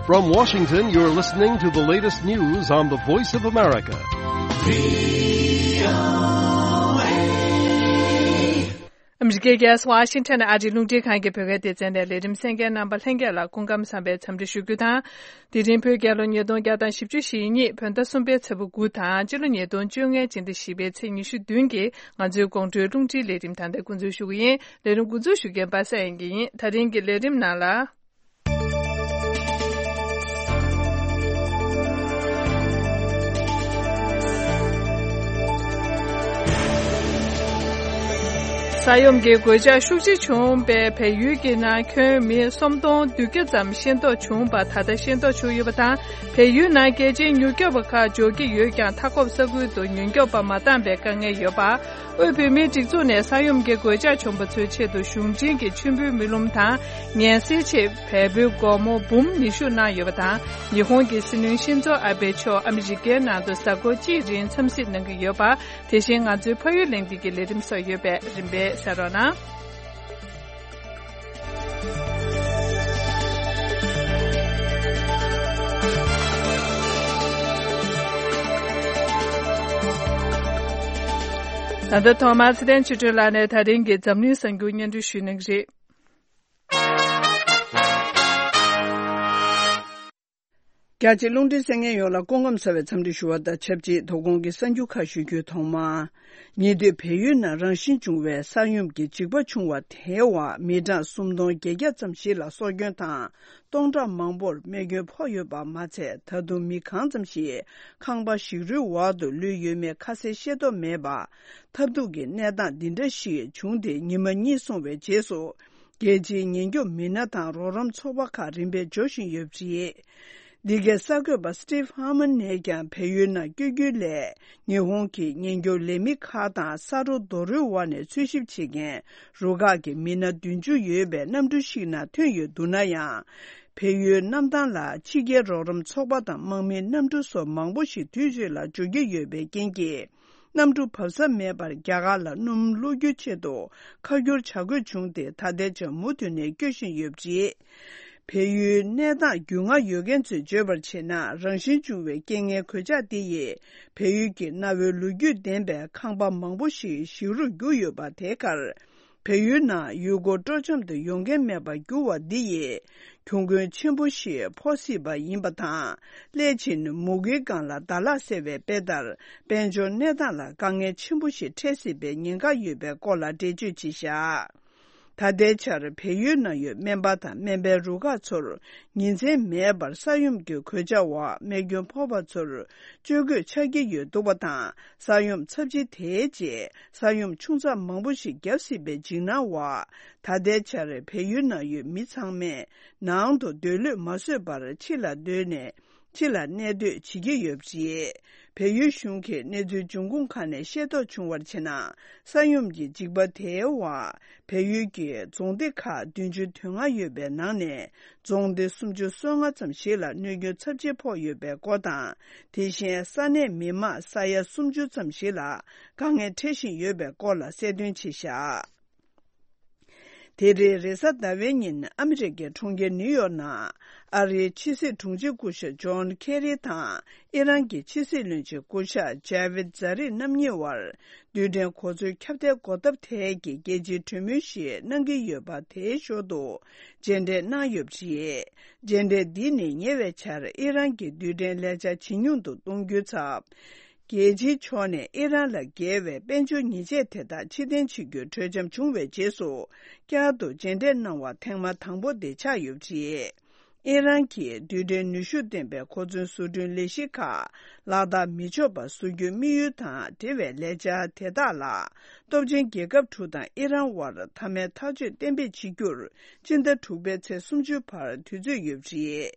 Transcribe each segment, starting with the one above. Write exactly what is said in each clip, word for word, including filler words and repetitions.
From Washington, you're listening to the latest news on the Voice of America. ཨ་མི་རི་ཀའི་རྒྱལ་ས་ཝ་ཤིང་ཊོན་ཨ་རིའི་རླུང་འཕྲིན་ཁང་གི་བོད་སྐད་སྡེ་ཚན་ནས་ལས་རིམ་གསན་མཁན་རྣམ་པ་ལྷན་རྒྱས་ལ་སྐུ་ཁམས་བཟང་བའི་འཚམས་འདྲི་ཞུ་རྒྱུ་དང་། དེ་རིང་བོད་རྒྱལ་ལོ་ཉིས་སྟོང་བརྒྱ་དང་བཞི་བཅུ་ཞེ་གཉིས་བོད་ཟླ་གསུམ་པའི་ཚེས་པ་དགུ་དང་། སྤྱི་ལོ་ཉིས་སྟོང་བཅོ་ལྔའི་སྤྱི་ཟླ་བཞི་པའི་ཚེས་ཉི་ཤུ་བདུན་གྱི་ང་ཚོའི་དགོང་དྲོའི་རླུང་འཕྲིན་ལས་རིམ་ད་ལྟ་འགོ་འཛུགས་ཞུ་གི་ཡིན། ལས་རིམ་འགོ་འཛུགས་ཞུ་མཁན་པ་སངས་དབྱངས་སྐྱིད་ཡིན། ད་རིང་གི་ལས་རིམ་ནང་ལ། ས་ཡོམ་གྱི་གོད་ཆག་ཤུགས་ཆེ་བྱུང་བའི་བལ་ཡུལ་གྱི་ནང་ཁྱོན་མི་སུམ་སྟོང་བདུན་བརྒྱ་ཙམ་ཤེས་རྟོགས་བྱུང་བ་ད་ལྟ་ཤེས་རྟོགས་བྱུང་ཡོད་པ་དང་། བལ་ཡུལ་ནང་རྒྱལ་སྤྱིའི་མྱུར་སྐྱོབ་པ་ཁག་འབྱོར་གྱི་ཡོད་ཀྱང་། མཐའ་འཁོབ་ས་ཁུལ་དུ་ཉེན་སྐྱོབ་པ་མ་བཏང་བའི་དཀའ་ངལ་ཡོད་པ། དབུས་བོད་མིའི་སྒྲིག་འཛུགས་ནས་ས་ཡོམ་གྱི་གོད་ཆག་བྱུང་བ་ཚོའི་ཆེད་དུ་གཞུང་འབྲེལ་གྱི་མཆོད་འབུལ་མེ་ལུང་དང་། ངལ་སེལ་ཆེད་བལ་པོའི་སྒོར་མོ་འབུམ་ཉི་ཤུ་གནང་ཡོད་པ་དང་། ཉི་ཧོང་གི་སྲིད་བློན་ཤིན་ཛོ་ཨ་བྷེ་མཆོག་ཨ་མི་རི་ཀའི་ནང་དུ་གཟའ་འཁོར་གཅིག་རིང་འཚམས་གཟིགས་གནང་གི་ཡོད་པ། དེ་བཞིན་ང་ཚོའི་ཕ་ཡུལ་གླེང་སྟེགས་ཀྱི་ལས་རིམ་སོགས་ཡོད་པས་རིམ་པས་གསན་རོགས་གནང་། ད་ལྟ་ཐོག་མར་ཚེ་བརྟན་ཆོས་སྒྲོན་ལགས་ནས་ད་རིང་གི་འཛམ་གླིང་གསར་འགྱུར་སྙན་སྒྲོན་ཞུ་གནང་གི་རེད། རྒྱ་ཆེ་རླུང་འཕྲིན་གསན་མཁན་ཡོངས་ལ་སྐུ་ཁམས་བཟང་བའི་འཚམས་འདྲི་ཞུ་བ་དང་ཆབས་ཅིག་དོ་དགོང་གི་གསར་འགྱུར་ཁག་ཞུ་རྒྱུའི་ཐོག་མ། ཉེ་དུས་བལ་ཡུལ་ནང་རང་བཞིན་བྱུང་བའི་ས་ཡོམ་གྱི་འཇིགས་པ་བྱུང་བ་དེའི་འོག་མི་གྲངས་སུམ་སྟོང་བརྒྱད་བརྒྱ་ཙམ་ཞིག་ལ་སྲོག་སྐྱོན་དང་། སྟོང་ཕྲག་མང་པོར་རྨས་སྐྱོན་ཕོག་ཡོད་པ་མ་ཚད། ད་དུང་མི་གང་ཙམ་ཞིག་ཁང་པ་ཞིག་རོའི་འོག་ཏུ་ལུས་ཡོད་མེད་ཁ་གསལ་ཤེས་རྟོགས་མེད་པ། ཐབས་སྡུག་གི་གནས་སྟངས་འདི་འདྲ་ཞིག་བྱུང་སྟེ་ཉི་མ་གཉིས་སོང་བའི་རྗེས་སུ། རྒྱལ་སྤྱིའི་ཉེན་སྐྱོབ་མི་སྣ་དང་རོགས་རམ་ཚོགས་པ་ཁག་རིམ་པས་འབྱོར་བཞིན་ཡོད་པ་རེད། འདི་གའི་གསར་འགོད་པ་Steve Harmon ནས་ཀྱང་བལ་ཡུལ་ནང་བསྐྱོད་རྒྱུའི་སླད། ཉི་ཧོང་གི་ཉེན་སྐྱོབ་ལས་མི་ཁག་དང་ས་རོ་རྡོ་རོའི་འོག་ནས་འཚོལ་ཞིབ་བྱེད་མཁན་རུ་ཁག་གི་མི་སྣ་བདུན་ཅུ་ཡོད་པའི་གནམ་གྲུ་ཞིག་ནང་ཐོན་ཡོད་འདུག་ན་ཡང་། བལ་ཡུལ་གནམ་ཐང་ལ་ཕྱི་རྒྱལ་རོགས་རམ་ཚོགས་པ་དང་དམག་མིའི་གནམ་གྲུ་སོགས་མང་པོ་ཞིག་དུས་གཅིག་ལ་འབྱོར་གྱི་ཡོད་པའི་རྐྱེན་གྱིས། གནམ་གྲུ་བབས་ས་མེད་པར་རྒྱ་གར་ལ་སྣུམ་བླུག་རྒྱུའི་ཆེད་དུ་ཁ་བསྒྱུར་བྱ་དགོས་བྱུང་སྟེ། ད་ལྟའི་ཆར་མུ་མཐུད་ནས་སྐྱོད་བཞིན་ཡོད་པ་རེད། བལ་ཡུལ་གནས་སྟངས་རྒྱུས་མངའ་ཡོད་མཁན་ཚོས་བརྗོད་པར་བྱས་ན། རང་བཞིན་བྱུང་བའི་རྐྱེན་ངན་གོད་ཆག་འདི་ཡིས་བལ་ཡུལ་གྱི་གནའ་བོའི་ལོ་རྒྱུས་ལྡན་པའི་ཁང་པ་མང་པོ་ཞིག་ཞིག་རོ་གྱུར་ཡོད་པ། དེའི་ཁར། བལ་ཡུལ་ནང་ཡུལ་སྐོར་སྤྲོ་འཆམ་དུ་ཡོང་མཁན་མེད་པར་གྱུར་བ་འདི་ཡིས། གྱོང་གུན་ཆེན་པོ་ཞིག་ཕོག་སྲིད་པ་ཡིན་པ་དང་། སླད་ཕྱིན་མུ་གེའི་སྒང་ལ་ཟླ་ལག་ཟེར་བའི་དཔེ་ལྟར། དཔལ་འབྱོར་གནས་སྟངས་ལ་དཀའ་ངལ་ཆེན་པོ་ཞིག་འཕྲད་སྲིད་པའི་ཉེན་ཁ་ཡོད་པའི་སྐོར་ལ་འགྲེལ་བརྗོད་བྱས་བཞག་ད་ལྟའི་ཆར་བལ་ཡུལ་ནང་ཡོད་སྨན་པ་དང་སྨན་པའི་རུ་ཁག་ཚོར་ཉིན་མཚན་མེད་པར་ས་ཡོམ་གྱི་གོད་ཆག་འོག་རྨས་སྐྱོན་ཕོག་པ་ཚོར་བཅོས་དགོས་ཆགས་ཀྱི་ཡོད་འདུག་པ་དང་། ས་ཡོམ་ཚབས་ཆེ་དེའི་རྗེས། ས་ཡོམ་ཆུང་ཙག་མང་པོ་ཞིག་བརྒྱབ་སྲིད་པའི་འཇིགས་སྣང་འོག་ད་ལྟའི་ཆར་བལ་ཡུལ་ནང་ཡོད་མི་ཚང་མས་ནང་དུ་སྡོད་ལོས་མ་བཟོད་པར་ཕྱི་ལ་སྡོད་ནས། ཕྱི་ལ་གནས་སྡོད་བྱེད་ཀྱི་ཡོད་པ་རེད། བལ་ཡུལ་གཞུང་གིས་གནས་ཚུལ་འབྱུང་ཁུངས་ཁག་ནས་ཤེས་རྟོགས་བྱུང་བར་བྱས་ན། ས་ཡོམ་གྱི་འཇིགས་པ་དེའི་འོག་བལ་ཡུལ་གྱི་རྫོང་སྡེ་ཁག་བདུན་ཅུ་དོན་ལྔ་ཡོད་པའི་ནང་ནས། རྫོང་སྡེ་སུམ་ཅུ་སོ་ལྔ་ཙམ་ཞིག་ལ་གནོད་སྐྱོན་ཚབས་ཆེ་ཕོག་ཡོད་པའི་སྐོར་དང་། དེ་བཞིན་ས་གནས་མི་མང་ས་ཡ་སུམ་ཅུ་ཙམ་ཞིག་ལ་དཀའ་ངལ་འཕྲད་བཞིན་ཡོད་པའི་སྐོར་ལ་གསལ་སྟོན་བྱས་བཞག་དེ་རིང་རེས་གཟའ་ཟླ་བའི་ཉིན་ཨ་མི་རི་ཀའི་གྲོང་ཁྱེར་ནིའུ་ཡོག་ནང་ཨ་རིའི་ཕྱི་སྲིད་དྲུང་ཆེ་སྐུ་ཞབས་ཇོན་ཁེ་རི་དང་ཨི་རན་གྱི་ཕྱི་སྲིད་བློན་ཆེན་སྐུ་ཞབས་ཇ་ཝིད་ཛ་རིབ་རྣམ་གཉིས་བར་རྡུལ་ཕྲན་གོ་མཚོན་ཁྱབ་གདལ་འགོག་ཐབས་ཐད་ཀྱི་རྒྱལ་སྤྱིའི་གྲོས་མོལ་ཞིག་གནང་གི་ཡོད་པ། དེའི་ཞོར་དུ་མཇལ་འཕྲད་གནང་ཡོད་པ་རེད། མཇལ་འཕྲད་འདི་ནི་ཉེ་བའི་ཆར་ཨི་རན་གྱི་རྡུལ་ཕྲན་ལས་འཆར་ཇེ་ཉུང་དུ་གཏོང་རྒྱུའི་ཚབ། རྒྱལ་སྤྱིའི་ཕྱོགས་ནས་ཨི་རན་ལ་འགེལ་བའི་དཔལ་འབྱོར་ཉེས་ཆད་དེ་དག་ཕྱིར་འཐེན་བྱེད་རྒྱུའི་གྲོས་འཆམ་བྱུང་བའི་རྗེས་སུ། བསྐྱར་དུ་མཇལ་འཕྲད་གནང་བ་ཐེངས་མ་དང་པོ་དེ་ཆགས་ཡོད་པ་རེད། ཨི་རན་གྱིས་རྡུལ་ཕྲན་ནུས་ཤུགས་ལྡན་པའི་གོ་མཚོན་བཟོ་སྐྲུན་ལས་གཞི་ཁག་ལག་བསྟར་མི་ཆོག་པ་བཟོ་རྒྱུའི་དམིགས་ཡུལ་དང་འབྲེལ་བའི་ལས་འཆར་དེ་དག་ལ། སྟོབས་ཆེན་རྒྱལ་ཁབ་དྲུག་དང་ཨི་རན་དབར་མཐའ་མའི་ཐག་གཅོད་གཏན་འབེབས་བྱེད་རྒྱུར། སྤྱི་ཟླ་དྲུག་པའི་ཚེས་སུམ་ཅུ་བར་དུས་ཚོད་ཡོད་པ་རེད།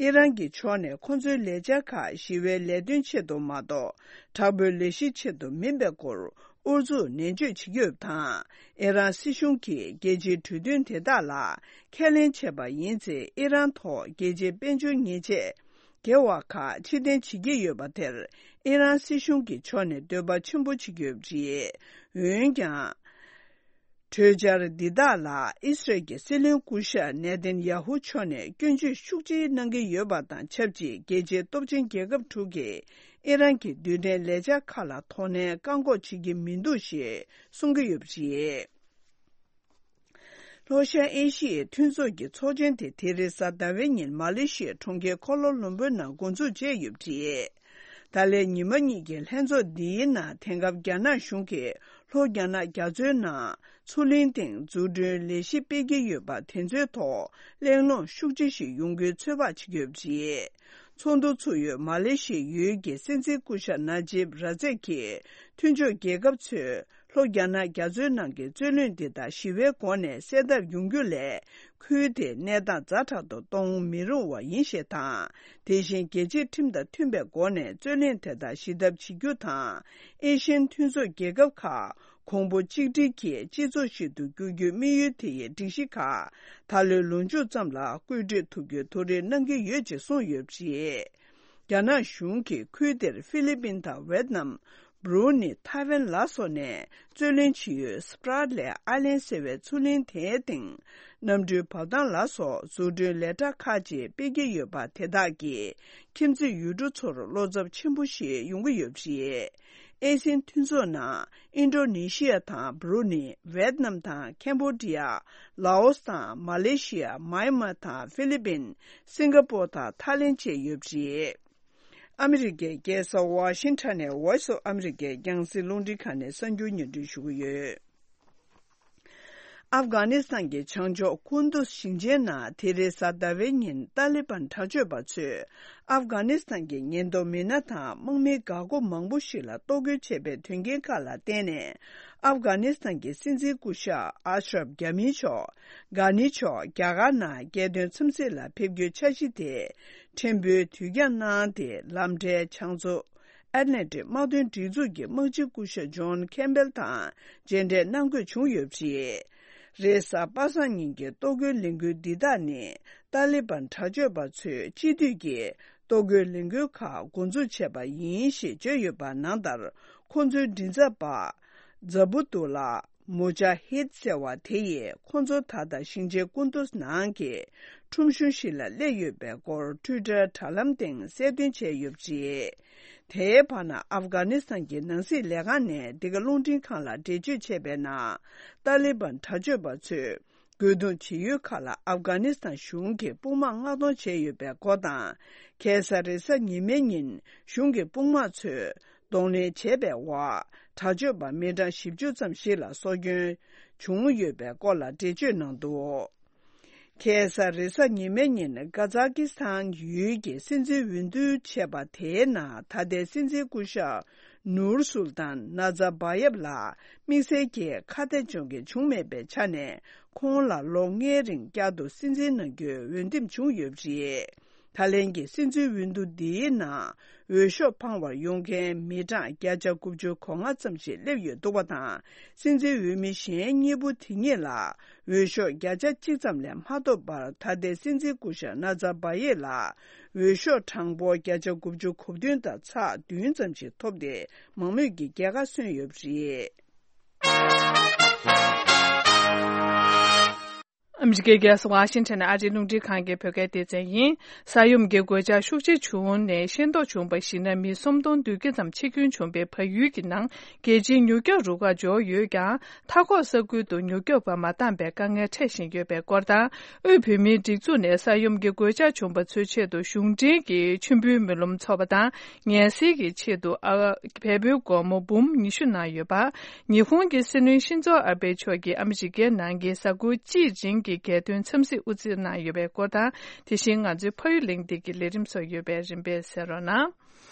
ཨི་རན་གྱི་ཕྱོགས་ནས་ཁོ་ཚོའི་ལས་འཆར་ཁག་ཞི་བའི་ལས་དོན་ཆེད་དུ་མ་གཏོགས། དྲག་པོའི་ལས་གཞིའི་ཆེད་དུ་མིན་པའི་སྐོར་ཨུ་ཚུགས་ནན་བརྗོད་བྱེད་ཀྱི་ཡོད་པ་དང་། ཨི་རན་སྲིད་གཞུང་གིས་རྒྱལ་སྤྱིའི་གྲོས་མཐུན་དེ་དག་ལ་ཁས་ལེན་བྱས་པ་ཡིན་ཚེ། ཨི་རན་ཐོག་རྒྱལ་སྤྱིའི་དཔལ་འབྱོར་ཉེས་ཆད་འགེལ་བ་ཁག་ཕྱིར་འཐེན་བྱེད་ཀྱི་ཡོད་པ་དེར། ཨི་རན་སྲིད་གཞུང་གི་ཕྱོགས་ནས་འདོད་པ་ཆེན་པོ་བྱེད་ཀྱི་ཡོད་པ་རེད། འོན་ཀྱང་། གྲོས་འཆར་འདི་དག་ལ་ཨི་སི་རལ་གྱི་སྲིད་བློན་སྐུ་ཞབས་ནེ་ཐན་ཡ་ཧུ་མཆོག་ནས་སྐྱོན་བརྗོད་ཤུགས་ཆེ་གནང་གི་ཡོད་པ་དང་ཆབས་ཅིག་རྒྱལ་སྤྱིའི་སྟོབས་ཆེན་རྒྱལ་ཁབ་དྲུག་གིས་ཨི་རན་གྱི་རྡུལ་ཕྲན་ལས་འཆར་ཁག་ལ་དོ་ནན་བཀག་འགོག་བྱེད་ཀྱི་མི་འདུག་ཞེས་གསུང་གི་ཡོད་པ་རེད། ལྷོ་ཤར་ཨེ་ཤི་ཡའི་མཐུན་ཚོགས་ཀྱི་ཚོགས་ཆེན་དེ་དེ་རེས་གཟའ་ཟླ་བའི་ཉིན་མ་ལེ་ཤི་ཡའི་གྲོང་ཁྱེར་ཀོ་ལ་ལུམ་བུར་ནང་འགོ་འཛུགས་བྱས་ཡོད་པ་རེད། ད་ལན་ཉི་མ་གཉིས་ཀྱི་ལྷན་ཚོགས་འདིའི་ནང་དེང་སྐབས་རྒྱ་ནག་གཞུང་གིས་ལྷོ་རྒྱ་ནག་རྒྱ་མཚོའི་ནང་མཚོ་གླིང་སྟེང་འཛུགས་སྐྲུན་ལས་གཞི་སྤེལ་གྱི་ཡོད་པ་དེ་ཚོའི་ཐོག་གླེང་སློང་ཤུགས་ཆེ་ཞིག་ཡོང་རྒྱུའི་ཚོད་དཔག་བྱེད་ཀྱི་ཡོད་པ་རེད། ཚོགས་འདུ་ཚུགས་ཡུལ་མ་ལེ་ཤི་ཡའི་ཡུལ་གྱི་སྲིད་འཛིན་སྐུ་ཞབས་ན་ཇིབ་ར་ཛེབ་ཀྱིས་མཐུན་ཕྱོགས་རྒྱལ་ཁབ་ཚོས་ལྷོ་རྒྱ་ནག་རྒྱ་མཚོའི་ནང་གི་རྩོད་གླེང་འདི་དག་ཞི་བའི་སྒོ་ནས་སེལ་ཐབས་ཡོང་རྒྱུ་ལས། ཁུལ་དེའི་གནས་སྟངས་ཛ་དྲག་ཏུ་གཏོང་མི་རུང་བ་ཡིན་ཞེས་དང་། དེ་བཞིན་རྒྱལ་སྤྱིའི་ཁྲིམས་དང་མཐུན་པའི་སྒོ་ནས་རྩོད་གླེང་དེ་དག་ཞི་ཐབས་བྱེད་རྒྱུ་དང་། ཨེ་ཤི་ཡན་མཐུན་ཚོགས་རྒྱལ་ཁབ་ཁག་གོང་བུ་གཅིག་སྒྲིལ་གྱིས་སྤྱི་ཚོགས་ཤིག་ཏུ་བསྒྱུར་རྒྱུའི་དམིགས་ཡུལ་དེ་ཡི་སྒྲིག་གཞི་ཁག་ད་ལོའི་ལོ་མཇུག་ཙམ་ལ་བཀོད་སྒྲིག་ཐུབ་རྒྱུའི་ཐུགས་རེ་གནང་གི་ཡོད་ཅེས་གསུངས་ཡོད་པ་རེད། རྒྱ་ནག་གཞུང་གིས་ཁུལ་དེར་ཧྥི་ལི་པིན་དང་ཝེད་ནམ། སྦྲུ་ནི། ཐའེ་ཝན་ལ་སོགས་ནས་རྩོད་གླེང་བྱེད་ཡུལ་སྤྲ་ལའི་ཨའི་ལན་ཟེར་བའི་མཚོ་གླིང་དེའི་སྟེང་གནམ་གྲུའི་བབས་ཐང་ལ་སོགས་འཛུགས་སྐྲུན་ལས་གྲྭ་ཁག་ཅིག་སྤེལ་གྱི་ཡོད་པ་དེ་དག་གིས་ཁྱིམ་མཚེས་ཡུལ་གྲུ་ཚོར་བློ་འཚབ་ཆེན་པོ་ཞིག་ཡོང་གི་ཡོད་པ་རེད། ཨེ་སི་ཡན་མཐུན་ཚོགས་ནང་ཨིན་ཌོ་ནེ་ཤི་ཡ་དང་སྦྲུ་ནི། ཝེད་ནམ་དང་ཁེམ་བྷོ་ཌི་ཡ། ལའོ་སི་དང་མ་ལེ་ཤི་ཡ། མཱ་ཡན་མ་དང་ཧྥི་ལི་པིན། སིང་ག་པོར་དང་ཐའི་ལེན་བཅས་ཡོད་པ་རེད། ཨ་མི་རི་ཀའི་རྒྱལ་ས་ཝ་ཤིང་ཊོན་ནས་Voice of America རྒྱང་སྲིང་རླུང་འཕྲིན་ཁང་ནས་གསར་འགྱུར་སྙན་སྒྲོན་ཞུ་གི་ཡོད། ཨབ་གྷ་ནི་སི་ཐན་གྱི་བྱང་ཕྱོགས་ཀུན་ཏུ་ཞིང་ཆེན་ནང་དེ་རེས་གཟའ་ཟླ་བའི་ཉིན་ཏཱ་ལི་བན་དྲག་སྤྱོད་པ་ཚོས་ཨབ་གྷ་ནི་སི་ཐན་གྱི་ཉེན་རྟོག་མི་སྣ་དང་དམག་མི་འགག་སྒོ་མང་པོ་ཞིག་ལ་གཏོར་རྒོལ་བྱས་པའི་དོན་རྐྱེན་ཁག་ལ་བརྟེན་ནས། ཨབ་གྷ་ནི་སི་ཐན་གྱི་སྲིད་འཛིན་སྐུ་ཞབས་ཨ་ཤ་རབ་གྷ་ནི་མཆོག་གྷ་ནི་མཆོག་རྒྱ་གར་ནང་རྒྱལ་དོན་འཚམས་གཟིགས་ལ་ཕེབས་རྒྱུའི་འཆར་གཞི་དེ་ཕྲན་བུ་དུས་འགྱངས་གནང་སྟེ། ལམ་འཕྲལ་བྱང་མཚོ་ཨེཊ་ལན་ཊིག་དམག་དོན་སྒྲིག་འཛུགས་ཀྱི་དམག་སྤྱི་སྐུ་ཞབས་ཇོན་ཁེམ་བྷེལ་དང་མཇལ་འཕྲད་གནང་དགོས་བྱུང་ཡོད་པ་རེད། རེས་གཟའ་པ་སངས་ཉིན་གྱི་གཏོར་རྒོལ་ལས་འགུལ་འདི་དག་ནི་ཏཱ་ལི་བན་དྲག་སྤྱོད་པ་ཚོས་སྤྱི་འཐུས་ཀྱི་གཏོར་རྒོལ་ལས་འགུལ་ཁག་འགོ་འཛུགས་བྱས་པ་ཡིན་ཞེས་བརྗོད་ཡོད་པ་ནང་ལྟར། ཁོ་ཚོའི་མགྲིན་ཚབ་པ་ཛ་བུ་ཏུ་ལ། མུ་ཇཱ་ཧིད་ཟེར་བ་དེ་ཡིས་ཁོ་ཚོ་ད་ལྟ་ཞིང་ཆེན་ཀུན་ཏུ་ནང་གི་ཁྲོམ་གཞུང་ཞིག་ལ་སླེབས་ཡོད་པའི་སྐོར་ཊུའི་ཊར་དྲ་ལམ་སྟེང་གསལ་སྟོན་བྱས་ཡོད་པ་རེད། དེའི་བར་ན་ཨབ་གྷ་ནི་སི་ཐན་གྱི་ནང་སྲིད་ལས་ཁང་ནས་འདི་ག་རླུང་འཕྲིན་ཁང་ལ་འགྲེལ་བརྗོད་བྱས་པའི་ནང་། ཏཱ་ལི་བན་དྲག་སྤྱོད་པ་ཚོས་རྒོལ་རྡུང་བྱེད་ཡུལ་ཁག་ལ་ཨབ་གྷ་ནི་སི་ཐན་གཞུང་གིས་དཔུང་དམག་མངགས་གཏོང་བྱས་ཡོད་པའི་སྐོར་དང་། ཁ་སང་རེས་གཟའ་ཉི་མའི་ཉིན་གཞུང་གི་དཔུང་དམག་ཚོས། གདོང་ལེན་བྱས་པའི་འོག་དྲག་སྤྱོད་པ་མི་གྲངས་བཞི་བཅུ་ཙམ་ཞིག་ལ་སྲོག་སྐྱོན་བྱུང་ཡོད་པའི་སྐོར་ལ་འགྲེལ་བརྗོད་གནང་འདུག་ཁ་སང་རེས་གཟའ་ཉི་མའི་ཉིན་ཀ་ཛ་ཀི་སི་ཐན་ཡུལ་གྱི་སྲིད་འཛིན་འོས་བསྡུ་བྱས་པ་དེའི་ནང་ད་ལྟའི་སྲིད་འཛིན་སྐུ་ཞབས་ནུར་སུལ་ཏཱན་ན་ཛར་བ་ཡེབ་ལ་དམིགས་བསལ་གྱི་ཁ་གཏད་གཅོག་མཁན་བྱུང་མེད་པའི་ཆ་ནས། ཁོང་ལ་ལོ་ལྔའི་རིང་བསྐྱར་དུ་སྲིད་འཛིན་གནང་རྒྱུའི་འོས་འདེམས་བྱུང་ཡོད་པ་རེད། ད་ལན་གྱི་སྲིད་འཛིན་འོས་བསྡུ་འདིའི་ནང་འོས་ཤོག་འཕང་བར་ཡོང་མཁན་མི་གྲངས་བརྒྱ་ཆ་དགུ་བཅུ་གོ་ལྔ་ཙམ་ཞིག་སླེབས་ཡོད་འདུག་པ་དང་། སྲིད་འཛིན་འོས་མི་གཞན་གཉིས་པོ་དེ་གཉིས་ལ་འོས་ཤོག་བརྒྱ་ཆ་གཅིག་ཙམ་ལས་མ་ཐོབ་པར། ད་ལྟའི་སྲིད་འཛིན་སྐུ་ཞབས་ན་ཛར་བ་ཡེ་ལ་འོས་ཤོག་གྲངས་འབོར་བརྒྱ་ཆ་དགུ་བཅུ་གོ་བདུན་དང་ཚེག་བདུན་ཙམ་ཞིག་ཐོབ་སྟེ། མང་མོས་ཀྱི་རྒྱལ་ཁ་སོན་ཡོད་པ་རེད། ཨ་མི་རི་ཀའི་རྒྱལ་ས་ཝ་ཤིང་ཊོན་ནས་ཨ་རིའི་རླུང་འཕྲིན་ཁང་གི་བོད་སྐད་སྡེ་ཚན་ཡིན། ས་ཡོམ་གྱི་གོད་ཆག་ཤུགས་ཆེ་བྱུང་ནས་ཤེས་རྟོགས་བྱུང་བར་གཞིགས་ན། མི་སུམ་སྟོང་བདུན་བརྒྱ་ཙམ་འཆི་སྐྱོན་བྱུང་བའི་བལ་ཡུལ་གྱི་ནང་རྒྱལ་སྤྱིའི་མྱུར་སྐྱོབ་རུ་ཁག་འབྱོར་ཡོད་ཀྱང་། མཐའ་འཁོར་ས་ཁུལ་དུ་མྱུར་སྐྱོབ་པ་མ་འདང་བའི་དཀའ་ངལ་འཕྲད་བཞིན་ཡོད་པའི་སྐོར་དང་། དབུས་བོད་མིའི་སྒྲིག་འཛུགས་ནས་ས་ཡོམ་གྱི་གོད་ཆག་བྱུང་བ་ཚོའི་ཆེད་དུ་གཞུང་འབྲེལ་གྱི་མཆོད་འབུལ་སྨོན་ལམ་འཚོགས་པ་དང་། ངལ་སེལ་གྱི་ཆེད་དུ་ཨ་བལ་པོའི་སྒོར་མོ་འབུམ་ཉི་ཤུ་གནང་ཡོད་པ། ཉི་ཧོང་གི་སྲིད་བློན་ཤིན་ཛོ་ཨ་བྷེ་མཆོག་གིས་ཨ་མི་རི་ཀའི་ནང་གི་གཟའ་འཁོར་གཅིག་རིང་གི་རྒྱལ་དོན་འཚམས་གཟིགས་དབུ་འཛུགས་གནང་ཡོད་པའི་སྐོར་དང་། དེ་བཞིན་ང་ཚོའི་ཕ་ཡུལ་གླེང་སྟེགས་ཀྱི་ལས་རིམ་སོགས་ཡོད་པས་རིམ་པས་གསན་རོགས་གནང་།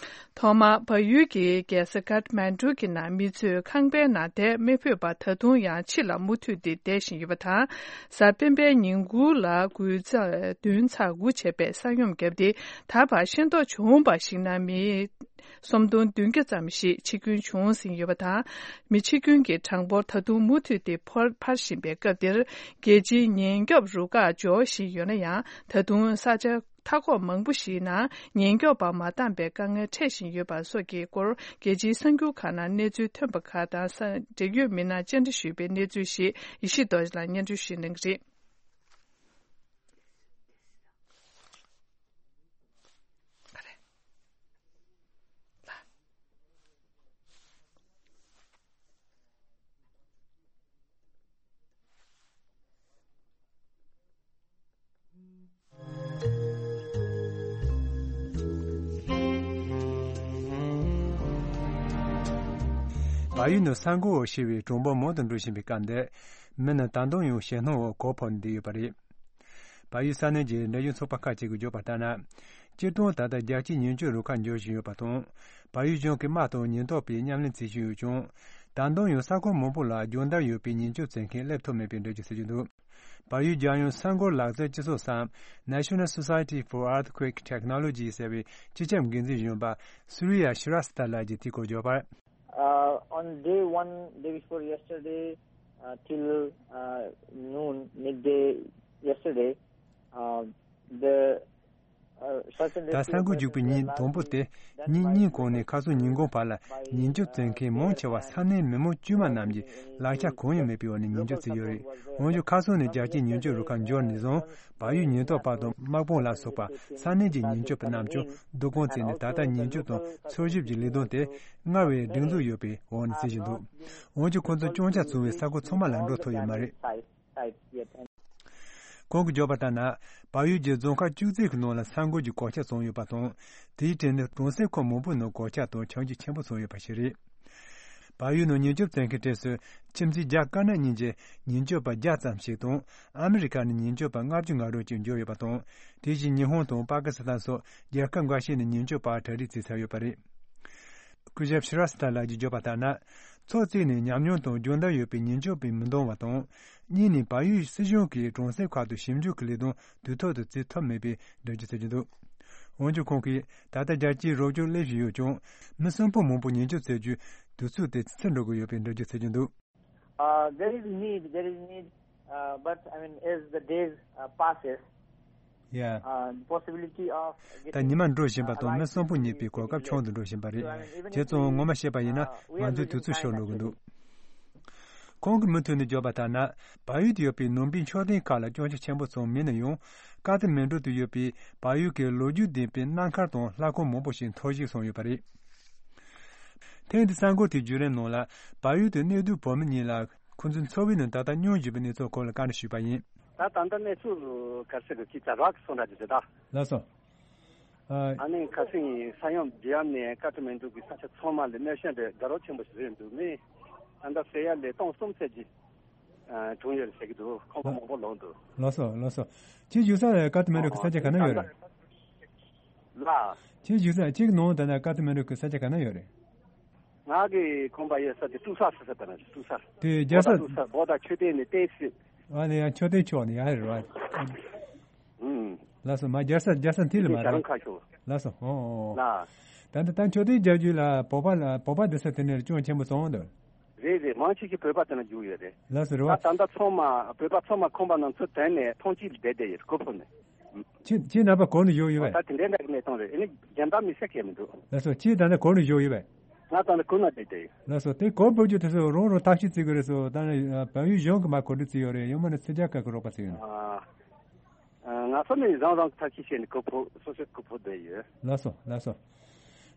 ཐོག་མར་བལ་ཡུལ་གྱི་རྒྱལ་ས་ཀཏ་མན་གྲུ་གྱི་ནང་མི་ཚོས་ཁང་པའི་ནང་བསྡད་མི་ཕོད་པར་ད་དུང་ཡང་ཕྱི་ལ་མུ་མཐུད་དེ་བསྡད་བཞིན་ཡོད་པ་དང་། གཟའ་སྤེན་པའི་ཉིན་གུང་ལ་དགུ་ཚེག་བདུན་ཚེག་དགུ་བྱས་པའི་ས་ཡོམ་བརྒྱབ་སྟེ། ད་བར་ཤེས་རྟོགས་བྱུང་བར་གཞིགས་ན་མི་སུམ་སྟོང་བདུན་བརྒྱ་ཙམ་ཞིག་འཆི་སྐྱོན་བྱུང་ཟིན་ཡོད་པ་དང་། མི་འཆི་སྐྱོན་གྱི་གྲངས་འབོར་ད་དུང་མུ་མཐུད་དེ་འཕར་འཕར་བཞིན་པའི་སྐབས་འདིར། རྒྱལ་སྤྱིའི་ཉེན་སྐྱོབ་རུ་ཁག་འབྱོར་བཞིན་ཡོད་ན་ཡང་། ད་དུང་ས་ཆ་ མཐའ་འཁོར་མང་པོ་ཞིག་ནང་ཉེན་སྐྱོབ་པ་མ་འདང་པའི་དཀའ་ངལ་འཕྲད་བཞིན་ཡོད་པ་སོགས་ཀྱི་སྐོར། རྒྱལ་སྤྱིའི་གསར་འགྱུར་ཁག་ནང་གནས་ཚུལ་ཐོན་པ་ཁག་དང་། ས་འབྲེལ་ཡོད་མི་སྣར་བཅར་འདྲི་ཞུས་པའི་གནས་ཚུལ་ཞིག་ཡེ་ཤེས་རྡོ་རྗེ་ལགས་སྙན་སྒྲོན་ཞུ་གནང་གི་རེད། བལ་ཡུལ་ནང་ས་འགུལ་འོག་ཤི་བའི་གྲངས་འབོར་མང་དུ་འགྲོ་བཞིན་པའི་སྐབས་འདིར། མི་རྣམས་ད་དུང་ཡང་ཞེད་སྣང་འོག་གོ་ཕོག་ནས་བསྡད་ཡོད་པ་རེད། བལ་ཡུལ་ས་གནས་ཀྱི་འབྲེལ་ཡོད་ཚོགས་པ་ཁག་ཅིག་གིས་བརྗོད་པ་ལྟར་ན། སྤྱིར་བཏང་ད་ལྟ་རྒྱལ་སྤྱིའི་ཉེན་སྐྱོབ་རུ་ཁག་འབྱོར་བཞིན་ཡོད་པ་དང་། བལ་ཡུལ་གཞུང་གིས་དམག་དང་ཉེན་རྟོག་པའི་མཉམ་ལས་མཛད་བཞིན་ཡོད་ཀྱང་། ད་དུང་ཡང་ས་ཁུལ་མང་པོ་ལ་སྦྱོང་བརྡར་ཡོད་པའི་ཉེན་སྐྱོབ་བཙན་མཁན་སླེབས་ཐུབ་མེད་པའི་འགྲེལ་བརྗོད་བྱེད་ཀྱི་འདུག་བལ་ཡུལ་རྒྱལ་ཡོངས་ས་འགུལ་ལག་རྩལ་སྤྱི་ཚོགས་སམ། National Society for Earthquake Technology ཟེར་བའི་སྤྱི་ཁྱབ་འགན་འཛིན་གཞོན་པ་Surya Shrestha ལགས་ཀྱིས་དེའི་སྐོར་བརྗོད་པར། Uh, on day one, day before yesterday, uh, till uh, noon, midday yesterday, uh, the uh, search and ད་ས་འགུལ་རྒྱུག་པའི་ཉིན་དང་པོ་དེ། ཉིན་གཉིས་གོང་ནས་ཁ་སང་ཉིན་གུང་བར་ལ་ཉེན་སྐྱོབ་བཙལ་མཁན་མང་ཆེ་བ་ས་གནས་མི་མང་དཀྱུས་མ་རྣམས་ཀྱིས་ལག་ཆ་གང་ཡང་མེད་པའི་འོག་ནས་ཉེན་སྐྱོབ་བཙལ་ཡོད་རེད། འོན་ཀྱང་ཁ་སང་ནས་རྒྱལ་སྤྱིའི་ཉེན་སྐྱོབ་རུ་ཁག་འབྱོར་ནས་བཟུང་། བལ་ཡུལ་ཉེན་རྟོག་པ་དང་དམག་དཔུང་ལ་སོགས་པ་ས་གནས་ཀྱི་ཉེན་སྐྱོབ་པ་རྣམས་ཀྱང་སྡུག་སྐོང་བྱས་ནས། ད་ལྟ་ཉེན་སྐྱོབ་དང་འཚོལ་ཞིབ་ཀྱི་ལས་དོན་དེ་སྔར་བས་སྒྲིག་འཛུགས་ཡོད་པའི་འོག་ནས་བྱེད་བཞིན་འདུག་འོན་ཀྱང་ཁོང་ཚོས་སྐྱོན་ཆ་བྱུང་བའི་ས་ཁུལ་ཚང་མ་ལ་འགྲོ་ཐུབ་ཡོད་མ་རེད། Site, site yet. ཁོང་གིས་བརྗོད་པ་ལྟར་ན། བལ་ཡུལ་གྱི་རྫོང་ཁག་བཅུ་གཅིག་གི་ནང་ལ་ས་འགུལ་གྱི་གོད་ཆག་བྱུང་ཡོད་པ་དང་། དེའི་གྲས་ནི་གྲོང་གསེབ་ཁག་མང་པོའི་ནང་གོད་ཆག་དང་ཆག་འཇིག་ཆེན་པོ་བྱུང་ཡོད་པ་ཞིག་རེད། བལ་ཡུལ་ནང་ཉེན་སྐྱོབ་བཙལ་མཁན་གྲས་སུ་ཁྱིམ་མཚེས་རྒྱ་དཀར་ནག་གཉིས་ཀྱི་ཉེན་སྐྱོབ་པ་བརྒྱ་ཙམ་ཞིག་དང་། ཨ་མི་རི་ཀ་ནས་ཉེན་སྐྱོབ་པ་ལྔ་བཅུ་ང་དྲུག་ཅིག་འབྱོར་ཡོད་པ་དང་། དེ་བཞིན་ཉི་ཧོང་དང་པ་ཀི་སི་ཐན་སོགས་རྒྱལ་ཁབ་འགའ་ཤས་ནས་ཉེན་སྐྱོབ་པ་གྲ་སྒྲིག་བྱས་ཚར་ཡོད་པ་རེད། སྐུ་ཞབས་ཤི་ར་སི་ཐ་ལགས་ཀྱིས་བརྗོད་པ་ལྟར་ན། ཕྱོགས་གཅིག་ནས་ཉམས་མྱོང་དང་སྦྱོང་བརྡར་ཡོད་པའི་ཉེན་སྐྱོབ་པས་མི་འདང་བ་དང་། གཉིས་ནས་བལ་ཡུལ་སྲིད་གཞུང་གིས་གྲོང་གསེབ་ཁག་ཏུ་ཞིབ་འཇུག་གི་ལས་དོན་དུས་ཐོག་ཏུ་བྱེད་ཐུབ་མེད་པའི་འགྲེལ་བརྗོད་བྱེད་ཀྱི་འདུག་འོན་ཀྱང་ཁོང་གིས་ད་ལྟ་རྒྱལ་སྤྱིའི་རོགས་སྐྱོར་སླེབས་བཞིན་ཡོད་ཀྱང་། མི་གསོན་པོ་མང་པོ་ཉེན་སྐྱོབ་བྱེད་རྒྱུའི་དུས་ཚོད་དེ་ཕྱིར་འགྲོ་གི་ཡོད་པའི་འགྲེལ་བརྗོད་བྱེད་ཀྱི་འདུག Uh, there is need, there is need, uh, but I mean, as the days uh, passes, yeah, uh, the possibility of ད་getting ཉི་མ་འགྲོ་བཞིན་པ་དང་མི་གསོན་པོ་རྙེད་པའི་གོ་སྐབས་ཆུང་དུ་འགྲོ་བཞིན་པ་རེད། བྱས་ཙང་ངོ་མ་བཤད་པ་ཡིན་ན་ང་ཚོའི་དུས་ཚོད་ཤོར་འགྲོ་གི་འདུག་ཁོང་གིས་མུ་མཐུད་ནས་བརྗོད་པ་ལྟར་ན། བལ་ཡུལ་དུ་ཡོད་པའི་ནང་པའི་མཆོད་རྟེན་ཁག་ལ་སྐྱོན་ཆ་ཆེན་པོ་ཙམ་མེད་ན་ཡང་། ཀ་ཐ་མན་གྲུ་དུ་ཡོད་པའི་བལ་ཡུལ་གྱི་ལོ་རྒྱུས་ལྡན་པའི་གནའ་མཁར་དང་ལྷ་ཁང་མང་པོ་ཞིག་འཐོར་ཞིག་སོང་ཡོད་པ་རེད། ཐེངས་འདིའི་གསར་འགོད་དེའི་བརྒྱུད་རིམ་ནང་ལ། བལ་ཡུལ་དུ་གནས་སྡོད་བོད་མི་གཉིས་ལ་ཁོང་ཚོའི་འཚོ་བའི་ནང་ད་ལྟ་མྱོང་བཞིན་པའི་གནས་ཚུལ་སྐོར་ལ་བཀའ་འདྲི་ཞུས་པ་ཡིན། ད་ད་ལྟ་གནས་ཚུལ་ག་རེ་ཟེར་དགོས་ཀྱི་ཇ་རག་གི་སོང་འདྲ་ཅིག་རེད་ད། ལགས་སོ། ཨ། ཨ་ནི་ཁ་སང་ས་ཡོམ་རྒྱལ་ཡོམ་ནས་ཀ་ཐ་མན་གྲུ་གི་ས་ཆ་ཚང་མ་ལ་གནོད་སྐྱོན་དེ་དགའ་རབ་ཆེན་པོ་ཞིག་རེད་འདུག་མི་ད་ལྟ་ཟེར་ཡ་ལས་སྟོང་གསུམ་ཙམ་གྱི་ཨ། བྱུང་ཡོད་རེད་ཟེར་གྱི་འདུག་ཁང་པ་མང་པོ་ལོག་འདུག་ལགས་སོ་ལགས་སོ། ཁྱེད་བཞུགས་ས་ཀ་ཐ་མན་གྲུ་གི་ས་ཆ་ག་ན་ཡོད་རེད། ལགས། ཁྱེད་བཞུགས་ས་ཁྱེད་ཀྱི་ནང་ད་ལྟ་ཀ་ཐ་མན་གྲུ་གི་ས་ཆ་ག་ན་ཡོད་རེད། ང་གི་ཁང་པ་ཡོད་ས་དེ་ཏུ་ས་ཟེར་ས་དེ་ན་ཏུ་ས། དེ་རྒྱལ་ས། བོ་ད་ཏུ་ས་བོ་ད་མཆོད་རྟེན་ནི་ཏེ་སི། ཨ་ནི་ཡང་མཆོད་རྟེན་ཕྱོགས་ནི་ཡང་རེད་བ། ཨུམ། ལགས་སོ་མ་རྒྱལ་ས་རྒྱལ་ས་མཐིལ་ལ་མ་རེད། ཁ་ཤོ། ལགས་སོ་ཨོ་ཨོ། ལགས། ད་ལྟ་ད་མཆོད་རྟེན་རྒྱག་རྒྱུ་ལ་བོད་པ་ལ་བོད་པ་འདི་ས་དེ་ནས་སྐྱོན་ཆེན་པོ་སོང་འདུག་རེད་རེད་མང་ཆེ་ཤོས་བོད་པ་དེ་ན་རྒྱུག་ཡོད་རེད། ལགས་སོ་རེད་བ། ད་ད་ལྟ་ཚང་མ་བོད་པ་ཚང་མ་ཁང་པ་ནང་ཚུར་དོན་ནས་ཐོན་སྐྱེད་བསྡད་བསྡད་ཡོད་རེད་ཁོ་ཕོ་ནས། ཁྱེད་ཁྱེད་རྣམ་པ་གོ་ནས་བཞུགས་ཡོད་པས། ད་དེ་འདྲའི་འདྲ་གི་གནས་སྟངས་རེད་ཨེ་ནི་རྒྱལ་འདབས་མི་སེར་གས་མི་འདུག་ལགས་སོ་ཁྱེད་ད་ལྟ་གོ་ནས་བཞུགས་ཡོད་པས། ང་ད་ལྟ་གོ་ན་བསྡད་བསྡད་ཡོད། ལགས་སོ་དེ་གོ་ཕོ་རྒྱུ་དེ་ཚོ་རང་རང་ཐབས་ཤེས་བྱེད་དགོས་རེད་སོ་ད་ནི་བལ་ཡུལ་གཞུང་གི་མ་གོ་སྒྲིག་བྱས་ཡོད་རེད་ཡང་མིན་ན་ཕྱི་རྒྱལ་ཁག་གི་རོགས་པ་བྱས་ཡོད་ན། ང་ཚོ་ནི་རང་རང་གི་ཐབས་ཤེས་བྱས་ནས་གོ་ཕོ་སོ་སོའི་གོ་ཕོ་བསྡད་ཡོད། ལགས་སོ་ལགས་སོ།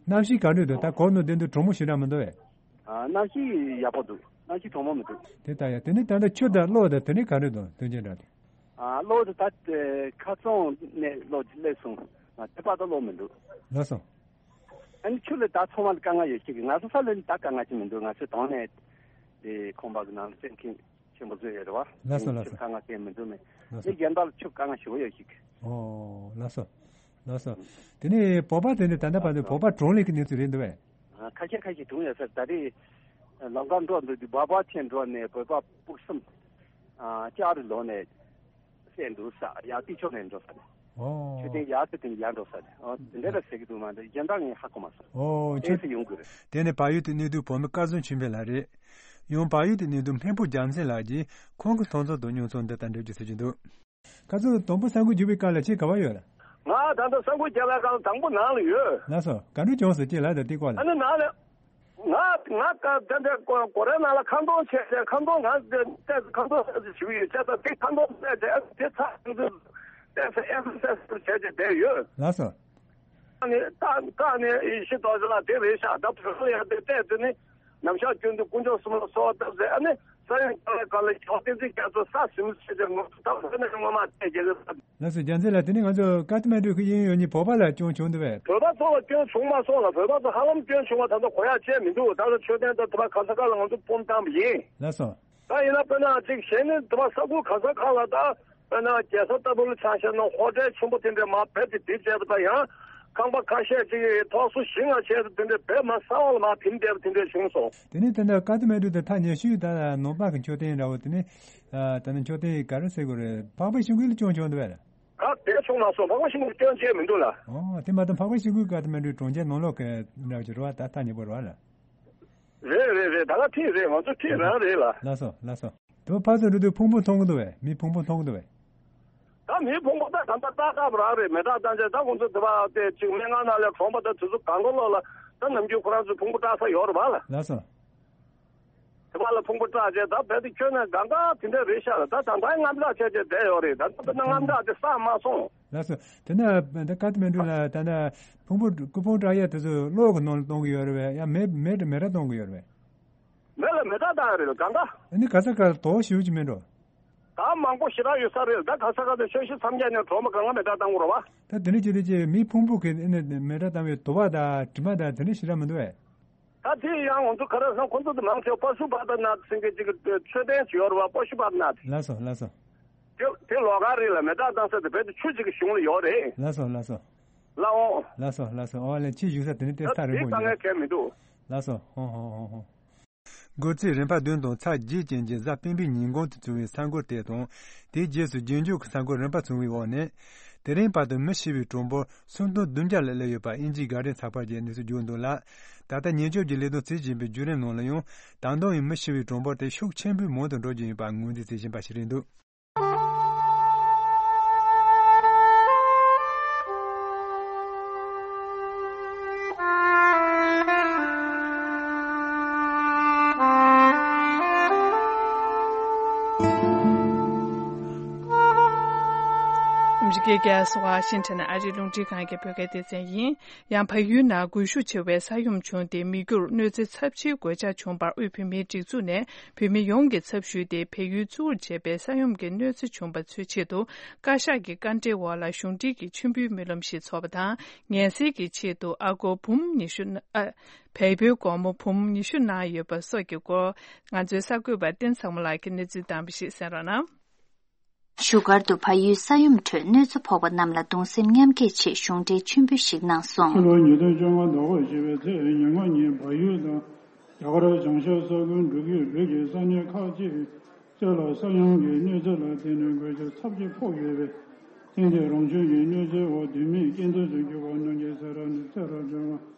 གནམ་གཤིས་ག་འདྲ་འདུག་ད་གོ་ནས་བསྡད་འདུག་གྲང་མོ་ཞེ་དྲག་མི་འདུག་བས། ཨ། གནམ་གཤིས་ཡག་པོ་འདུག་གནམ་གཤིས་གྲང་མོ་མི་འདུག་དེ་ལྟ་ཡ། དེ་ནི་ད་ལྟ་ཆུ་དང་གློག་དང་དེ་ནི་ག་འདྲ་འདུག་དོན་རྐྱེན་འདྲ་དེ། ཨ། གློག་དེ་ད་ཁ་སང་ནས་གློག་སླེབས་སོང་། དེ་བར་དུ་གློག་མི་འདུག་ལགས་སོ། ཨ་ནི་ཆུ་ལ་ད་ཚང་མ་ལ་དཀའ་ངལ་ཡོད་ཤེས་ཀྱི་ང་ཚོ་ས་ལ་ནི་ད་དཀའ་ངལ་ཅིག་མི་འདུག་ང་ཚོའི་དོན་ནས་དེ་ཁང་པ་གི་ནང་ལ་བཙན་ཁྱིམ་ཆེན་པོ་བཟོས་ཡོད་རེད་བ། ལགས་སོ་ལགས་སོ། ཆུ་དཀའ་ངལ་ཅིག་མི་འདུག་མེད། ལགས་སོ། ནི་རྒྱལ་འདབས་ལ་ཆུ་དཀའ་ངལ་ཞེ་པོ་ཡོད་ཤེས་ཀྱི། ཨོ་ལགས་སོ། ལགས་སོ། དེ་ནས་བོད་པ་དེ་ནི་ད་ལྟ་བར་དུ་བོད་པ་གྲངས་ལས་ཀྱི་གནས་ཚུལ་རེད་འདུག་བས། ཁ་ཤས་ཁ་ཤས་བྱུང་ཡོད་ས་རེད། ད་རེས་ལམ་ཁ་འགྲོ་འདུག་དུས་སྦག་སྦག་ཆེན་འགྲོ་ནས་བོད་པ་སྤུ་གསུམ་ལྕགས་རི་ལོག་ནས་བསད་འདུག་ས་ཡར་སྟེང་ཕྱོགས་ནས་འགྲོ་ས་རེད། ཨོ། མཆོད་རྟེན་ཡར་དེ་དེ་ཡར་འགྲོ་ས་རེད། ཨོ་དེ་འདྲ་ལ་ཟེར་གི་འདུག་མ་འདི་གཞན་དག་ངས་ཧ་གོ་མ་སོང་། ཨོ་མཆོད་རྟེན་ཡོང་གི་རེད། དེ་ནི་བལ་ཡུལ་དུ་གནས་སྡོད་བོད་མི་སྐལ་བཟང་ཆོས་འཕེལ་ལགས་རེད། ཡང་བལ་ཡུལ་དུ་གནས་སྡོད་འཕན་པོ་རྒྱལ་མཚན་ལགས་ཀྱིས་ཁོང་གི་མཐོང་ཚུལ་དང་མྱོང་ཚོར་འདི་ལྟར་འགྲེལ་བརྗོད་བྱེད་ཀྱི་འདུག་སྐལ་བཟང་དང་པོ་ས་འགུལ་བརྒྱུགས་པའི་སྐབས་ལ་ཁྱེད་ག་པར་ཡོད་ལ། ང་ད་ལྟ་ས་འགུལ་བརྒྱབ་པའི་སྒང་དང་པོ་ནང་ལ་ཡོད། ལགས་སོ། ག་འདྲ་བྱུང་སོང་ཅིག་ལབ་དང་དེ་སྐོར་ལ། ཨ་ནི་ནང་ལ། ང་ང་ད་ལྟ་སྒོ་རའི་ནང་ལ་ཁ་འདོན་བྱས་བྱས་ཁ་འདོན་ང་ཏོག་ཙམ་ཁ་འདོན་ཏོག་ཙམ་ཞུ་གི་ཡོད། བྱས་ཙང་དེ་ཁ་འདོན་བྱས་བྱས་དེ་ཚར་ཏོག་ཙམ་ཏོག་ཙམ་ཨེ་སི་ཨེ་སི་ཏོག་ཙམ་བྱས་བྱས་བསྡད་ཡོད། ལགས་སོ། ཨ་ནི་ད་ད་ནི་ཡེ་ཤེས་རྡོ་རྗེ་ལགས་དེ་རེད་ཤག་ད་བོད་ལ་ཡང་དེ་བལྟས་དེ་ནི་ནམ་ཞག་རྒྱུན་དུ་དཀོན་མཆོག་གསུམ་ལ་གསོལ་བ་བཏབ་ཟེར། ཨ་ནི་ས་ཡོམ་བརྒྱབ་པའི་སྐབས་ལ་ཞོགས་བསྟན་འཛིན་རྒྱ་མཚོ་ས་ཟིན་ཟེར་ཏེ་ངོ་ཐུག་ཐབས་ཟེར་ནས་སྔོན་མ་བལྟས་རྒྱལ་ཁབ། ལགས་སོ། རྒྱལ་མཚན་ལགས། དེ་ནི་ང་ཚོ་ཀ་ཐ་མན་གྲུ་གི་གཡས་གཡོན་གཉིས་བོད་པ་ལ་སྐྱོན་བྱུང་འདུག་པས། བོད་པ་ཚོ་ལ་སྐྱོན་བྱུང་མ་སོང་ལ། བོད་པ་ཚོ་ཧ་ལམ་སྐྱོན་བྱུང་བ་ད་ལྟ་གོ་ཡག་ཅིག་མི་འདུག་ད་ལྟ་མཆོད་རྟེན་དང་དེ་པར་ག་ས་ག་ལ་ང་ཚོ་སྤོམ་བཏང་བ་ཡིན། ལགས་སོ། ད་ཡིན་ན་དཔེར་ན་ཅིག་གཞན་ནི་དེ་པར་ས་ཁུལ་ག་ས་ག་ལ་ད་དཔེར་ན་རྒྱལ་ས་ལྟ་བུ་ལ་ཆ་བཞག་ན་ཧོ་ཊེལ་ཆེན་པོ་དེ་འདྲས་མར་རྦད་དེ་དེ་བྱས་པ་དང་ཡང་ཁང་པ་ཁ་ཤས་ཅིག་ཐོག་སོ་བཞི་ལྔ་བྱས་དེ་འདྲས་རྦད་མར་ས་འོག་ལ་མར་ཐིམ་བསྡད་པ་དེ་འདྲས་བྱུང་སོང་། དེ་ནས་ད་ལྟ་ཀ་ཐ་མན་གྲུ་དང་ཐག་ཉེ་ཤོས་ད་ནང་པ་གི་མཆོད་རྟེན་འདྲ་བོ་དེ་ནི་ད་ནི་མཆོད་རྟེན་ག་རེ་ཟེར་དགོས་རེད། འཕགས་པ་ཤིང་ཀུན་ལ་སྐྱོན་བྱུང་འདུག་པས། ད་དེ་བྱུང་མ་སོང་། འཕགས་པ་ཤིང་ཀུན་སྐྱོན་བྱས་མི་འདུག་ལ། ཨོ་དེ་མ་གཏོགས་འཕགས་པ་ཤིང་ཀུན་ཀ་ཐ་མན་གྲུའི་གྲོང་ཁྱེར་ནང་ལོགས་ཀྱི་འདྲ་བོ་ཅིག་རེད་པ། ད་ཐག་ཉེ་པོ་རེད་པ་ལ། རེད་རེད་རེད། ད་ག་ཐིག་རེད། ང་ཚོ་ཐིག་རང་རེད་ལ། ལགས་སོ་ལགས་སོ། དེ་ཕར་ཚུར་འགྲོ་དུས་ཕུང་པོ་མཐོང་གི་འདུག་པས། མི་ཕུང་པོ་མཐོང་གི་འདུག་པས། ད་མི་ཕུང་པོ་ད་ད་ལྟ་ཏག་ཏག་རང་རེད། མེ་སྲེག་བཏང་བྱས་ད་ཁོང་ཚོ་དེ་པར་དེ་ཅིག་སྨན་ཁང་ནང་ལ་གྲོངས་པ་ད་དུས་ཚོད་གང་ག་ལོག་ལ་ད་ནམ་རྒྱུན་ཁོ་རང་ཚོ་ཕུང་པོ་བཀྲག་ས་ཡོད་རེད་པ་ལ། ལགས་སོ། དེ་པར་ལ་ཕུང་པོ་བཀྲག་བྱས་ད་རྦད་དེ་ཁྱོན་ནས་གང་ག་དེ་འདྲ་རེད་ཤག་ལ། ད་ད་ལྟ་དངངས་སྐྲག་བྱས་བྱས་བསྡད་ཡོད་རེད། ད་ད་ད་དངངས་སྐྲག་དེ་སངས་མ་སོང་། ལགས་སོ། དེ་ན་ད་ཀ་ཐ་མན་གྲུ་ལ་ད་ལྟ་ཕུང་པོ་སྐུ་ཕུང་བཀྲག་ཡས་དེ་ཚོ་གློག་གི་ནང་ལ་གཏོང་གི་ཡོད་རེད་པས། ཡང་མེ་མེ་མེ་སྲེག་གཏོང་གི་ཡོད་རེད་པས། མེ་ལ་མེ་སྲེག་བཏང་ཡོད་རེད་གང་ག། ཨ་ནི་ག་ས་ག་ལ་དོགས་ཞེ་པོ་ཅིག་མེད་འགྲོ། ད་མང་པོ་ཞེ་དྲག་ཡོད་ས་རེད། ད་ག་ས་ག་ནས་ཆོས་ཤིག་མཚམས་བརྒྱབ་ནས་གྲོངས་པ་གང་ག་མེ་སྲེག་བཏང་དགོས་རེད་པ། ད་དེ་འདྲ་བྱས་དུས་ཅིག་མི་ཕུང་པོ་གི་ཨ་ནི་མེ་སྲེག་བཏང་བའི་དུ་བ་དང་དྲི་མ་དང་དེ་འདྲ་ཞེ་དྲག་མི་འདུག་པས། ད་དེ་ཡང་ང་ཚོ་ག་རེ་ཟེར་ན་ཁོ་ཚོ་དེ་མང་ཆེ་བ་པ་ཤུ་པ་ཏ་ནཱཐ་ཟེར་མཁན་ཅིག་གི་མཆོད་རྟེན་ཅིག་ཡོད་རེད་པ། པ་ཤུ་པ་ཏ་ནཱཐ། ལགས་སོ་ལགས་སོ། དེ་དེ་ལོགས་ཀ་རེད་ལ། མེ་སྲེག་བཏང་ས་དེ་བོད་དུ་ཆུ་ཅིག་གི་གཞུང་ལ་ཡོད་རེད། ལགས་སོ་ལགས་སོ། ལགས་འོང་། ལགས་སོ་ལགས་སོ། ཨོ་ལེ་ཁྱི་བཞུགས་ས་དེ་ནི་ཏེ་ད་ས་རིང་པོ་དེ་ཡིན་ད་ངས་གལ་མི་འདུག་ལགས་སོ། ཧོ་ཧོ་ཧོ་ཧོ། འགོ་ཚིགས་རིམ་པ་བདུན་དང་ཚེག་བརྒྱད་ཅན་གྱི་གཟའ་སྤེན་པའི་ཉིན་གོང་དུ་བྱུང་བའི་ས་འགུལ་དེ་དང་། དེའི་རྗེས་སུ་རྗེས་འཇུག་གི་ས་འགུལ་རིམ་པ་བྱུང་བའི་འོག་ནས། དེ་རིང་བར་དུ་མི་ཤི་བའི་གྲངས་འབོར་སུམ་སྟོང་བདུན་བརྒྱ་ལ་སླེབས་ཡོད་པ་དབྱིན་ཇིའི་གྷ་ཌི་ཡན་ཚགས་པར་གྱིས་གནས་ཚུལ་བརྗོད་འདུག་ལ། ད་ལྟ་ཉེན་བཅོལ་གྱི་ལས་དོན་བྱེད་བཞིན་པའི་བརྒྱུད་རིམ་ནང་ལ་ཡང་། ད་དུང་ཡང་མི་ཤི་བའི་གྲངས་འབོར་དེ་ཤུགས་ཆེན་པོས་མང་དུ་འགྲོ་བཞིན་ཡོད་པ་ངོས་འཛིན་བྱེད་བཞིན་པ་ཞིག་རེད་འདུག་ཨ་མི་རི་ཀའི་རྒྱལ་ས་ཝ་ཤིང་ཊོན་ཨ་རིའི་རླུང་འཕྲིན་ཁང་གི་བོད་སྐད་སྡེ་ཚན་ཡིན། ཡང་བལ་ཡུལ་ནང་རྒུད་ཤུགས་ཆེ་བའི་ས་ཡོམ་བྱུང་སྟེ་མི་རྒྱུར་གནོད་འཚེ་ཚབས་ཆེའི་གོད་ཆག་བྱུང་བར་དབུས་བོད་མིའི་སྒྲིག་འཛུགས་ནས་བོད་མི་ཡོངས་ཀྱི་ཚབ་ཞུས་ཏེ་བལ་ཡུལ་གཙོ་བོར་བྱས་པའི་ས་ཡོམ་གྱི་གནོད་འཚེ་བྱུང་བ་ཚོའི་ཆེད་དུ་བཀའ་ཤག་གི་བཀའ་འཁྲོལ་འོག་ལ་གཞུང་འབྲེལ་གྱི་མཆོད་འབུལ་སྨོན་ལམ་ཞིག་ཚོགས་པ་དང་། ངལ་སེལ་གྱི་ཆེད་དུ་ཨ་སྒོར་འབུམ་ཉི་ཤུ་ཨ། བལ་པོའི་སྒོར་མོ་འབུམ་ཉི་ཤུ་གནང་ཡོད་པ་སོགས་ཀྱི་སྐོར་ང་ཚོའི་གསར་འགོད་པ་བསྟན་འཛིན་ཚང་མ་ལགས་ཀྱིས་གནས་ཚུལ་བཏང་བ་ཞིག་གསན་རོགས་གནང་། བཞུགས་སྒར་དུ་བལ་ཡུལ་ས་ཡོམ་ཁྲོད་གནོད་འཚེ་ཕོག་པ་རྣམས་ལ་གདུང་སེམས་མཉམ་སྐྱེད་ཆེད་གཞུང་འབྲེལ་མཆོད་འབུལ་ཞིག་གནང་སོང་། ཕྱི་ལོ་ཉིས་སྟོང་བཅོ་ལྔ་ཟླ་བ་བཞི་པའི་ཚེས་ཉེར་ལྔ་ཉིན་བལ་ཡུལ་དང་རྒྱ་གར་བྱང་ཤར་ས་ཁུལ་འབྲུག་རྒྱལ་བོད་ཀྱི་ས་གནས་ཁག་ཅིག་བཅས་ལ་ས་ཡོམ་གྱི་གནོད་འཚེ་ལ་བརྟེན་ནས་གོད་ཆག་ཚབས་ཆེ་ཕོག་ཡོད་པས། ཐེངས་འདིའི་རང་བྱུང་གི་གནོད་འཚེའི་འོག་སྡོད་མིས་རྐྱེན་འདས་སུ་གྱུར་པ་རྣམས་ཀྱི་སེམས་ར་ནས་ཚེ་རབས་སྒྲོལ་མ།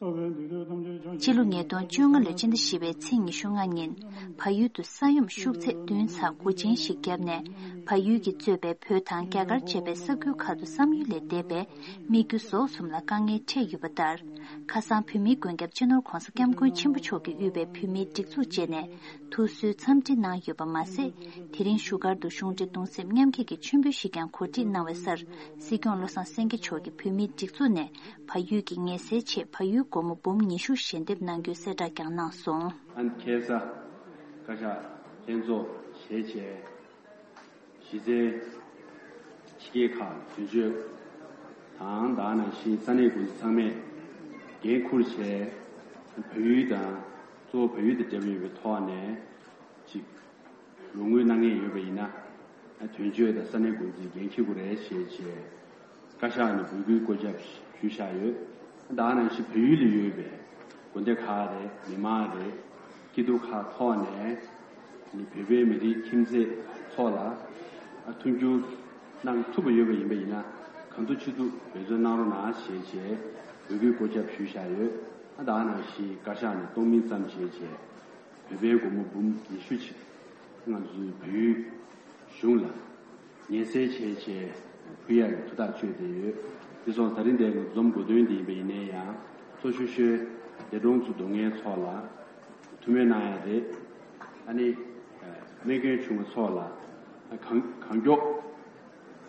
སྤྱི་ལོ་ཉིས་སྟོང་བཅོ་ལྔ་ལོའི་སྤྱི་ཟླ་བཞི་པའི་ཚེས་ཉི་ཤུ་ལྔ་ཉིན། བལ་ཡུལ་དུ་ས་ཡོམ་ཤུགས་ཚད་བདུན་ཚེག་དགུ་ཅན་ཞིག་བརྒྱབ་ནས། བལ་ཡུལ་གྱིས་གཙོས་པའི་བོད་དང་རྒྱ་གར་བཅས་པའི་ས་ཁུལ་ཁག་ཏུ་བསམ་ཡུལ་ལས་འདས་པའི་སྨིག་རྒྱུ་ཟོག་གསུམ་ལ་དཀའ་ངལ་འཕྲད་ཡོད་པ་ལྟར། ཁ་སང་བོད་མིའི་མགོན་སྐྱབས་སྤྱི་ནོར་༸གོང་ས་༸སྐྱབས་མགོན་ཆེན་པོ་མཆོག་གིས་དབུས་པའི་བོད་མིའི་སྒྲིག་འཛུགས་བཅས་ནས་ཐུགས་གསོའི་འཚམས་འདྲི་གནང་ཡོད་པ་མ་ཟད། དེ་རིང་བཞུགས་སྒར་དུ་གཞུང་འབྲེལ་གདུང་སེམས་མཉམ་སྐྱེད་ཀྱི་མཆོད་འབུལ་ཞིག་ཀྱང་གོ་སྒྲིག་གནང་བའི་སར། སྲིད་སྐྱོང་བློ་བཟང་སེང་གེ་མཆོག་གིས་བོད་མིའི་སྒྲིག་འཛུགས་ནས་བལ་ཡུལ་གྱི་ངལ་སེལ་ཆེད་བལ་ཡུལ་སྒོར་མོ་འབུམ་ཉི་ཤུ་ཞལ་འདེབས་གནང་རྒྱུའི་གསལ་བསྒྲགས་ཀྱང་གནང་སོང་། ཨན་ཁེ་ས་བཀའ་ཤག་ལྷན་ཚོགས་བྱས་བྱས། གཞི་རྩའི་ཕྱི་རྒྱལ་ཁག་དོན་གཅོད་དང་། ད་ག་ནང་བཞིན་ས་གནས་འགོ་འཛིན་ཚང་མས་འགན་འཁུར་བྱས། བལ་ཡུལ་དང་གཙོ་བོ་བལ་ཡུལ་དང་འབྲེལ་བ་ཡོད་པའི་ཐོག་ནས་ཅིག་ལོ་དངུལ་གནང་མཁན་ཡོད་པ་ཡིན་ན། དོན་གཅོད་དང་ས་གནས་འགོ་འཛིན་འགན་འཁྱེར་དགོས་རེད་ཞེས་བྱས། བཀའ་ཤག་ནས་འབོད་སྐུལ་བཀོད་ཁྱབ་ཞུས་བཞག་ཡོད། ད་ག་ནང་བཞིན་བལ་ཡུལ་ལ་ཡོད་པའི་དགོན་སྡེ་ཁག་རེད། མི་མང་རེད། སྐྱིད་སྡུག་ཁག་ཐོག་ནས་ནི་བོད་པའི་མི་རིགས་ཁྱིམ་མཚེས་ཚོ་ལ་མཐུན་འགྱུར་གནང་ཐུབ་པ་ཡོད་པ་ཡིན་པ་ཡིན་ན། གང་ཐུབ་ཅི་ཐུབ་འབད་བརྩོན་གནང་རོགས་གནང་ཞེས་བྱས་འབོད་སྐུལ་བཀོད་ཁྱབ་ཞུས་བཞག་ཡོད། ད་ག་ནང་བཞིན་བཀའ་ཤག་ནས་གཏོང་མིན་ཙམ་བྱས་བྱས། བོད་པའི་སྒོར་མོ་འབུམ་ཉི་ཤུ་ཅིག་ང་ཚོའི་བལ་ཡུལ་གཞུང་ལ་ངལ་སེལ་བྱས་བྱས་ ཕུལ་ཡག་གི་ཐུགས་ཐག་གཅོད་དེ་ཡོད། དེ་སོང་ད་རིང་འདིར་འཛོམས་དགོས་དོན་དེ་ཡིན་པ་ཡིན་ན་ཡང་གཙོ་ཤོས་ཤོས་འདས་གྲོངས་སུ་འགྲོ་མཁན་ཚོ་ལ་ཐུགས་སྨོན་གནང་ཡག་རེད། ཨ་ནི་རྨས་སྐྱོན་བྱུང་བ་ཚོ་ལ་གང་གང་མགྱོགས་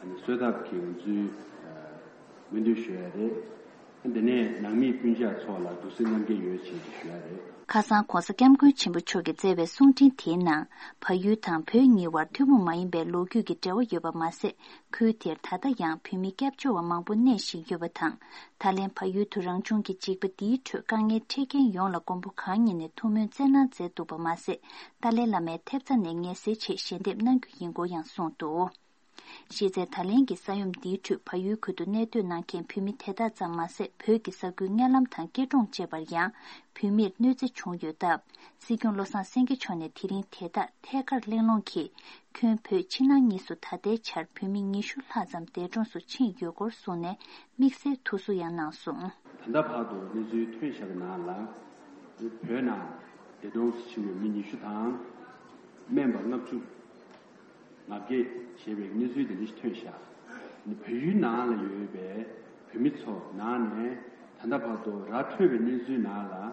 ཨ་ནི་གསོས་ཐབས་ཀྱི་ང་ཚོས་སྨོན་འདུན་ཞུ་ཡག་རེད། དེ་ནས་ནང་མི་སྤུན་མཆེད་ཚོ་ལ་གདུང་སེམས་མཉམ་སྐྱེད་ཡོད་ཅེས་ཞུ་ཡག་རེད། ཁ་སང་༧གོང་ས་༧སྐྱབས་མགོན་ཆེན་པོ་མཆོག་གིས་སྩལ་བའི་གསུང་འཕྲིན་དེའི་ནང་། བལ་ཡུལ་དང་བོད་གཉིས་བར་ཐུན་མོང་མ་ཡིན་པའི་ལོ་རྒྱུས་ཀྱི་འབྲེལ་བ་ཡོད་པ་མ་ཟད། ཁུལ་དེར་ད་ལྟ་ཡང་བོད་མི་སྐྱབས་བཅོལ་བ་མང་པོ་གནས་བཞིན་ཡོད་པ་དང་། ད་ལན་བལ་ཡུལ་དུ་རང་བྱུང་གི་འཇིགས་པ་འདིའི་ཁྲོད་དཀའ་ངལ་འཕྲད་མཁན་ཡོངས་ལ་མགོན་པོ་གང་ཉིད་ནས་ཐུགས་སྨོན་སྩལ་གནང་མཛད་འདུག་པ་མ་ཟད། ཏཱ་ལའི་བླ་མའི་ཐེབས་རྩ་ནས་ངལ་སེལ་ཆེད་ཞལ་འདེབས་གནང་རྒྱུ་ཡིན་སྐོར་ཡང་གསུངས་འདུག། གཞི་རྩའི་ད་ལན་གྱི་ས་ཡོམ་འདིའི་ཁྲོད་བལ་ཡུལ་ཁུལ་དུ་གནས་སྡོད་གནང་མཁན་བོད་མི་དེ་དག་ཙམ་མ་ཟད། བོད་ཀྱི་ས་ཁུལ་མཉམ་ལམ་དང་སྐྱིད་གྲོང་བཅས་པར་ཡང་བོད་མིར་གནོད་འཚེ་བྱུང་ཡོད་སྟབས། སྲིད་སྐྱོང་བློ་བཟང་སེང་གེ་མཆོག་ནས་དེ་རིང་དེ་དག་ཐད་ཀར་གླེང་སློང་གིས། ཁྱོན་བོད་ཕྱི་ནང་གཉིས་སུ་ད་ལྟའི་ཆར་བོད་མི་ཉི་ཤུ་ལྷག་ཙམ་འདས་གྲོངས་སུ་ཕྱིན་ཡོད་སྐོར་གསུངས་ནས་དམིགས་བསལ་ཐུགས་གསོ་ཡང་གནང་སོང་། ད་ལྟ་བར་དུ་གནས་ཚུལ་ཐོན་བཞག་པའི་ནང་ལ། བོད་ནང་འདས་གྲོངས་སུ་ཕྱིན་པའི་མི་ཉི་ཤུ་དང་། སྨན་པ་ལྔ་བཅུ། ང་བརྒྱད་བྱས་པའི་གནས་ཚུལ་དེ་འདྲ་ཞིག་ཐོན་ཤག། བལ་ཡུལ་ནང་ལ་ཡོད་པའི་བོད་མི་ཚོ་ནང་ནས་ད་ལྟ་བར་དུ་ར་འཕྲོད་པའི་གནས་ཚུལ་ནང་ལ།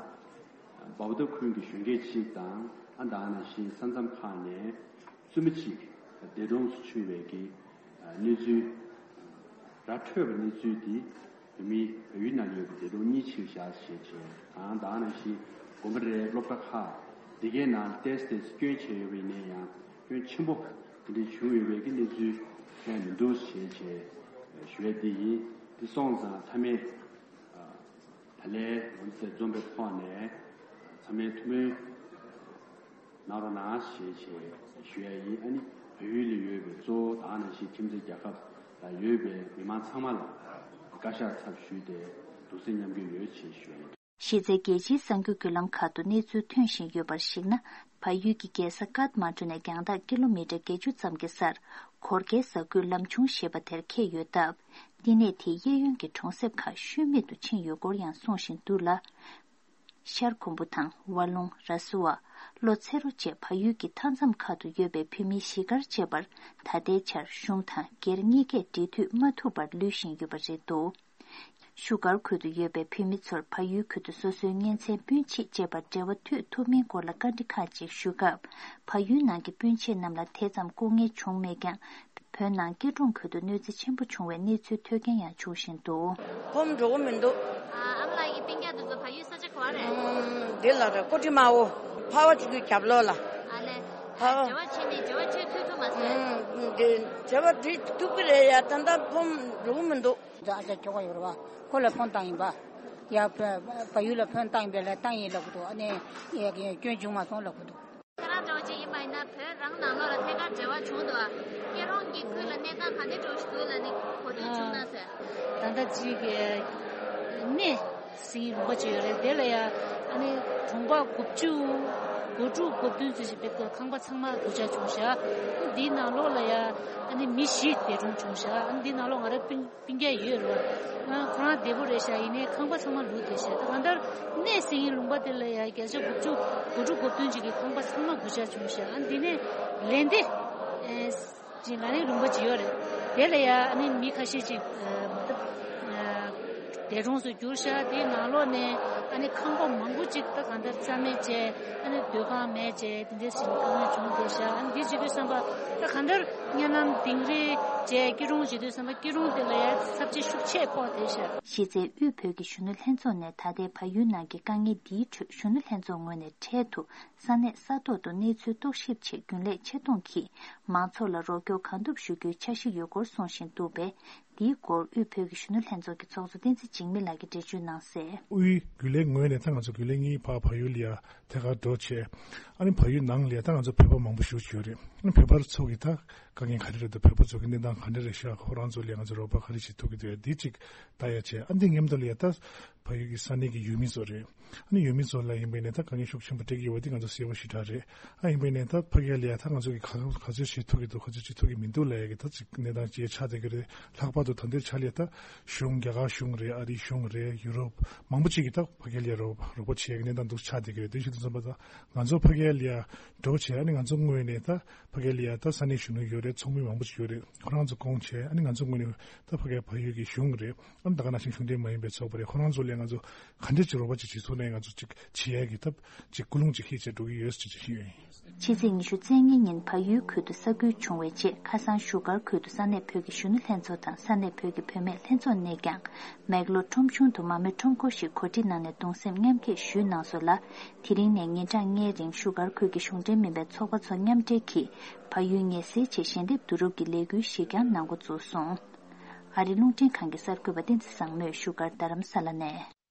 བའུ་ཏ་ཁུལ་གྱི་གཞོན་སྐྱེས་གཅིག་དང་ཨ་ད་ནང་བཞིན་ས་མཚམས་ཁག་ནས་བཙུན་མ་གཅིག་འདས་གྲོངས་སུ་ཕྱིན་པའི་གི་གནས་ཚུལ། ར་འཕྲོད་པའི་གནས་ཚུལ་འདི། བོད་མི་བལ་ཡུལ་ནང་ཡོད་པའི་འདས་གྲོངས་གཉིས་ཕྱིར་བཞག་ཞེས་བྱས་དང་ད་ནང་བཞིན་དགོན་པ་རེད། སློབ་གྲྭ་ཁག་དེ་གའི་ནང་ཏོག་ཙམ་སྐྱོན་བྱས་ཡོད་པ་ཡིན་ན་ཡང་སྐྱོན་ཆེན་པོ་དེ་འདྲ་བྱུང་ཡོད་པའི་གི་གནས་ཚུལ་གང་ཡང་མི་འདུག་ཞེས་བྱས་ཞུ་ཡ་དེ་ཡིན། དེ་སོང་ཙང་ཚང་མས་ད་ལན་ང་ཚོས་འཛོམས་པའི་ཐོག་ནས་ཚང་མས་ཐུགས་སྨོན། གནང་རོགས་གནང་ཞེས་བྱས་ཞུ་ཡ་ཡིན། ཨ་ནི་བལ་ཡུལ་ལ་ཡོད་པའི་གཙོ་བོ་དེ་ནང་བཞིན་ཁྱིམ་མཚེས་རྒྱལ་ཁབ་ལ་ཡོད་པའི་མི་མང་ཚང་མ་ལ་བཀའ་ཤག་ཚབ་ཞུས་ཏེ་གདུང་སེམས་མཉམ་སྐྱེད་ཡོད་ཅེས་ཞུ་ཡ་ཡིན། གཞི་རྩའི་རྒྱལ་སྤྱིའི་གསར་འགྱུར་བརྒྱུད་ལམ་ཁག་ཏུ་གནས་ཚུལ་ཐོན་བཞིན་ཡོད་པར་གཞིགས་ན། བལ་ཡུལ་གྱི་རྒྱལ་ས་ཀཏ་མན་ཌུ་ནས་རྒྱང་ཐག་ཀི་ལོ་མི་ཊར་བརྒྱད་ཅུ་ཙམ་གྱི་སར་གོར་ཁའི་གཟའ་འཁོར་ལམ་ཆུང་ཞེས་པ་དེར་འཁེལ་ཡོད་སྟབས། འདི་ནས་དེའི་གཡས་གཡོན་གྱི་གྲོང་གསེབ་ཁག་ཤུལ་མེད་དུ་ཕྱིན་ཡོད་སྐོར་ཡང་གསུང་བཞིན་འདུག་ལ། ཤར་ཁུམ་བུ་དང་ཝ་ལུང་། ར་སུ་ཝ། ལྷོ་ཚེ་རོ་བཅས་བལ་ཡུལ་གྱི་མཐའ་མཚམས་ཁག་ཏུ་ཡོད་པའི་བོད་མིའི་གཞིས་སྒར་བཅས་པར་ད་ལྟའི་ཆར་གཞུང་དང་སྒེར་གཉིས་ཀས་འབྲེལ་མཐུད་མ་ཐུབ་པར་ལུས་བཞིན་ཡོད་པ་རེད་འདུག། བཞུགས་སྒར་ཁུལ་དུ་ཡོད་པའི་བོད་མི་ཚོར་བལ་ཡུལ་ཁུལ་དུ་སོ་སོའི་གཉེན་ཚན་སྤུན་མཆེད་བཅས་པར་འབྲེལ་བ་མཐུད་ཐུབ་མིན་སྐོར་ལ་བཀའ་འདྲི་ཁག་ཅིག་ཞུས་སྐབས། བལ་ཡུལ་ནང་གི་སྤུན་མཆེད་རྣམས་ལ་དེ་ཙམ་སྐུ་ངལ་བྱུང་མེད་ཀྱང་། བོད་ནང་སྐྱིད་གྲོང་ཁུལ་དུ་གནོད་འཚེ་ཆེན་པོ་བྱུང་བའི་གནས་ཚུལ་ཐོས་མཁན་ཡང་བྱུང་བཞིན་འདུག། ཕོམ་འགྲོ་གི་མི་འདུག། ཨ་ཨ་མ་ལགས་ཀྱི་སྤུན་ཀྱག་དེ་ཚོ་བལ་ཡུལ་ས་ཆ་ག་བ་རེད། ཨམ། འདི་ལ་རེད། ཀོ་ཀྲི་མ་འོ། ཕ་བ་ཆུ་ཁྱུའི་རྒྱབ་ལོགས་ལ། ཨ་ལས། ཕ་བ། འབྲེལ་བ་བྱས་ནས་འབྲེལ་བ་བྱེད་ཐུབ་ཐུབ་མ་སོང་། ཨམ། འདི་འབྲེལ་བ་འདི་ཐུབ་ཀྱི་རེད་ཡ། ད་ལྟ་ཕོམ་འགྲོ་གི་མི་འདུག། འདི་ཨ་ཅག་ཁྱོ་ག་ཡོད་རེད་བ། ཁོ་ལ་ཕོན་བཏང་ཡིན་པ། ཡ་བལ་ཡུལ་ལ་ཕོན་བཏང་ཡིན་པས་ལ་བཏང་ཡིན་ལབ་གི་འདུག། ཨ་ནི་ཡ་སྐྱོན་བྱུང་མ་སོང་ལབ་གི་འདུག། ཁྱེད་རང་འདྲ་བོ་ཅིག་ཡིན་པ་ཡིན་ན་བོད་རང་ནང་ལོགས་ལ་ཐད་ཀར་འབྲེལ་བ་བྱུང་འདུག་ཨ། སྐྱིད་གྲོང་གི་ཁུལ་ལ་གནས་སྟངས་ག་འདྲ་འདྲ་བོ་ཞིག་འདུག་ལབ་ནས་གོ་ཐོས་བྱུང་ན་ཟེར། ད་ལྟ་ཅིག་གནས་ཟིན་ཡིན་ལུང་པ་ཅིག་ཡོད་རེད། དེ་ལ་ཡ་ཨ་ནི་གྲོང་པ་དགུ་བཅུ་གོ་དྲུག་གོ་བདུན་ཙམ་ཞིག་བེད་ཁང་པ་ཚང་མ་གུག་ཆ་བྱུང་ཤག། འདིའི་ནང་ལོགས་ལ་ཡ་ཨ་ནི་མི་བཞི་འདས་གྲོངས་བྱུང་ཤག། ཨ་ནི་འདིའི་ནང་ལོགས་ང་རའི་སྤུན་སྤུན་ཀྱག་ཡོད་རེད་བ། ང་ཁོ་རང་བདེ་པོ་རེད་ཤག། ཡིན་ནའི་ཁང་པ་ཚང་མ་ལུག་བསྡད་ཤག། ད་གང་ལྟར་གནས་ཟིན་ཡིན་ལུང་པ་དེ་ལ་ཡ་བརྒྱ་ཆ་དགུ་བཅུ་གོ་དྲུག་གོ་བདུན་ཅིག་གི་ཁང་པ་ཚང་མ་གུག་ཆ་བྱུང་ཤག། ཨ་ནི་འདི་ནས་ལན་དེ་ཨེ་ཅིག་ལ་ནི་ལུང་པ་ཅིག་ཡོད་རེད། དེ་ལ་ཡ་ཨ་ནི་མི་ཁ་ཤས་ཅིག་ཨ་མ་ད་ཨ་འདས་གྲོངས་སུ་གྱུར་ཤག། དེའི་ནང་ལོགས་ནས་ཨ་ནི་ཁང་པ་མང་པོ་ཅིག་ད་གང་ལྟར་རྩ་མེད་བྱས། ཨ་ནི་སྡོད་ཁང་མེད་བྱས། དེ་འདྲ་ཞིག་དཀའ་ངལ་བྱུང་བསྡད་ཤག། ཨ་ནི་འདི་བྱེད་དུས་བསམ་པ་ད་གང་ལྟར་གཉའ་ནང་དིང་རི་བྱས་སྐྱིད་གྲོང་བྱེད་དུས་བསམ་པ་སྐྱིད་གྲོང་དེ་ལ་ཡ་ཚབས་ཆེ་ཤུགས་ཆེ་ཕོག་བསྡད་ཤག། གཞི་རྩའི་དབུས་བོད་ཀྱི་གཞོན་ནུ་ལྷན་ཚོགས་ནས་ད་ལྟའི་བལ་ཡུལ་ནང་གི་དཀའ་ངལ་འདིའི་ཁྲོད་གཞོན་ནུ་ལྷན་ཚོགས་ངོས་ནས་འཕྲལ་དུ་ས་གནས་ས་ཐོག་ཏུ་གནས་ཚུལ་རྟོག་ཞིབ་ཆེད་རྒྱུན་ལས་ཆེད་གཏོང་གིས་མང་ཚོགས་ལ་རོགས་སྐྱོར་གང་ཐུབ་ཞུ་རྒྱུའི་འཆར་གཞི་ཡོད་སྐོར་གསུང་བཞིན་འདུག་པས། འདིའི་སྐོར་དབུས་བོད་ཀྱི་གཞོན་ནུ་ལྷན་ཚོགས་ཀྱི་ཚོགས་གཙོ་བསྟན་འཛིན་འཇིགས་མེད་ལགས་ཀྱིས་འགྲེལ་བརྗོད་གནང་གསལ། དབུས་རྒྱུན་ལས་ངོས་ནས་ད་ང་ཚོ་རྒྱུན་ལས་གཉིས་ཕར་བལ་ཡུལ་ལ་ཡ་ཐད་ཀར་འགྲོ་བྱས། ཨ་ནི་བལ་ཡུལ་ནང་ལ་ཡ་ད་ང་ཚོ་བོད་པ་མང་པོ་བཞུགས་ཡོད་རེད། ཨ་ནི་བོད་པ་ཚོ་གི་ད་དཀའ་ངལ་ག་རེ་རེད་འདུག། བོད་པ་ཚོ་གི་གནས་སྟངས་ག་འདྲ་རེད་ཤག། ཁོ་རང་ཚོ་ལ་ཡ་ང་ཚོ་རོགས་པ་ག་རེ་བྱེད་ཐུབ་ཀྱི་འདུག། ཡ་འདི་གཅིག་ལྟ་ཡ་བྱས། ཨ་འདི་མཉམ་དུ་ལ་ཡ་ད་བལ་ཡུལ་གྱི་ས་གནས་ཀྱི་ཡུལ་མི་ཚོ་རེད། ཨ་ནི་ཡུལ་མི་ཚོ་ལ་ཡིན་པ་ཡིན་ནའི་ད་དཀའ་ངལ་ཤུགས་ཆེན་པོ་འཕྲད་ཀྱི་ཡོད་པ་འདི་ང་ཚོ་གསལ་པོ་ཞེ་དྲག་རེད། ཨ་ཡིན་པ་ཡིན་ནའི་ད་ཕ་གི་ལ་ཡ་ད་ང་ཚོ་གི་ག་ག་ཚོད་བྱེད་ཐུབ་ཀྱི་འདུག། ག་ཚོད་བྱེད་ཐུབ་ཀྱི་མི་འདུག་ལབ་ཡ་གི་ད་ཅིག་གནས་སྟངས་ཅིག་ཆགས་བསྡད་ཀྱི་རེད། ལྷག་པར་ ད་ལྟའི་ཆ་ལས་ད་གཞུང་། རྒྱ་གར་གཞུང་རེད། ཨ་རིའི་གཞུང་རེད། ཡུ་རོབ་མང་པོ་ཅིག་གིས་ད་ཕ་གི་ལ་ཡ་རོགས་རོགས་པ་བྱེད་ཡག་གི་གནས་སྟངས་འདུག་ཆགས་བསྡད་ཀྱི་རེད། དེ་བཞིན་དུ་མཚོན་པ་ད་ང་ཚོ་ཕ་གི་ལ་ཡ་འགྲོ་བྱས། ཨ་ནི་ང་ཚོ་ངོས་ནས་ད་ཕ་གི་ལ་ཡ་ད་ས་གནས་གཞོན་ནུ་ཡོད་རེད། ཚོགས་མི་མང་པོ་ཅིག་ཡོད་རེད། ཁོ་རང་ཚོ་བསྐོང་བྱས། ཨ་ནི་ང་ཚོ་ངོས་ནས་ད་ཕ་གི་བལ་ཡུལ་གྱི་གཞུང་རེད། ཨ་ནི་ད་ག་ནང་བཞིན་གཞུང་འབྲེལ་མ་ཡིན་པའི་ཚོགས་པ་རེད། ཁོ་རང་ཚོ་ལ་ང་ཚོ་ག་འདྲ་ཅིག་རོགས་པ་ཅིག་བྱེད་ཐུབ་ན་ང་ཚོ་ཅིག་བྱེད་ཡག་གི་ད་ཅིག་ཀུན་སློང་ཅིག་ཧེ་བྱས་འགྲོ་གི་ཡོད་ཟེར་ཅིག་ཞུས་ཡོད། ཕྱི་ཚེས་ཉི་ཤུ་རྩ་གཉིས་ཉིན་བལ་ཡུལ་ཁུལ་དུ་ས་ཁུལ་བྱུང་བའི་རྗེས། ཁ་སང་བཞུགས་སྒར་ཁུལ་དུ་ས་གནས་བོད་ཀྱི་གཞོན་ནུ་ལྷན་ཚོགས་དང་ས་གནས་བོད་ཀྱི་བུད་མེད་ལྷན་ཚོགས་ནས་ཀྱང་། མེག་ལོར་ཁྲོམ་གཞུང་དུ་མ་རྨོས་ཁྲོམ་སྐོར་ཞིག་གོ་སྒྲིག་གནང་ནས་གདུང་སེམས་མཉམ་སྐྱེད་ཞུས་གནང་སོང་ལ། དེ་རིང་ནས་ཉིན་གྲངས་ལྔའི་རིང་བཞུགས་སྒར་ཁུལ་གྱི་གཞུང་འབྲེལ་མིན་པའི་ཚོགས་པ་ཚོ་མཉམ་འབྲེལ་གྱིས་བལ་ཡུལ་ཉེ་སའི་ཆེད་ཞལ་འདེབས་བསྡུ་རུབ་ཀྱི་ལས་འགུལ་ཞིག་ཀྱང་གནང་འགོ་བཙུགས་སོང་། ཨ་རི་རླུང་འཕྲིན་ཁང་གི་གསར་འགོད་པ་བསྟན་འཛིན་བཟང་མོས་བཞུགས་སྒར་རྡ་རམ་ས་ལ་ནས།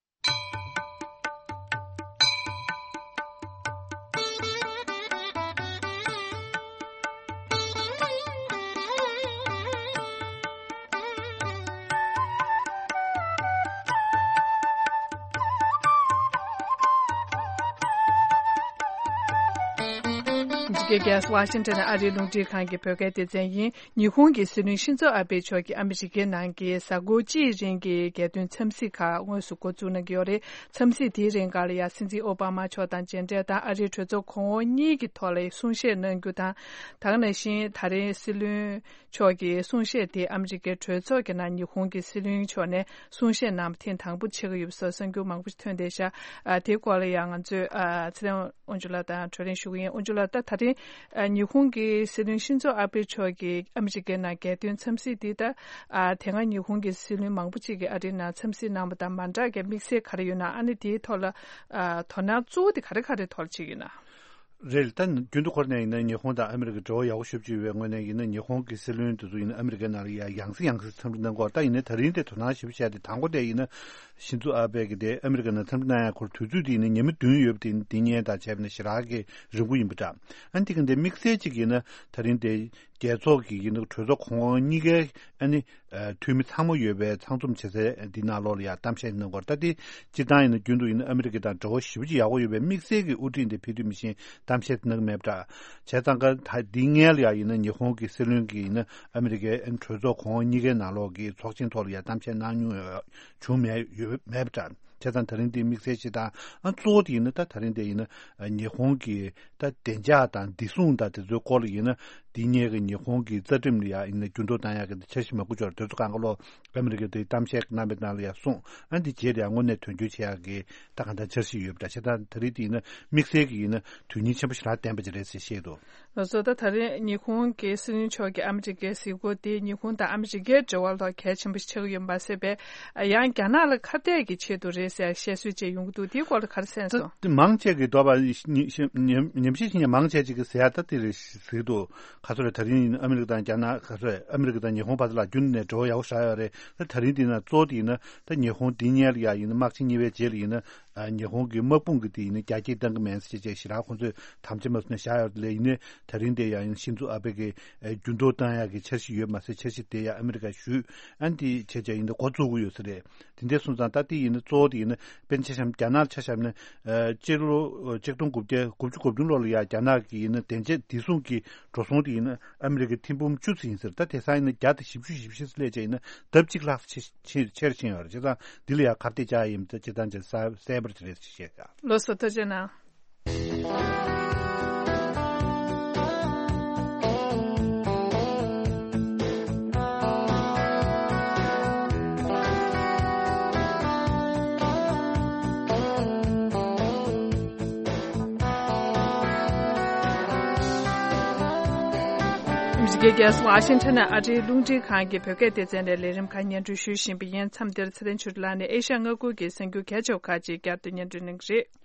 འཇིགས་སྐལ་རྒྱས། ཝ་ཤིང་ཊོན་ཨ་རིའི་རླུང་འཕྲིན་ཁང་གི་བོད་སྐད་སྡེ་ཚན་ཡིན། ཉི་ཧོང་གི་སྲིད་བློན་ཤིན་ཛོ་ཨ་བྷེ་མཆོག་གིས་ཨ་མི་རི་ཀའི་ནང་གི་གཟའ་འཁོར་གཅིག་རིང་གི་རྒྱལ་དོན་འཚམས་གཟིགས་ཁག་དངོས་སུ་འགོ་བཙུགས་གནང་གི་ཡོད་རེད། འཚམས་གཟིགས་དེའི་རིང་ག་ལ་ཡ་སྲིད་འཛིན་ཨོ་བྷ་མ་མཆོག་དང་མཇལ་འཕྲད་དང་། ཨ་རིའི་གྲོས་ཚོགས་གོང་འོག་གཉིས་ཀྱི་ཐོག་ལ་གསུང་བཤད་གནང་རྒྱུ་དང་། ད་ག་ནང་བཞིན་ད་རིང་སྲིད་བློན་མཆོག་གི་གསུང་བཤད་དེ་ཨ་མི་རི་ཀའི་གྲོས་ཚོགས་ཀྱི་ནང་ཉི་ཧོང་གི་སྲིད་བློན་མཆོག་ནས་གསུང་བཤད་གནང་བ་ཐེངས་དང་པོ་ཆགས་ཀྱི་ཡོད་པ་སོགས་གསར་འགྱུར་མང་པོ་ཞིག་ཐོན་བསྡད་ཤག་ཨ། དེའི་སྐོར་ལ་ཡང་ང་ཚོས་ཨ། ཚེ་རིང་དབང་ཕྱུག་ལགས་དང་གྲོས་རིམ་ཞུ་གི་ཡིན། དབང་ཕྱུག་ལགས། ད་ད་རིང་ཨ། ཉི་ཧོང་གི་སྲིད་བློན་ཤིན་ཛོ་ཨ་བྷེ་མཆོག་གིས་ཨ་མི་རི་ཀའི་ནང་རྒྱལ་དོན་འཚམས་གཟིགས་འདི་ད་ཨ། དེ་སྔ་ཉི་ཧོང་གི་སྲིད་བློན་མང་པོ་ཅིག་གིས་ཨ་རིའི་ནང་འཚམས་གཟིགས་གནང་བ་དང་མ་འདྲ་གི་དམིགས་བསལ་ག་རེ་ཡོད་ན། ཨ་ནི་དེའི་ཐོག་ལ་ཨ། དོ་སྣང་གཙོ་བོ་དེ་ག་རེ་ག་རེ་ཐོག་ལ་བྱེད་ཀྱི་ཡོད་ན། རེད། ད་རྒྱུན་དུ་ཁོ་རང་ཡིན་ན་ཉི་ཧོང་དང་ཨ་མི་རི་ཀའི་འབྲེལ་བ་ཡག་པོ་ཞེ་པོ་ཅིག་ཡོད་པའི་ངོས་ནས་ཡིན་ན། ཉི་ཧོང་གི་སྲིད་བློན་དེ་ཚོ་ཡིན་ན་ཨ་མི་རི་ཀའི་ནང་ལ་ཡ་ཡང་སེ་ཡང་སེ་འཚམས་འདྲི་གནང་གི་ཡོད་རེད། ད་ཡིན་ནའི་ད་རིང་དེ་དོ་སྣང་ཞེ་པོ་བྱས་ཏེ། དང་པོ་དེ་ཡིན་ན་ཤིན་ཛོ་ཨ་བྷེ་གིས་དེ་ཨ་མི་རི་ཀའི་ནང་འཚམས་འདྲི་གནང་ཡ་ཁོར་དུས་ཚོད་དེ་ཡིན་ན་ཉི་མ་བདུན་ཡོད་པ་དེ་འདི་ཉིན་དང་བྱས་པ་ན་ཞེ་དྲག་གི་རིང་པོ་ཡིན་པ་འདྲ། ཨ་ནི་དེ་གི་འདི་དམིགས་བསལ་ཅིག་ཡིན་ན་ད་རིང་དེ་རྒྱལ་ཚོགས་ཀྱི་ཡིན་ན་གྲོས་ཚོགས་གོང་འོག་གཉིས་ཀའི་ཨ་ནི་འཐུས་མི་ཚང་མ་ཡོད་པའི་ཚང་འཛོམས་བྱེད་སའི་འདི་ནང་ལོགས་ལ་ཡང་གཏམ་བཤད་གནང་གི་ཡོད་རེད། ད་དེ་སྤྱིར་བཏང་ཡིན་ན་རྒྱུན་དུ་ཡིན་ན་ཨ་མི་རི་ཀ་དང་འབྲེལ་བ་ཞེ་པོ་ཅིག་ཡག་པོ་ཡོད་པའི་དམིགས་བསལ་གྱི་དབུ་ཁྲིད་འདི་ཕེབས་དུས་མི་ཤེས་གཏམ་བཤད་གནང་གི་མེད་པ་འདྲ། བྱས་ཙང་ཀ་ད་འདི་སྔོན་ལ་ཡང་ཡིན་ན་ཉི་ཧོང་གི་སྲིད་བློན་གྱིས་ཡིན་ན་ཨ་མི་རི་ཀའི་གྲོས་ཚོགས་གོང་འོག་གཉིས་ཀའི་ནང་ལོགས་ཀྱི་ཚོགས་ཆེན་ཐོག་ལ་ཡང་གཏམ་བཤད་གནང་མྱོང་ཡོད་བྱུང་མེད་ཡོད་མེད་པ་འདྲ། བྱས་ཙང་ད་རིང་འདི་དམིགས་བསལ་ཞིག་དང་། ཨ། གཙོ་བོ་དེ་ཡིན་ན་ད་ད་རིང་དེ་ཡིན་ན་ཉི་ཧོང་གི་ད་བདེ་འཇགས་དང་བདེ་སྲུང་དང་དེ་ཚོའི་སྐོར་ལ་ཡིན་ན། དེ་སྔོན་གྱི་ཉི་ཧོང་གི་རྩ་ཁྲིམས་ལ་ཡང་ཡིན་ན་འགྱུར་ལྡོག་བཏང་ཡག་གི་འཆར་གཞི་མང་པོ་ཅིག་ཡོད་རེད། དེ་ཚོ་གང་ག་ལོ་ཨ་མི་རི་ཀས་དེ་གཏམ་བཤད་གནང་བའི་ནང་ལ་ཡང་གསུངས། ཨ་ནི་དེ་རྗེས་ལ་ཡང་དངོས་གནས་དོན་འཁྱོལ་བྱེད་ཡག་གི་ད་གང་ལྟར་འཆར་གཞི་ཡོད་པ་འདྲ། བྱས་ཙང་ད་རིང་དེ་ཡིན་ན་དམིགས་བསལ་གྱི་ཡིན་ན་དོན་སྙིང་ཆེན་པོ་ཞེ་དྲག་ལྡན་པ་ཅིག་རེད་ཟེར་བཤད་འདུག་ལགས་སོ། ད་ད་རིང་ཉི་ཧོང་གི་སྲིད་བློན་མཆོག་གིས་ཨ་མི་རི་ཀའི་གཟིགས་སྐོར་དེ་ཉི་ཧོང་དང་ཨ་མི་རི་ཀའི་འབྲེལ་བ་ལ་གལ་ཆེན་པོ་ཞིག་ཆགས་ཀྱི་ཡོད་པ་མ་ཟད་པའི། ཡང་རྒྱ་ནག་ལ་ཁ་གཏད་ཀྱི་ཆེད་དུ་རེད་ཟེར་བཤད་སྲོལ་བཅས་ཡོང་གི་འདུག་དེའི་སྐོར་ལ་ག་རེ་གསན་སོང་། ད་མང་ཆེ་གིས་དོགས་པ་ཉམས་ཞིབ་བྱེད་མཁན་མང་ཆེ་ཅིག་གིས་ཟེར་ཡ་ད་དེ་རེད་ཟེར་གྱི་འདུག་ག་ཚོད་རེད། ད་རིང་ཨ་མི་རི་ཀ་དང་རྒྱ་ནག་ག་ཚོད་རེད། ཨ་མི་རི་ཀ་དང་ཉི་ཧོང་བར་དུ་ལ་རྒྱུན་ནས་འབྲེལ་བ་ཡག་པོ་ཞེ་དྲག་ཡོད་རེད། ད་ད་རིང་འདི་ན་གཙོ་བོ་དེ་ཡིན་ན་ད་ཉི་ཧོང་འདི་སྔོན་ལ་ཡ་ཡིན་ན་དམག་ཆེན་གཉིས་པའི་རྗེས་ལ་ཡིན་ན། ཨ། ཉི་ཧོང་གི་དམག་དཔུང་གི་དེ་ཡིན་ན་རྒྱ་སྐྱེད་གཏང་གི་མེད་ཟེར་བྱས་ཞེ་དྲག་ཁོང་ཚོས་དམ་བཅའ་མ་བཟུང་ནས་བཞག་ཡོད་རེད། ལས་ཡིན་ནའི་ད་རིང་དེ་ཡང་ཤིན་ཛོ་ཨ་བྷེ་གིས་འགྱུར་ལྡོག་བཏང་ཡག་གི་འཆར་གཞི་ཡོད་མ་ཟད། འཆར་གཞི་དེ་ཡང་ཨ་མི་རི་ཀ་ཞུས། ཨ་ནི་དེ་བྱས་བྱས་ཡིན་ན་འགོ་བཙུགས་ཀྱི་ཡོད་ས་རེད། དེ་འདྲ་སོང་ཙང་ད་དེ་ཡིན་ན་གཙོ་བོ་དེ་ཡིན་ན་དཔེར་ན་ཆ་བཞག་ན། དཔེར་ན་ཆ་བཞག་ན། ཨ། སྤྱི་ལོ་ཆིག་སྟོང་དགུ་བརྒྱ་དགུ་བཅུ་གོ་བདུན་ལོ་ལ་ཡ་རྒྱ་ནག་གིས་ཡིན་ན་བདེ་འཇགས་བདེ་སྲུང་གི་འགྲོ་སོང་དེ་ཡིན་ན་ཨ་མི་རི་ཀའི་ཐེར་འབུམ་བཅུ་ཙམ་ཡིན་ཟེར། ད་དེང་སང་ཡིན་ན་བརྒྱ་དང་བཞི་བཅུ་ཞེ་བཞི་ཙམ་སླེབས་བྱས་ཡིན་ན་ལྡབ་གཅིག་ལྷག་ཙམ་ཆེ་ཆེ་ཆེར་ཕྱིན་ཡོད་རེད། བྱས་ཙང་འདི་ལ་ཡང་ཁ་གཏད་བཅག་ཡིན་ད་སྤྱིར་བཏང་བྱས་ན་གསལ་པོ་རེད་ཅེས་བཤད་ཀྱང་། ལགས་སོ། ཐུགས་རྗེ་གནང་། ཨ་མི་རི་ཀའི་རྒྱལ་ས་ཝ་ཤིང་ཊོན་ནས་ཨ་རིའི་རླུང་འཕྲིན་ཁང་གི་བོད་སྐད་སྡེ་ཚན་ནས་ལས་རིམ་ཁག་སྙན་སྒྲོན་ཞུ་བཞིན་པ་ཡིན། མཚམས་འདིར་ཚེ་བརྟན་ཆོས་སྒྲོན་ལགས་ནས་ཨེ་ཤ་ཡ་མངའ་ཁུལ་གྱི་གསར་འགྱུར་གལ་ཆེ་བ་ཁག་ཅིག་བསྐྱར་དུ་སྙན་སྒྲོན་གནང་གི་རེད།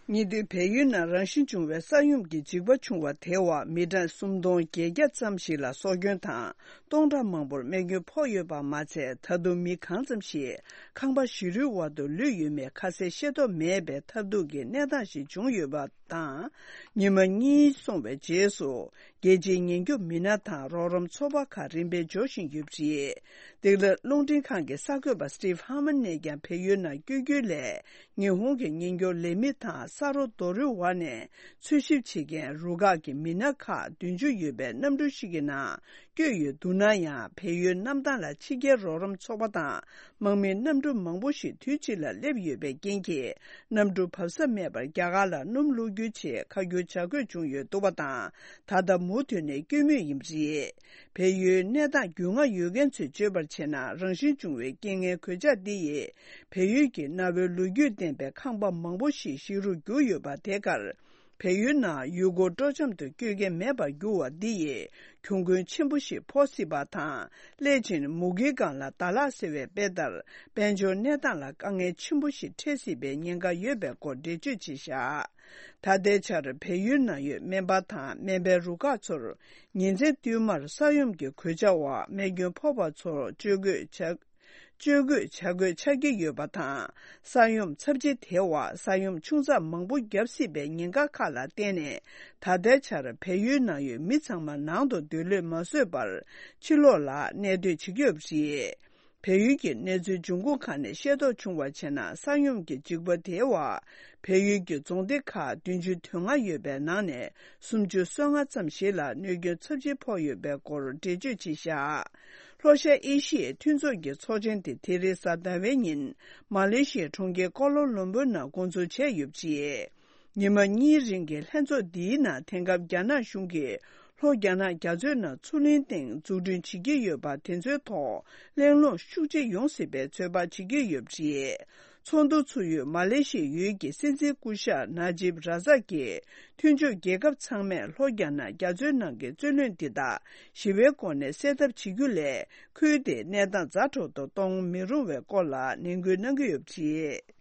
ཉེ་དུས་བལ་ཡུལ་ནང་རང་བཞིན་བྱུང་བའི་ས་ཡོམ་གྱི་འཇིགས་པ་བྱུང་བ་དེ་བར་མི་གྲངས་སུམ་སྟོང་བརྒྱད་བརྒྱ་ཙམ་ཞིག་ལ་སྲོག་སྐྱོན་དང་སྟོང་ཕྲག་མང་པོར་རྨས་སྐྱོན་ཕོག་ཡོད་པ་མ་ཚད། ད་དུང་མི་གང་ཙམ་ཞིག་ཁང་པ་བཞི་རུའི་འོག་ཏུ་ལུས་ཡོད་མེད་ཁ་གསལ་ཤེས་རྟོགས་མེད་པའི་ཐབས་སྡུག་གི་གནས་སྟངས་ཤིག་བྱུང་ཡོད་པ་དང་། ཉི་མ་གཉིས་སོང་བའི་རྗེས་སུ་ རྒྱལ་སྤྱིའི་ཉེན་སྐྱོབ་མི་སྣ་དང་རོགས་རམ་ཚོགས་པ་ཁག་རིམ་པས་འབྱོར་བཞིན་ཡོད་པ་རེད། སྟེགས་ལ་རླུང་འཕྲིན་ཁང་གི་གསར་འགོད་པ་Steve Harmon་ནས་ཀྱང་བལ་ཡུལ་ནང་བསྐྱོད་རྒྱུའི་སླད་ཉི་ཧོང་གི་ཉེན་སྐྱོབ་ལས་མི་དང་ས་རོ་རྡོ་རུའི་འོག་ནས་འཚོལ་ཞིབ་བྱེད་མཁན་རུ་ཁག་གི་མི་སྣ་ཁག་བདུན་ཅུ་ཡོད་པའི་གནམ་གྲུ་ཞིག་གི་ནང་། བསྐྱོད་ཡོད་འདུག་ན་ཡང་། བལ་ཡུལ་གནམ་ཐང་ལ་ཕྱི་རྒྱལ་རོགས་རམ་ཚོགས་པ་དང་། དམག་མིའི་གནམ་གྲུ་མང་པོ་ཞིག་དུས་གཅིག་ལ་སླེབས་ཡོད་པའི་རྐྱེན་གྱིས། གནམ་གྲུ་བབས་ས་མེད་པར་རྒྱ་གར་ལ་སྣུམ་བླུག་རྒྱུའི་ཆེད་ཁ་བསྒྱུར་བྱ་དགོས་བྱུང་ཡོད་འདུག་པ་དང་། ད་ལྟ་མུ་མཐུད་ནས་བསྐྱོད་མུས་ཡིན་པ་རེད། བལ་ཡུལ་གནས་སྟངས་རྒྱུས་མངའ་ཡོད་མཁན་ཚོས་བརྗོད་པར་བྱས་ན། རང་བཞིན་བྱུང་བའི་རྐྱེན་ངན་གོད་ཆག་འདི་ཡིས། བལ་ཡུལ་གྱི་གནའ་བོའི་ལོ་རྒྱུས་ལྡན་པའི་ཁང་པ་མང་པོ་ཞིག་ཞིག་རུ་གྱུར་ཡོད་པ་དེ་གར། བལ་ཡུལ་ནང་ཡུལ་སྐོར་སྤྲོ་འཆམ་དུ་བསྐྱོད་མཁན་མེད་པར་གྱུར་བ་འདི་ཡིས་གྱོང་གུན་ཆེན་པོ་ཞིག་ཕོག་སྲིད་པ་དང་། སླད་ཕྱིན་མུ་གེའི་སྒང་ལ་ཟླ་ལྷག་ཟེར་བའི་དཔེ་ལྟར། དཔལ་འབྱོར་གནས་སྟངས་ལ་དཀའ་ངལ་ཆེན་པོ་ཞིག་འཕྲད་སྲིད་པའི་ཉེན་ཁ་ཡོད་པའི་སྐོར་འགྲེལ་བརྗོད་བྱས་བཞག་ད་ལྟའི་ཆར་བལ་ཡུལ་ནང་ཡོད་སྨན་པ་དང་སྨན་པའི་རུ་ཁག་ཚོར་ཉིན་མཚན་བསྟུད་མར་ས་ཡོམ་གྱི་གོད་ཆག་འོག་རྨས་སྐྱོན་ཕོག་པ་ཚོར་བཅོས་དགོས་བྱ། བཅོས་དགོས་བྱ་དགོས་ཆགས་ཀྱི་ཡོད་པ་དང་། ས་ཡོམ་ཚབས་ཆེ་དེའི་འོག་ས་ཡོམ་ཆུང་ཙག་མང་པོ་བརྒྱབ་སྲིད་པའི་ཉེན་ཁ་ཁག་ལ་བརྟེན་ནས། ད་ལྟའི་ཆར་བལ་ཡུལ་ནང་ཡོད་མི་ཚང་མ་ནང་དུ་སྡོད་ལོས་མ་བཟོད་པར་ཕྱི་ལོགས་ལ་གནས་སྡོད་བྱེད་ཀྱི་ཡོད་པ་རེད། བལ་ཡུལ་གྱི་གནས་ཚུལ་འབྱུང་ཁུངས་ཁག་ནས་ཤེས་རྟོགས་བྱུང་བར་བྱས་ན། ས་ཡོམ་གྱི་འཇིགས་པ་དེའི་འོག་བལ་ཡུལ་གྱི་རྫོང་སྡེ་ཁག་བདུན་ཅུ་དོན་ལྔ་ཡོད་པའི་ནང་ནས། སུམ་ཅུ་སོ་ལྔ་ཙམ་ཞིག་ལ་གནོད་སྐྱོན་ཚབས་ཆེ་ཕོག་ཡོད་པའི་སྐོར་འགྲེལ་བརྗོད་བྱས་བཞག་ལྷོ་ཤར་ཨེ་ཤི་ཡའི་མཐུན་ཚོགས་ཀྱི་ཚོགས་ཆེན་དེ་དེ་རིང་གཟའ་ཟླ་བའི་ཉིན་མ་ལེ་ཤི་ཡའི་གྲོང་ཁྱེར་ཀོ་ལོ་ལུམ་བུར་ནང་འགོ་འཛུགས་བྱས་ཡོད་པ་རེད། ཉི་མ་གཉིས་རིང་གི་ལྷན་ཚོགས་འདིའི་ནང་དེང་སྐབས་རྒྱ་ནག་གཞུང་གིས་ལྷོ་རྒྱ་ནག་རྒྱ་མཚོའི་ནང་མཚོ་གླིང་སྟེང་འཛུགས་སྐྲུན་བྱེད་ཀྱི་ཡོད་པ་དེ་ཚོའི་ཐོག་གླེང་སློང་ཤུགས་ཆེ་ཡོང་སྲིད་པའི་ཚོད་དཔག་བྱེད་ཀྱི་ཡོད་པ་རེད། ཚོགས་འདུ་ཚུགས་ཡུལ་མ་ལེ་ཤི་ཡའི་ཡུལ་གྱི་སྲིད་འཛིན་སྐུ་ཞབས་ན་ཇིབ་ར་ཛག་གིས། མཐུན་ཕྱོགས་རྒྱལ་ཁབ་ཚང་མས་ལྷོ་རྒྱ་ནག་རྒྱ་མཚོའི་ནང་གི་རྩོད་གླེང་འདི་དག་ཞི་བའི་སྒོ་ནས་སེལ་ཐབས་བྱེད་རྒྱུ་ལས། ཁུལ་དེའི་གནས་སྟངས་ཛ་དྲག་ཏུ་གཏོང་མི་རུང་བའི་སྐོར་ལ་ནན་སྐུལ་གནང་གི་ཡོད་པ་རེད།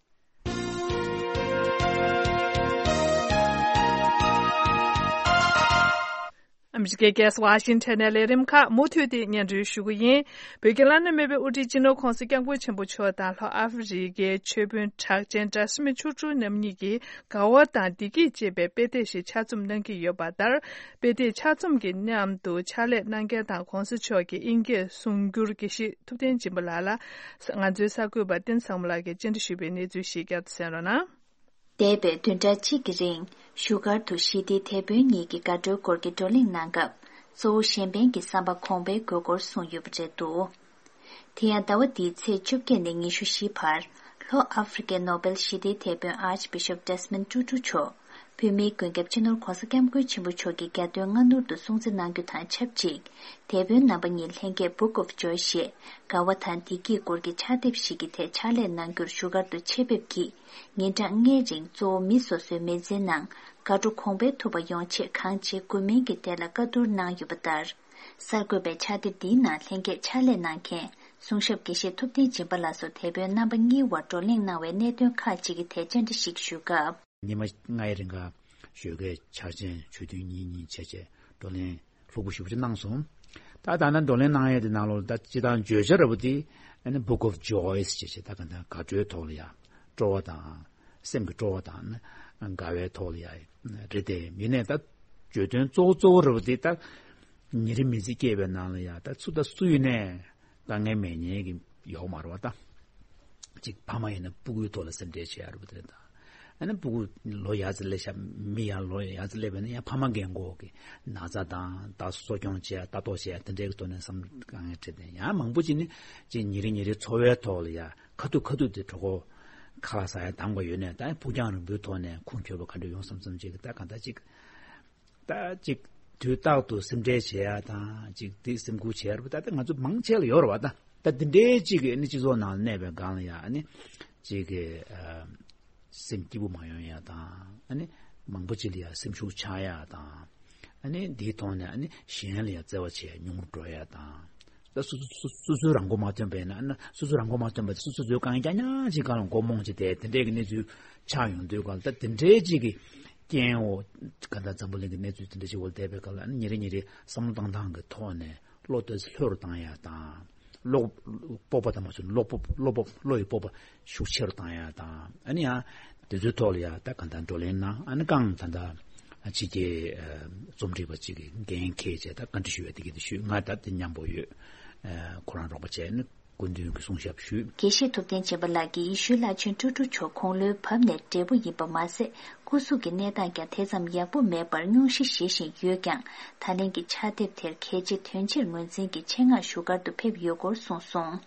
ཨ་མི་རི་ཀའི་རྒྱལ་ས་ཝ་ཤིང་ཊོན་ནས་ལས་རིམ་ཁག་མུ་མཐུད་དེ་སྙན་སྒྲོན་ཞུ་གི་ཡིན། བོད་ཀྱི་བླ་ན་མེད་པའི་དབུ་ཁྲིད་སྤྱི་ནོར་༸གོང་ས་༸སྐྱབས་མགོན་ཆེན་པོ་མཆོག་དང་ལྷོ་ཨ་ཧྥེ་རི་ཁའི་ཆོས་དཔོན་གྲགས་ཅན་ཇ་སི་མིན་ཆོས་དྲུག་རྣམ་གཉིས་ཀྱིས་དགའ་བ་དང་བདེ་སྐྱིད་ཅེས་པའི་དཔེ་དེབ་ཞིག་ཕྱག་རྩོམ་གནང་གི་ཡོད་པ་ལྟར། དཔེ་དེབ་ཕྱག་རྩོམ་གྱི་མཉམ་དུ་ཕྱག་ལས་གནང་མཁན་དང་༸གོང་ས་མཆོག་གི་དབྱིན་སྐད་གསུང་སྒྱུར་དགེ་བཤེས་ཐུབ་བསྟན་སྦྱིན་པ་ལགས་ལ། ང་ཚོའི་གསར་འགོད་པ་བསྟན་བཟང་མོ་ལགས་ཀྱིས་བཅར་འདྲི་ཞུས་པའི་གནས་ཚུལ་ཞིག་བསྐྱར་དུ་གསན་རོགས་གནང་། འདས་པའི་བདུན་ཕྲག་གཅིག་གི་རིང་བཞུགས་སྒར་དུ་ཞི་བདེའི་དེད་དཔོན་གཉིས་ཀྱིས་དགའ་སྤྲོའི་སྐོར་གྱི་བགྲོ་གླེང་གནང་སྐབས། གཙོ་བོ་གཞན་ཕན་གྱི་བསམ་པ་གོང་འཕེལ་དགོས་སྐོར་གསུངས་ཡོད་པ་རེད་འདུག་དེ་ཡང་ཟླ་བ་འདིའི་ཚེས་བཅོ་བརྒྱད་ནས་ཉི་ཤུ་བཞི་བར། ལྷོ་ཨ་ཧྥེ་རི་ཀའི་ནོ་བེལ་ཞི་བདེའི་དེད་དཔོན་ཨར་ཅི་བི་ཤོབ་ཌེ་སི་མོན་ཊུ་ཊུ་མཆོག་བོད་མིའི་མགོན་སྐྱབས་སྤྱི་ནོར་༸གོང་ས་༸སྐྱབས་མགོན་ཆེན་པོ་མཆོག་གི་རྒྱ་སྟོན་སྔ་སྣུར་དུ་སྲུང་བརྩི་གནང་རྒྱུ་དང་ཆབས་ཅིག་དེད་དཔོན་རྣམ་པ་གཉིས་ལྷན་རྒྱས་Book of Joy ཞེས་དགའ་བ་དང་བདེ་སྐྱིད་སྐོར་གྱི་ཕྱག་དེབ་ཞིག་གི་ཐད་ཕྱག་ལས་གནང་རྒྱུར་བཞུགས་སྒར་དུ་ཆེད་ཕེབས་ཀྱིས། ཉིན་གྲངས་ལྔའི་རིང་གཙོ་བོ་མི་སོ་སོའི་མི་ཚེའི་ནང་དགའ་སྤྲོ་གོང་འཕེལ་ཐུབ་པ་ཡོང་ཆེད་གང་བྱེད་དགོས་མིན་གྱི་ཐད་ལ་བཀའ་བསྡུར་གནང་ཡོད་པ་ལྟར། གསར་འགོད་པས་ཕྱག་དེབ་འདིའི་ནང་ལྷན་རྒྱས་ཕྱག་ལས་གནང་མཁན་གསུང་ཞབས་དགེ་བཤེས་ཐུབ་བསྟན་སྦྱིན་པ་ལགས་སུ་དེད་དཔོན་རྣམ་པ་གཉིས་དབར་བགྲོ་གླེང་གནང་བའི་གནད་དོན་ཁག་ཅིག་གི་ཐད་བཅར་འདྲི་ཞིག་ཞུས་སྐབས། ཉི་མ་ལྔའི་རིང་ག་ཞོགས་ཀའི་འཆར་ཅན་ཆོས་ཐུན་གཉིས་གཉིས་བྱས་བྱས་བགྲོ་གླེང་ལྷུག་པོ་ཞེ་པོ་ཅིག་གནང་སོང་། ད་ད་ནང་བགྲོ་གླེང་གནང་ཡས་དེ་ནང་ལོགས་ད་སྤྱི་བཏང་བརྗོད་བྱ་ར་བ་དེ་ཨ་ནི་Book of Joys ཞེས་བྱས་ད་ག་ད་དགའ་སྤྲོའི་ཐོག་ལ་ཡ་སྤྲོ་བ་དང་། སེམས་ཀྱི་སྤྲོ་བ་དང་དགའ་བའི་ཐོག་ལ་ཡ་རེད་དེ། ཡིན་ནའི་ད་བརྗོད་དོན་གཙོ་བོ་གཙོ་བོ་ར་བ་དེ་ད་ཉིན་རེ་མི་ཚེ་སྐྱེལ་བའི་ནང་ལ་ཡ་ད་སུ་ད་སུ་ཡིན་ནའི་དཀའ་ངལ་མེད་མཁན་གྱི་ཡོག་མ་རེད་བ་ད། ཅིག་ཕ་མ་ཡིན་ན་སྤུ་གུའི་ཐོག་ལ་སེམས་ཁྲལ་བྱེད་ཡ་རེད་བ་དེ་རེད་ད། ཨ་ནི་སྤུ་གུ་ལོ་ཡར་ཙམ་སླེབས་ཤག་མི་ཡང་ལོ་ཡར་ཙམ་སླེབས་པ་ཡིན་ན་ཡང་ཕ་མ་རྒན་གོག་གི་ན་ཚ་དང་ད་གསོ་སྐྱོང་བྱེད་ཡ་ལྟ་རྟོག་བྱེད་ཡ་དེ་འདྲའི་གི་ཐོག་ནས་བསམ་དཀའ་ངལ་འཕྲད་དེ། ཡང་མང་པོ་ཅིག་ནི་ཅིག་ཉིན་རེ་ཉིན་རེ་འཚོ་བའི་ཐོག་ལ་ཡ་ཁ་ཐུག་ཁ་ཐུག་དེ་གྲོད་ཁོག་ཁ་ལག་ཟ་ཡ་འདང་པ་ཡོད་ནས་ད་ཕུགས་རྒྱང་རིང་པོའི་ཐོག་ནས་ཁུངས་འཁྱོལ་བ་ག་འདྲ་ཡོང་བསམ་བསམ་ཅིག་གི་ད་གང་ལྟར་ཅིག་ད་ཅིག་དུས་རྟག་ཏུ་སེམས་ཁྲལ་བྱེད་ཡ་དང་ཅིག་དེ་སེམས་ཁུར་བྱེད་ཡ་རེད་པ། ད་ལྟ་ང་ཚོ་མང་ཆེ་ལ་ཡོད་རེད་པ། ད་ད་དེ་འདྲའི་ཅིག་གི་ཨ་ནི་སྤྱི་ཚོགས་ནང་ལ་གནས་པའི་སྒང་ལ་ཡ་ཨ་ནི་ཅིག་གི་ཨ་སེམས་སྐྱིད་པོ་མ་ཡོང་ཡ་དང་ཨ་ནི་མང་པོ་ཅིག་ལ་ཡ་སེམས་ཤུགས་ཆག་ཡ་དང་ཨ་ནི་དེའི་ཐོག་ནས་ཨ་ནི་གཞན་ལ་ཡ་བརྩེ་བ་བྱེད་ཉུང་རུ་འགྲོ་ཡ་དང་། ད་སོ་སོ་སོ་སོ་སོའི་རང་མགོ་མ་ཐོན་པ་ཡིན་ན་ཨ་ནི་སོ་སོའི་རང་མགོ་མ་ཐོན་པ་དེ་སོ་སོ་ཚོའི་རྐང་རྐྱང་རྐྱང་ཅིག་སྒང་ལ་མགོ་རྨོངས་བྱས་ཏེ་དེ་འདྲའི་གི་གནས་ཚུལ་ཆགས་ཡོང་དུས་སྒང་ལ་ད་དེ་འདྲའི་ཅིག་གི་རྐྱེན་འོ་ག་ད་འཛམ་བུ་གླིང་གི་གནས་ཚུལ་དེ་འདྲ་ཞིག་འོག་བསྡད་པའི་སྐབས་ལ་ཉིན་རེ་ཉིན་རེ་བསམ་བློ་བཏང་སྟངས་ཀྱི་ཐོག་ནས་བློ་ཏོག་ཙམ་ལྷོད་རུ་བཏང་ཡ་དང་། བློ་སྤོབས་པ་དང་མ་བྱུང་བློ་སྤོབས་བློ་སྤོབས་བློ་ཡི་སྤོབས་པ་ཤུགས་ཆེ་རུ་བཏང་ཡ་དང་ཨ་ནི་ཡང་དེ་ཚོའི་ཐོག་ལ་ཡ་ད་ག་ད་བགྲོ་གླེང་གནང་ཨ་ནི་རྐང་ད་ད་ ཕྱི་རྒྱལ་རྩོམ་སྒྲིག་པ་གཅིག་གི་འགན་འཁྱེར་བྱས་ད་བཀའ་འདྲི་ཞུ་བའི་དེ་གི་དེ་ཞུས། ང་ད་དེ་མཉམ་པོ་ཡོད། ཁོ་རང་རོགས་པ་བྱས་ནས་སྐུ་མདུན་གྱི་གསུང་ཞབས་ཞུས། དགེ་བཤེས་ཐུབ་བསྟན་སྦྱིན་པ་ལགས་ཀྱིས་ཡེ་ཤུའི་བླ་ཆེན་ཀྲུ་ཀྲུ་མཆོག་དགུང་ལོའི་བབ་ནས་བགྲེས་པོ་ཡིན་པ་མ་ཟད། སྐུ་གཟུགས་ཀྱི་གནས་སྟངས་ཀྱང་དེ་ཙམ་ཡག་པོ་མེད་པར་སྙུང་གཞི་བཞེས་བཞིན་ཡོད་ཀྱང་། ད་ལན་གྱི་ཕྱག་དེབ་དེར་གལ་ཆེ་དོན་ཆེར་ངོས་འཛིན་གྱིས་ཆེད་མངགས་བཞུགས་སྒར་དུ་ཕེབས་ཡོད་སྐོར་གསུངས་སོང་།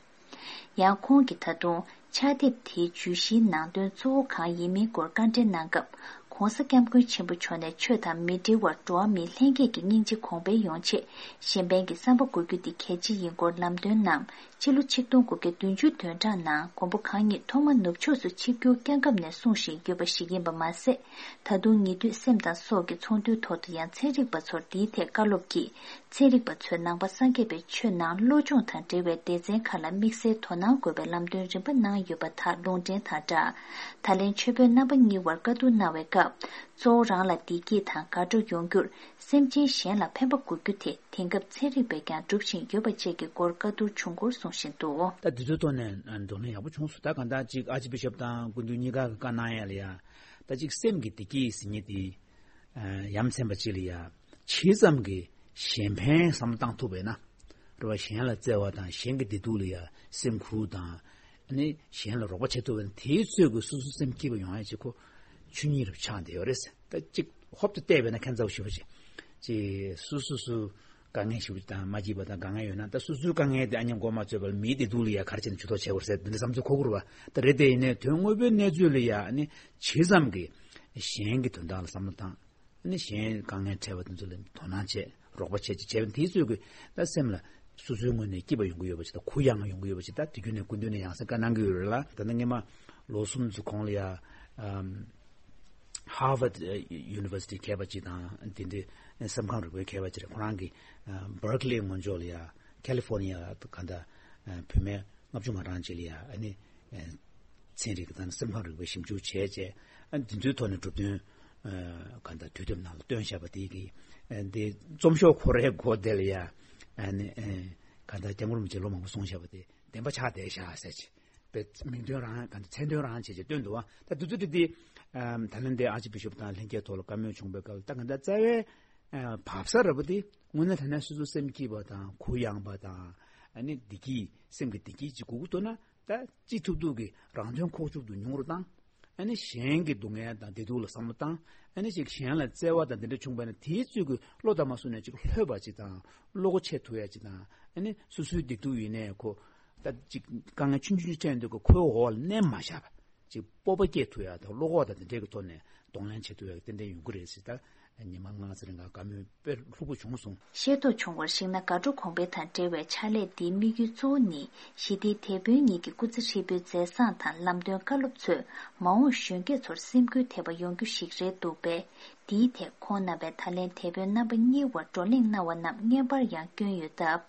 ཡང་ཁོང་གིས་ད་དུང་ཕྱག་དེབ་དེའི་བརྗོད་གཞིའི་ནང་དོན་གཙོ་བོ་གང་ཡིན་མིན་སྐོར་བཀའ་འདྲི་གནང་སྐབས། ྋགོང་ས་ྋསྐྱབས་མགོན་ཆེན་པོ་མཆོག་ནས་ཆོས་དང་མི་འབྲེལ་བར་འགྲོ་བ་མིའི་ལྷན་སྐྱེས་ཀྱི་སྙིང་རྗེ་གོང་འཕེལ་ཡོང་ཆེད་གཞན་ཕན་གྱི་བསམ་པ་དགོས་རྒྱུ་དེ་གལ་ཆེ་ཡིན་སྐོར་ལམ་སྟོན་གནང་། ཕྱི་ལོ་ཆིག་སྟོང་དགུ་བརྒྱ་བདུན་ཅུ་དོན་གྲངས་ནང་མགོན་པོ་གང་ཉིད་ཐོག་མ་ནུབ་ཕྱོགས་སུ་ཆིབས་བསྒྱུར་བསྐྱངས་སྐབས་ནས་གསུངས་བཞིན་ཡོད་པ་ཞིག་ཡིན་པ་མ་ཟད། ད་དུང་ཉེ་དུས་སེམས་དང་སྲོག་གི་ཚོགས་འདུའི་ཐོག་ཏུ་ཡང་ཚན་རིག་པ་ཚོར་འདིའི་ཐད་བཀའ་སློབ་ཀྱིས། ཚན་རིག་པ་ཚོས་ནང་པ་སངས་རྒྱས་པའི་ཆོས་ནང་བློ་སྦྱོང་དང་འབྲེལ་བའི་སྡེ་ཚན་ཁག་ལ་དམིགས་བསལ་དོ་སྣང་དགོས་པའི་ལམ་སྟོན་རིམ་པ་གནང་ཡོད་པ་དག་ལུང་འདྲེན་དང་སྦྲགས། ད་ལན་ཆོས་དཔོན་རྣམ་པ་གཉིས་བར་བཀའ་བསྡུར་གནང་བའི་སྐབས། གཙོ་བོ་རང་ལ་བདེ་སྐྱིད་དང་དགའ་སྤྲོ་ཡོང་རྒྱུར། སེམས་ཅན་གཞན་ལ་ཕན་པ་དགོས་རྒྱུ་དེ་དེང་སྐབས་ཚན་རིག་པས་ཀྱང་སྒྲུབ་བཞིན་ཡོད་པ་བཅས་ཀྱི་སྐོར་བཀའ་བསྡུར་བྱུང་སྐོར་གསུངས་བཞིན་འདུག་ད་དེ་ཚོའི་ཐོག་ནས་གདོང་ལེན་ཡག་པོ་བྱུང་སོང་། ད་གང་ལྟར་ཅིག་ཨར་ཅི་བི་ཤོབ་དང་སྐུ་མདུན་གཉིས་ཀ་གི་བཀའ་གནང་ཡ་ལ་ཡ། ད་ཅིག་སེམས་ཀྱི་བདེ་སྐྱིད་ཟེར་མཁན་དེ། ཡ་མཚན་པ་ཅིག་ལ་ཡ། ཇི་ཙམ་གྱིས་གཞན་ཕན་བསམ་བློ་བཏང་ཐུབ་པས་ན། རེད་བ། གཞན་ལ་བརྩེ་བ་དང་གཞན་གྱི་བདེ་སྡུག་ལ་ཡ་སེམས་ཁུར་དང་། ཨ་ནི་གཞན་ལ་རོགས་པ་བྱེད་ཐུབ་པས་ན་དེའི་ཚོད་ཀྱི་སོ་སོ་སེམས་སྐྱིད་པ་ཡོང་ཡ་ཅིག་ཁོ་ཆོས་ཉིད་རུ་ཆགས་བསྡད་ཡོད་རེད། ད་ཅིག་ཧོབ་ཏེ་བལྟས་པས་ན་ཁྱད་མཚར་པོ་ཞེ་པོ་ཅིག་ཅིག་སོ་སོ་སོ་དཀའ་ངལ་ཞེ་པོ་ཅིག་དང་མ་སྐྱིད་པ་དང་དཀའ་ངལ་ཡོད་ན་ད་སོ་སོའི་དཀའ་ངལ་དེ་ཨ་མཉམ་མགོ་མ་ཚོས་པར་མིའི་བདེ་སྡུག་ལ་ཡ་ག་རེ་བྱས་ནས་ཇུས་གཏོགས་བྱེད་དགོས་རེད་ཟེར་འདི་འདྲ་བསམ་ཚུལ་འཁོར་གྱི་རེད་བ། ད་རེད་དེ་ཡིན་ནའི་དོན་དངོས་པོའི་གནས་ཚུལ་ལ་ཡ་ཨ་ནི་ཇི་ཙམ་གྱིས་གཞན་གྱི་དོན་དག་ལ་བསམ་བློ་བཏང་། ཨ་ནི་གཞན་དཀའ་ངལ་འཕྲད་པ་དེ་ཚོ་ལ་དོ་སྣང་བྱས་རོགས་པ་བྱས་ཅིག་བྱས་པ་དེའི་ཚོད་ཀྱིས་ད་སེམས་ལ་སོ་སོའི་ངོས་ནས་སྐྱིད་པ་ཡོང་གི་ཡོད་པ་ཅིག་དང་གུ་ཡངས་ཡོང་གི་ཡོད་པ་ཅིག་ད་དུས་རྒྱུན་ནས་སྐུ་མདུན་ནས་ཡང་སེ་བཀའ་གནང་གི་ཡོད་རེད་ལ། ད་ལྟ་སྔོན་མ་ལོ་གསུམ་ཙམ་གོང་ལ་ཡ་ཨམ། Harvard University་མཁས་པ་ཅིག་དང་དེ་འདྲའི་སེམས་ཁམས་རིག་པའི་མཁས་པ་ཅིག་རེད། ཁོ་རང་གིས་Berkeley་ངོས་ཕྱོགས་ལ་ཡ་California་ག་འདྲ་བུད་མེད་ལྔ་བཅུ་ང་གྲངས་ཅིག་ལ་ཡ་ཨ་ནི་ཚན་རིག་དང་སེམས་ཁམས་རིག་པའི་ཞིབ་འཇུག་བྱས་རྗེས་ཨ་འདི་ཚོའི་ཐོག་ནས་གྲུབ་དོན་ག་འདྲ་དུས་དེབ་ནང་ལ་བཏོན་བཞག་པ་དེ་གིས་འདི་རྩོམ་ཤོག་ཁོ་རའི་མགོ་དེ་ལ་ཡ་ཨ་ནི་ག་འདྲ་སྐྱབས་མགོན་རིན་པོ་ཆེ་ལོ་མང་པོ་གསུངས་བཞག་པ་དེ་བདེན་པ་ཆགས་བསྡད་བཞག་ཟེར་ཅིག་པའི་མིང་དོན་རང་ག་འདྲ་མཚན་དོན་རང་བྱས་ཀྱི་སྟོན་འདུག་བ། ད་དུས་ཚོད་དེ་ད་ལན་དེ་ཨ་ཅི་བི་ཤོབ་དང་ལྷན་རྒྱས་ཐོག་ལ་བཀའ་མོལ་བྱུང་བའི་སྐབས་ལ་ད་ག་འདྲ་རྩ་བའི་བབ་ས་ར་བ་དེ་དངོས་གནས་ད་ནས་སོ་སོ་སེམས་སྐྱིད་པ་དང་གུ་ཡངས་པ་དང་ཨ་ནི་བདེ་སྐྱིད་སེམས་ཀྱི་བདེ་སྐྱིད་ཅིག་དགོས་ཀྱི་འདུག་ན་ད་ཅི་ཐུབ་ཐུབ་ཀྱི་རང་དོན་ཁོག་ཆུབ་ཏུ་མྱོང་རོགས་དང་། ཨ་ནི་གཞན་གྱི་སྡུག་བསྔལ་དང་བདེ་སྡུག་ལ་བསམ་བློ་བཏང་། ཨ་ནི་ཅིག་གཞན་ལ་བརྩེ་བ་དང་དེ་འདྲ་བྱུང་བ་ན་དེའི་ཚུལ་གྱི་བློ་དང་མ་བསྲུངས་ནས་ཅིག་ལྷོད་པ་ཅིག་དང་བློ་སྒོ་ཕྱེ་ཐུབ་ཡ་ཅིག་དང་ཨ་ནི་སོ་སོའི་བདེ་སྡུག་ཡིན་ནའི་ཁོ་ད་ཅིག་དཀའ་ངལ་ཆུང་ཆུང་ཅིག་འཕྲད་འདུག་གི་ཁོའི་འོག་ལ་མནན་མ་བཞག་པ་ཅིག་སྤོབས་པ་སྐྱེ་ཐུབ་ཡ་དང་བློ་ཁོག་དང་དེ་འདྲའི་གི་ཐོག་ནས་གདོང་ལེན་བྱེད་ཐུབ་ཡ་གི་ཏན་ཏན་ཡོང་གི་རེད་ཟེར། ད་ཉི་མ་ལྔ་ཙམ་རིང་ག་བཀའ་མོལ་དཔེ་ལྷུག་པོ་བྱུང་སོང་། ཤེས་རྟོགས་བྱུང་བར་གཞིགས་ན་དགའ་སྤྲོ་གོང་འཕེལ་དང་འབྲེལ་བའི་ཕྱག་ལས་འདིའི་དམིགས་ཡུལ་གཙོ་བོ་ནི་ཞི་བདེའི་དེད་དཔོན་ཉིད་ཀྱི་སྐུ་ཚེ་ཧྲིལ་པོའི་མཛད་བཟང་དང་ལམ་སྟོན་བཀའ་སློབ་ཚོས་མ་འོངས་གཞོན་སྐྱེས་ཚོར་སེམས་འགུལ་ཐེབས་པ་ཡོང་རྒྱུ་ཞིག་རེད་འདུག་པས། འདིའི་ཐད་ཁོང་རྣམ་པས་ད་ལན་དེད་དཔོན་རྣམ་པ་གཉིས་བར་བགྲོ་གླེང་གནང་བ་རྣམས་བརྙན་པར་ཡང་བསྐྱོན་ཡོད་སྟབས།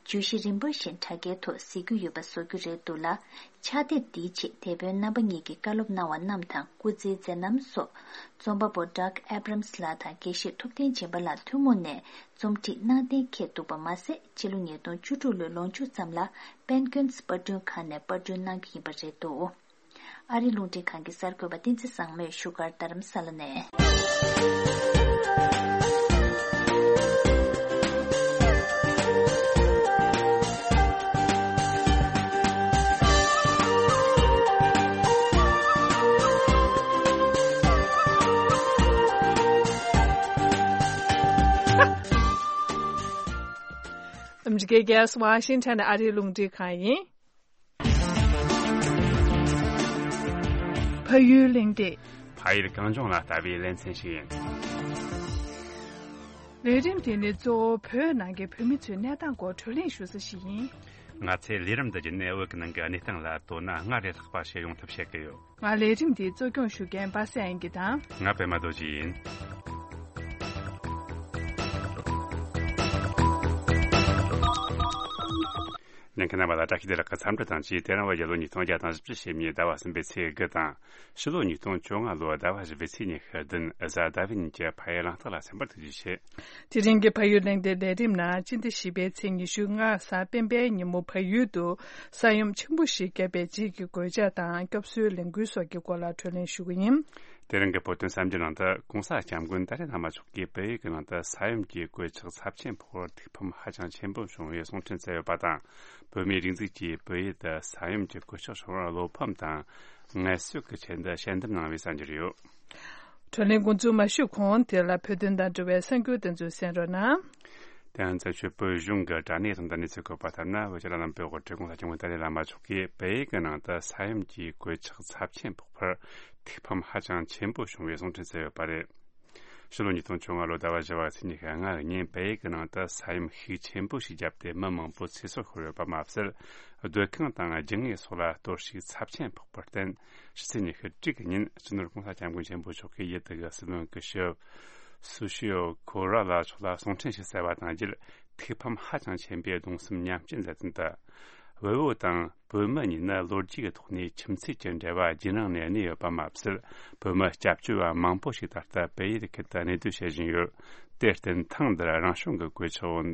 བརྗོད་གཞི་རིམ་པ་བཞིན་དྲ་རྒྱའི་ཐོག་གཟིགས་རྒྱུ་ཡོད་པ་བཟོ་རྒྱུ་རེད་འདུག་ལ། ཕྱག་དེབ་འདིའི་ཆེད་དེད་དཔོན་རྣམ་པ་གཉིས་ཀྱིས་བཀའ་སློབ་གནང་བ་རྣམས་དང་སྐུ་ཚེའི་མཛད་རྣམ་སོགས་རྩོམ་པ་པོ་Doug Abrams་ལགས་དང་དགེ་བཤེས་ཐུབ་བསྟན་སྦྱིན་པ་ལགས་ཐུན་མོང་ནས་རྩོམ་སྒྲིག་གནང་གཏན་འཁེལ་འདུག་པ་མ་ཟད། ཕྱི་ལོ་ཉིས་སྟོང་བཅུ་དྲུག་ལོའི་ལོ་མཇུག་ཙམ་ལ་པེན་ཀུན་སི་པར་སྐྲུན་ཁང་ནས་པར་སྐྲུན་གནང་རྒྱུ་ཡིན་པ་རེད་འདུག་ཨ་རི་རླུང་འཕྲིན་ཁང་གི་གསར་འགོད་པ་བསྟན་འཛིན་བཟང་མོས་བཞུགས་སྒར་རྡ་རམ་ས་ལ་ནས། ཨ་མི་རི་ཀའི་རྒྱལ་ས་ཝ་ཤིང་ཊོན་ཨ་རིའི་རླུང་འཕྲིན་ཁང་ཡིན། ཕ་ཡུལ་གླེང་སྟེགས། ཕ་ཡུལ་གངས་ལྗོངས་ལ་ལྟ་བའི་ལེ་ཚན་ཞིག་ཡིན། ལས་རིམ་དེ་ནི་གཙོ་བོ་བོད་ནང་གི་བོད་མི་ཚོའི་གནས་སྟངས་སྐོར་བགྲོ་གླེང་ཞུ་ས་ཞིག་ཡིན། ང་ཚོས་ལས་རིམ་འདི་བརྒྱུད་ནས་བོད་ཀྱི་ནང་གི་གནས་སྟངས་ལ་དོ་སྣང་སྔར་ལས་ལྷག་པ་ཞིག་ཡོང་ཐབས་བྱེད་ཀྱི་ཡོད། ང་ལས་རིམ་འདི་གཙོ་སྐྱོང་ཞུ་མཁན་པ་སངས་དབྱངས་སྐྱིད་དང་། ང་པད་མ་རྡོ་རྗེ་ཡིན། ཉན་མཁན་རྣམ་པ་ལ་བཀྲ་ཤིས་བདེ་ལེགས་ཀྱི་འཚམས་འདྲི་དང་བཅས། དེ་རིང་བོད་རྒྱལ་ལོ་ཉིས་སྟོང་བརྒྱ་དང་བཞི་བཅུ་ཞེ་གཉིས་ཟླ་བ་གསུམ་པའི་ཚེས་དགུ་དང་། ཕྱི་ལོ་ཉིས་སྟོང་བཅོ་ལྔ་ལོའི་ཟླ་བ་བཞི་པའི་ཚེས་ཉི་ཤུ་བདུན། གཟའ་ཟླ་བའི་ཉིན་གྱི་ཕ་ཡུལ་གླེང་སྟེགས་ལ་སེམས་པ་ཐུགས་རྗེ་ཆེ། དེ་རིང་གི་ཕ་ཡུལ་གླེང་སྟེགས་ལས་རིམ་ནང་། སྤྱི་ཟླ་བཞི་པའི་ཚེས་ཉི་ཤུ་ལྔ་གཟའ་སྤེན་པའི་ཉིན་མོ་བལ་ཡུལ་དུ་ས་ཡོམ་ཆེན་པོ་ཞིག་བརྒྱབ་པའི་རྗེས་ཀྱི་གོད་ཆག་དང་སྐྱོབ་གསོའི་ལས་འགུལ་སོགས་ཀྱི་སྐོར་ལ་བགྲོ་གླེང་ཞུ་གི་ཡིན། དེ་རིང་གི་བོད་དོན་གསར་འགྱུར་ནང་དུ། ྋགོང་ས་ྋསྐྱབས་མགོན་ཏཱ་ལའི་བླ་མ་མཆོག་གིས་བལ་ཡུལ་གྱི་ནང་དུ་ས་ཡོམ་གྱི་གོད་ཆག་ཚབས་ཆེན་ཕོག་པར་ཐུགས་ཕམ་ཧ་ཅང་ཆེན་པོ་བྱུང་བའི་གསུང་འཕྲིན་བསྩལ་ཡོད་པ་དང་། བོད་མིའི་སྒྲིག་འཛུགས་ཀྱིས་བལ་ཡུལ་དུ་ས་ཡོམ་གྱི་གོད་ཆག་བྱུང་བར་བློ་ཕམ་དང་ངལ་གསོའི་ཆེད་དུ་ཞལ་འདེབས་གནང་བའི་གསར་འགྱུར་ཡོད། བགྲོ་གླེང་འགོ་འཛུགས་མ་ཞུས་གོང་། དེ་ལ་བོད་དོན་དང་འབྲེལ་བའི་གསར་འགྱུར་དེ་ཚོ་གསན་རོགས་གནང་། དེ་ཡང་བཙན་བྱོལ་བོད་གཞུང་གི་དྲ་གནས་ཐོག་ཏུ་གནས་ཚུལ་བཀོད་པ་ལྟར་ན། བོད་ཕྱི་ནང་བོད་གོ་ཁྲིད་ྋགོང་ས་ྋསྐྱབས་མགོན་ཏཱ་ལའི་བླ་མ་མཆོག་གིས་བལ་ཡུལ་གྱི་ནང་དུ་ས་ཡོམ་གྱི་གོད་ཆག་ཚབས་ཆེན་ཕོག་པར་ཐུགས་ཕམ་ཧ་ཅང་ཆེན་པོ་བྱུང་བའི་གསུང་འཕྲིན་བསྩལ་ཡོད་པ་རེད། ཕྱི་ལོ་ཉིས་སྟོང་བཅོ་ལྔ་ལོའི་ཟླ་བ་བཞི་པ་ཚེས་ཉི་ཤུ་ལྔ་ཉིན་བལ་ཡུལ་གྱི་ནང་དུ་ས་ཡོམ་ཤུགས་ཆེན་པོ་ཞིག་བརྒྱབ་སྟེ་མི་མང་པོ་ཚེ་སྲོག་ཤོར་ཡོད་པ་མ་ཟད། སྡོད་ཁང་དང་སྦྱིན་དངོས་སོགས་ལ་གཏོར་བཤིག་ཚབས་ཆེན་ཕོག་པར་བརྟེན། ཕྱི་ཚེས་ཉི་ཤུ་དྲུག་ཉིན་སྤྱི་ནོར་༧གོང་ས་༧སྐྱབས་མགོན་ཆེན་པོ་མཆོག་གིས་ཡུལ་དེ་གི་སྲིད་བློན་སྐུ་ཞབས་སུ་ཤི་ཡོ་ཁོ་ར་ལ་མཆོག་ལ་གསུང་འཕྲིན་ཞིག་བསྩལ་བ་དང་རྗེས། ཐུགས་ཕམ་ཧ་ཅང་ཆེན་པོས་གདུང་སེམས་མཉམ་སྐྱེད་མཛད་དོན་དུ། བལ་བོ་དང་བོད་མི་གཉིས་ནི་ལོ་རྒྱུས་ཀྱི་ཐོག་ནས་ཁྱིམ་མཚེས་ཀྱི་འབྲེལ་བ་རྒྱུན་རིང་ནས་གནས་ཡོད་པ་མ་ཟད། བོད་མི་སྐྱབས་བཅོལ་བ་མང་པོ་ཞིག་ད་ལྟ་བལ་ཡུལ་ཁུལ་དུ་གནས་སྡོད་བྱེད་བཞིན་ཡོད། དེར་བརྟེན་ཐེངས་འདིར་རང་བྱུང་གི་གོད་ཆག་འོག་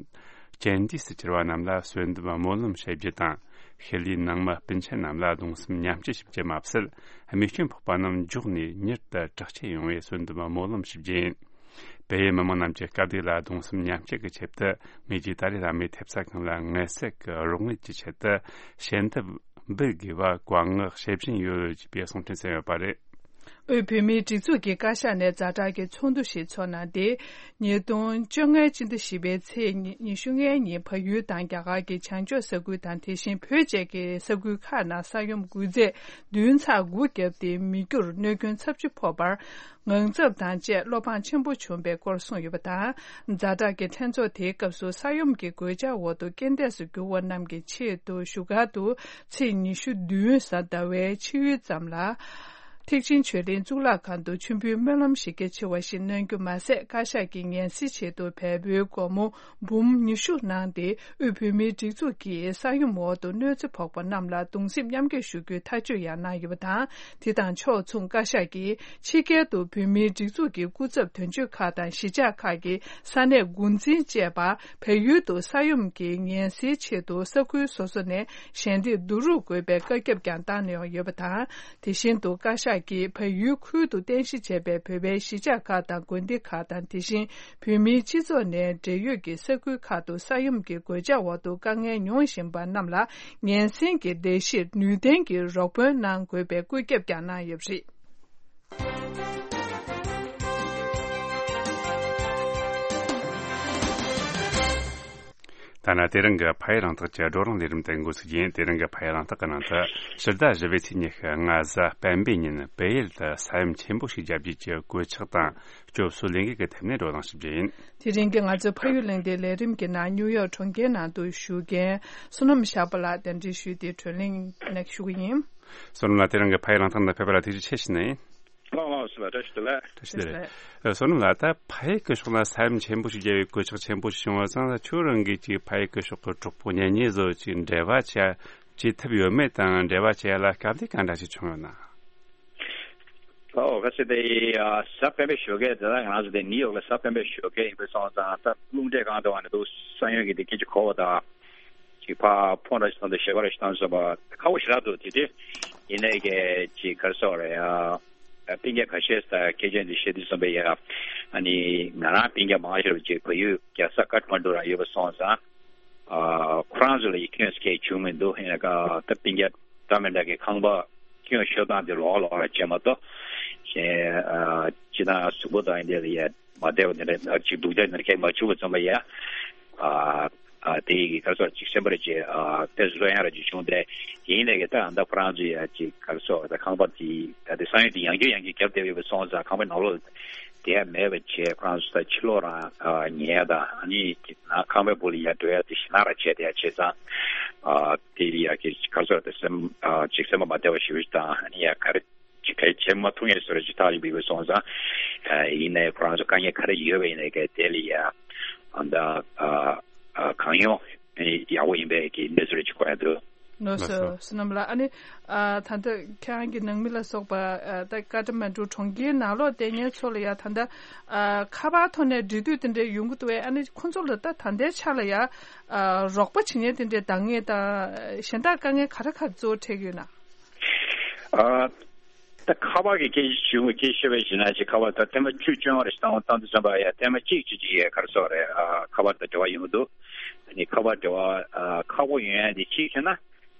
རྐྱེན་འདས་སུ་གྱུར་བ་རྣམས་ལ་གསོལ་འདེབས་སྨོན་ལམ་ཞུ་རྒྱུ་དང་། ཤུལ་ལུས་ནང་མི་སྤུན་མཆེད་རྣམས་ལ་གདུང་སེམས་མཉམ་སྐྱེད་ཞུ་རྒྱུ་མ་ཟད། རྨས་སྐྱོན་ཕོག་པ་རྣམས་མགྱོགས་ནས་མྱུར་དུ་དྲག་སྐྱེད་ཡོང་བའི་གསོལ་འདེབས་སྨོན་ལམ་ཞུ་རྒྱུ་ཡིན། བལ་ཡུལ་མི་མང་རྣམས་ཀྱི་དཀའ་སྡུག་ལ་གདུང་སེམས་མཉམ་སྐྱེད་ཀྱི་ཆེད་དུ། ངེད་ཀྱིས་ཏཱ་ལའི་བླ་མའི་ཐེབས་རྩ་ཁང་ལ་ངལ་གསོ་གི་རོགས་དངུལ་གྱི་ཆེད་དུ་ཞལ་འདེབས་འབུལ་དགོས་པ་བཀའ་མངགས་ཞུ་བཞིན་ཡོད་ཅེས་པའི་གསུང་འཕྲིན་བསྩལ་ཡོད་པ་རེད། དབུས་བོད་མིའི་སྒྲིག་འཛུགས་ཀྱིས་བཀའ་ཤག་ནས་ཛ་དྲག་གི་ཚོགས་འདུ་ཞིག་འཚོགས་གནང་སྟེ། ཉིས་སྟོང་བཅོ་ལྔའི་སྤྱི་ཟླ་བཞི་པའི་ཚེས་ཉི་ཉི་ཤུ་ལྔའི་ཉིན་བལ་ཡུལ་དང་རྒྱ་གར་གྱི་བྱང་ཕྱོགས་ས་ཁུལ་དང་། དེ་བཞིན་བོད་བཅས་ཀྱི་ས་ཁུལ་ཁག་ནང་ས་ཡོམ་འགུལ་ཚད་བདུན་ཚེག་དགུ་བརྒྱབ་སྟེ། མི་རྒྱུར་གནོད་སྐྱོན་ཚབས་ཆེ་ཕོག་པར། ངང་ཚབ་དང་བཅས་བློ་ཕངས་ཆེན་པོ་བྱུང་བའི་སྐོར་གསུངས་ཡོད་པ་དང་། ཛ་དྲག་གི་ལྷན་ཚོགས་དེའི་སྐབས་སུ་ས་ཡོམ་གྱི་གོད་ཆག་འོག་ཏུ་རྐྱེན་འདས་སུ་གྱུར་བ་རྣམས་ཀྱི་ཆེད་དུ། བཞུགས་སྒར་དུ་ཚེས་ཉི་ཤུ་བདུན་གཟའ་ཟླ་བའི་ཕྱི་ཡུལ་ཙམ་ལ། ཐེག་ཆེན་ཆོས་གླིང་གཙུག་ལག་ཁང་དུ་མཆོད་འབུལ་སྨོན་ལམ་གཞི་རྒྱ་ཆེ་བ་ཞིག་གནང་རྒྱུ་མ་ཟད། བཀའ་ཤག་གིས་ངལ་སེལ་ཆེད་དུ་བལ་པོའི་སྒོར་མོ་འབུམ་ཉི་ཤུ་གནང་སྟེ། དབུས་བོད་མིའི་སྒྲིག་འཛུགས་ཀྱིས་ས་ཡོམ་འོག་ཏུ་གནོད་འཚེ་ཕོག་པ་རྣམས་ལ་གདུང་སེམས་མཉམ་སྐྱེད་ཞུ་རྒྱུའི་ཐག་གཅོད་ཡང་གནང་ཡོད་པ་དང་། དེ་དང་ཕྱོགས་མཚུངས། བཀའ་ཤག་གིས་ཕྱི་རྒྱལ་དུ་བོད་མིའི་སྒྲིག་འཛུགས་ཀྱི་སྐུ་ཚབ་དོན་གཅོད་ཁག་དང་། གཞིས་ཆགས་ཁག་གི་ས་གནས་འགོ་འཛིན་བཅས་པ་བལ་ཡུལ་དུ་ས་ཡོམ་གྱི་ངལ་སེལ་ཆེད་དུ་ས་ཁུལ་སོ་སོ་ནས་ཞལ་འདེབས་བསྡུ་རུབ་དགོས་པའི་བཀའ་ཁྱབ་ཀྱང་བཏང་གནང་ཡོད་པ་དང་། དེ་བཞིན་དུ། བཀའ་ཤག་གིས་བལ་ཡུལ་ཁུལ་དུ་རྟེན་གཞི་བྱས་པའི་བོད་པའི་གཞིས་ཆགས་ཁག་དང་། དགོན་སྡེ་ཁག་དང་། དེ་བཞིན་བོད་མིའི་སྤྱི་ཚོགས་ནས་འབྲེལ་ཡོད་ཀྱི་ས་ཁུལ་ཁག་ཏུ་ས་ཡོམ་གྱི་གོད་ཆག་འོག་ཏུ་དཀའ་ངལ་མྱོང་བཞིན་པ་རྣམས་ལ་ངལ་སེལ་གྱི་ལས་གཞིར་ནུས་ལྡན་གྱི་རོགས་ཕན་གནང་དགོས་པའི་བཀོད་ཁྱབ་ཀྱང་གནང་ཡོད་པ་རེད། ད་ནི་དེ་རིང་གི་ཕ་ཡུལ་གླེང་སྟེགས་ཀྱི་བགྲོ་གླེང་ལས་རིམ་དེ་འགོ་ཚུགས་ཡིན། དེ་རིང་གི་ཕ་ཡུལ་གླེང་སྟེགས་ཀྱི་ནང་དུ། ཕྱི་ཟླ་བཞི་པའི་ཚེས་ཉི་ཤུ་ལྔ་གཟའ་སྤེན་པའི་ཉིན་བལ་ཡུལ་དུ་ས་ཡོམ་ཆེན་པོ་ཞིག་བརྒྱབ་རྗེས་ཀྱི་གོད་ཆག་དང་སྐྱོབ་གསོའི་ལས་འགུལ་གྱི་ཐད་ནས་བགྲོ་གླེང་ཞུ་རྒྱུ་ཡིན། དེ་རིང་གི་ང་ཚོའི་ཕ་ཡུལ་གླེང་སྟེགས་ལས་རིམ་གྱི་ནང་ནིའུ་ཡོག་གྲོང་ཁྱེར་ནང་དུ་བཞུགས་མཁན་བསོད་ནམས་ཤར་པ་ལགས་གདན་འདྲེན་ཞུས་ཏེ་བགྲོ་གླེང་ནང་ཞུགས་ཀྱི་ཡིན། བསོད་ནམས་ལགས། དེ་རིང་གི་ཕ་ཡུལ་གླེང་སྟེགས་ནང་ཕེབས་པ་ལ་ཐུགས་རྗེ་ཆེ་ཞུ་ནི་ཡིན། ལགས་ལགས་སོ། བཀྲ་ཤིས་བདེ་ལེགས། བཀྲ་ཤིས་བདེ་ལེགས། བསོད་ནམས་ལགས། ད་ཕ་ཡུལ་སྐུ་ཕྱོགས་ལ་ས་ཡོམ་ཆེན་པོ་ཞིག་བརྒྱབ་པའི་གོད་ཆག་ཆེན་པོ་ཞིག་བྱུང་བ་ཙང་། ཁྱོད་རང་གིས་ཅིག་ཕ་ཡུལ་སྐུ་ཕྱོགས་ཀྱི་གྲོགས་པོ་གཉེན་ཉེ་ཚོ་ཅིག་འབྲེལ་བ་བྱ་བྱེད་ཐུབ་ཡོད་མེད་དང་། འབྲེལ་བ་བྱེད་ཡ་ལ་དཀའ་ལས་ག་འདྲ་ཞིག་བྱུང་ཡོད་ན། ཨོ་ག་ཚོད་དེ་ཡ་གཟའ་སྤེན་པའི་ཞོགས་ཀས་དེ། ད་ང་རང་ཚོ་དེ་ནིའུ་ཡོག་ལ་གཟའ་སྤེན་པའི་ཞོགས་ཀས་ཡིན་པས་སོང་ཙང་། ད་རླུང་འཕྲིན་སྒང་དུ་བ་ནས་འདུག་ས་ཡོམ་གྱི་དེ་སྐད་ཆ་གོ་བ་དང་། ཅིག་ཕར་ཕོན་འདྲ་ཞིག་བཏང་དང་ཞལ་པར་འདྲ་ཞིག་བཏང་སོང་བ་ཁག་པོ་ཞེ་དྲག་འདུག་དེ་དུས་ཡིན་ནའི་གི་ཅིག་ག་རེ་ཟེར་དགོས་རེད་ཡ། སྤུན་ཀྱག་ཁ་ཤས་ད་སྐད་ཆ་འདི་བཤད་དུས་ཙམ་པ་ཡ། ཨ་ནི་ང་རང་སྤུན་ཀྱག་མང་ཤོས་ཅིག་བལ་ཡུལ་རྒྱལ་ས་ཀཏ་མན་ཌུ་རང་ཡོད་པ་སོང་ཙང་། ཨ་ཁོ་རང་ཚོ་ལ་ཡི་ཁྱོད་སྐད་བྱུང་མི་འདུག་ཡིན་ན་ཀ་ད་སྤུན་ཀྱག་འདྲ་མི་འདྲ་གི་ཁང་པ་ཁྱོད་ཤོད་སྟངས་དེ་ལོག་ལོག་ར་བྱས་མ་གཏོགས། གཞན་ཨ་ཅི་ད་གཟུགས་པོ་དང་འདི་ལ་ཡ། མ་བདེ་བ་འདི་འདྲ་ཅིག་སྡུག་ཅག་འདི་འདྲ་གང་མ་བྱུང་བ་ཙམ་པ་ཡ། ཨ་ཨ་དེ་ཡི་ག་རེ་ཟེར་ཅིག་སེམས་པར་ཅིག་ཨ་དཔེ་བཟོ་ཡང་ར་ཅིག་བྱུང་སྟེ། ཡིན་ནའི་གི་ད་ཨ་ད་ཁོ་རང་ཚོ་ཡ་ཅིག་ག་རེ་ཟེར་ད་ཁང་པ་དེ་ད་དེ་ས་ཡོམ་དེ་ཡང་བསྐྱར་ཡང་བསྐྱར་བརྒྱབ་བསྡད་ཡོད་པ་སོང་ཙང་ཁང་པའི་ནང་ལོགས་དེ་ཡ་མེད་པ་བྱས། ཁོ་རང་ཚོ་ད་ཕྱི་ལོགས་རང་ཨ་ཉལ་དང་ཨ་ནི་ནང་ཁང་པའི་སྦུག་ལ་ཡ་འགྲོ་ཡ་དེ་ཞེ་དྲག་ར་བྱས་བསྡད་ཡ་བྱས་ཙང་། ཨ་དེ་ཡ་གི་ག་རེ་ཟེར་ད་སེམས་ཨ་ཅིག་སེམས་པ་མ་བདེ་བ་ཞེ་པོ་ཅིག་དང་ཨ་ནི་ཡ་ག་རེ། ཅིག་གལ་བྱེད་མ་ཐུབ་ངེས་ཟེར་ཅིག་ཐག་ཡིན་པའི་སོང་ཙང་། ཡིན་ནའི་ཁོ་རང་ཚོ་དཀའ་ངལ་ག་རེ་ཡོད་པ་ཡིན་ནའི་གལ་དེ་ལ་ཡ་ཨ་ད་གང་ཡོང་ཡག་པོ་ཡིན་པའི་གི་གནས་ཚུལ་ཅིག་གོ་ཡ་འདུག་ལགས་སོ། བསོད་ནམས་ལགས། ཨ་ནི་ད་ལྟ་ཁྱེད་རང་གི་ནང་མི་ལ་སོགས་པ་ད་ཀ་ཏ་མན་ཌུ་གྲོང་ཁྱེར་ནང་ལོགས་བསྡད་མཁན་ཚོ་ལ་ཡ་ད་ལྟ་ཁ་པར་ཐོག་ནས་འབྲེལ་མཐུད་དེ་འདྲ་ཡོང་གི་འདུག་བས། ཨ་ནི་ཁོང་ཚོ་ལ་ད་ད་ལྟའི་ཆ་ལ་ཡ་རོགས་པ་བྱེད་མཁན་དེ་འདྲའི་འདང་ངེས་དང་གཞན་དག་དཀའ་ངལ་ག་རེ་ག་རེ་གཙོ་བོ་འཕྲད་ཀྱི་ཡོད་ན། ཨ། ད་ཁ་པར་གྱི་སྐད་ཆ་ཞུ་སྐད་ཆ་བཤད་པའི་ཞིག་ན་ཅིག་ཁ་པར་ད་ཐེངས་མ་བཅུ་བཅོ་ལྔ་རེ་བཏང་བཏང་དུས་ཙམ་པ་ཡ་ཐེངས་མ་གཅིག་ཅིག་ཅིག་ཡ་ག་རེ་ཟེར་རེད། ཨ་ཁ་པར་དང་འབྲེལ་བ་ཡོང་གི་འདུག་ཨ་ནི་ཁ་པར་འབྲེལ་བ་ཨ་ཁག་པོ་ཡོང་ཡ་དེ་གཅིག་བྱས་ན།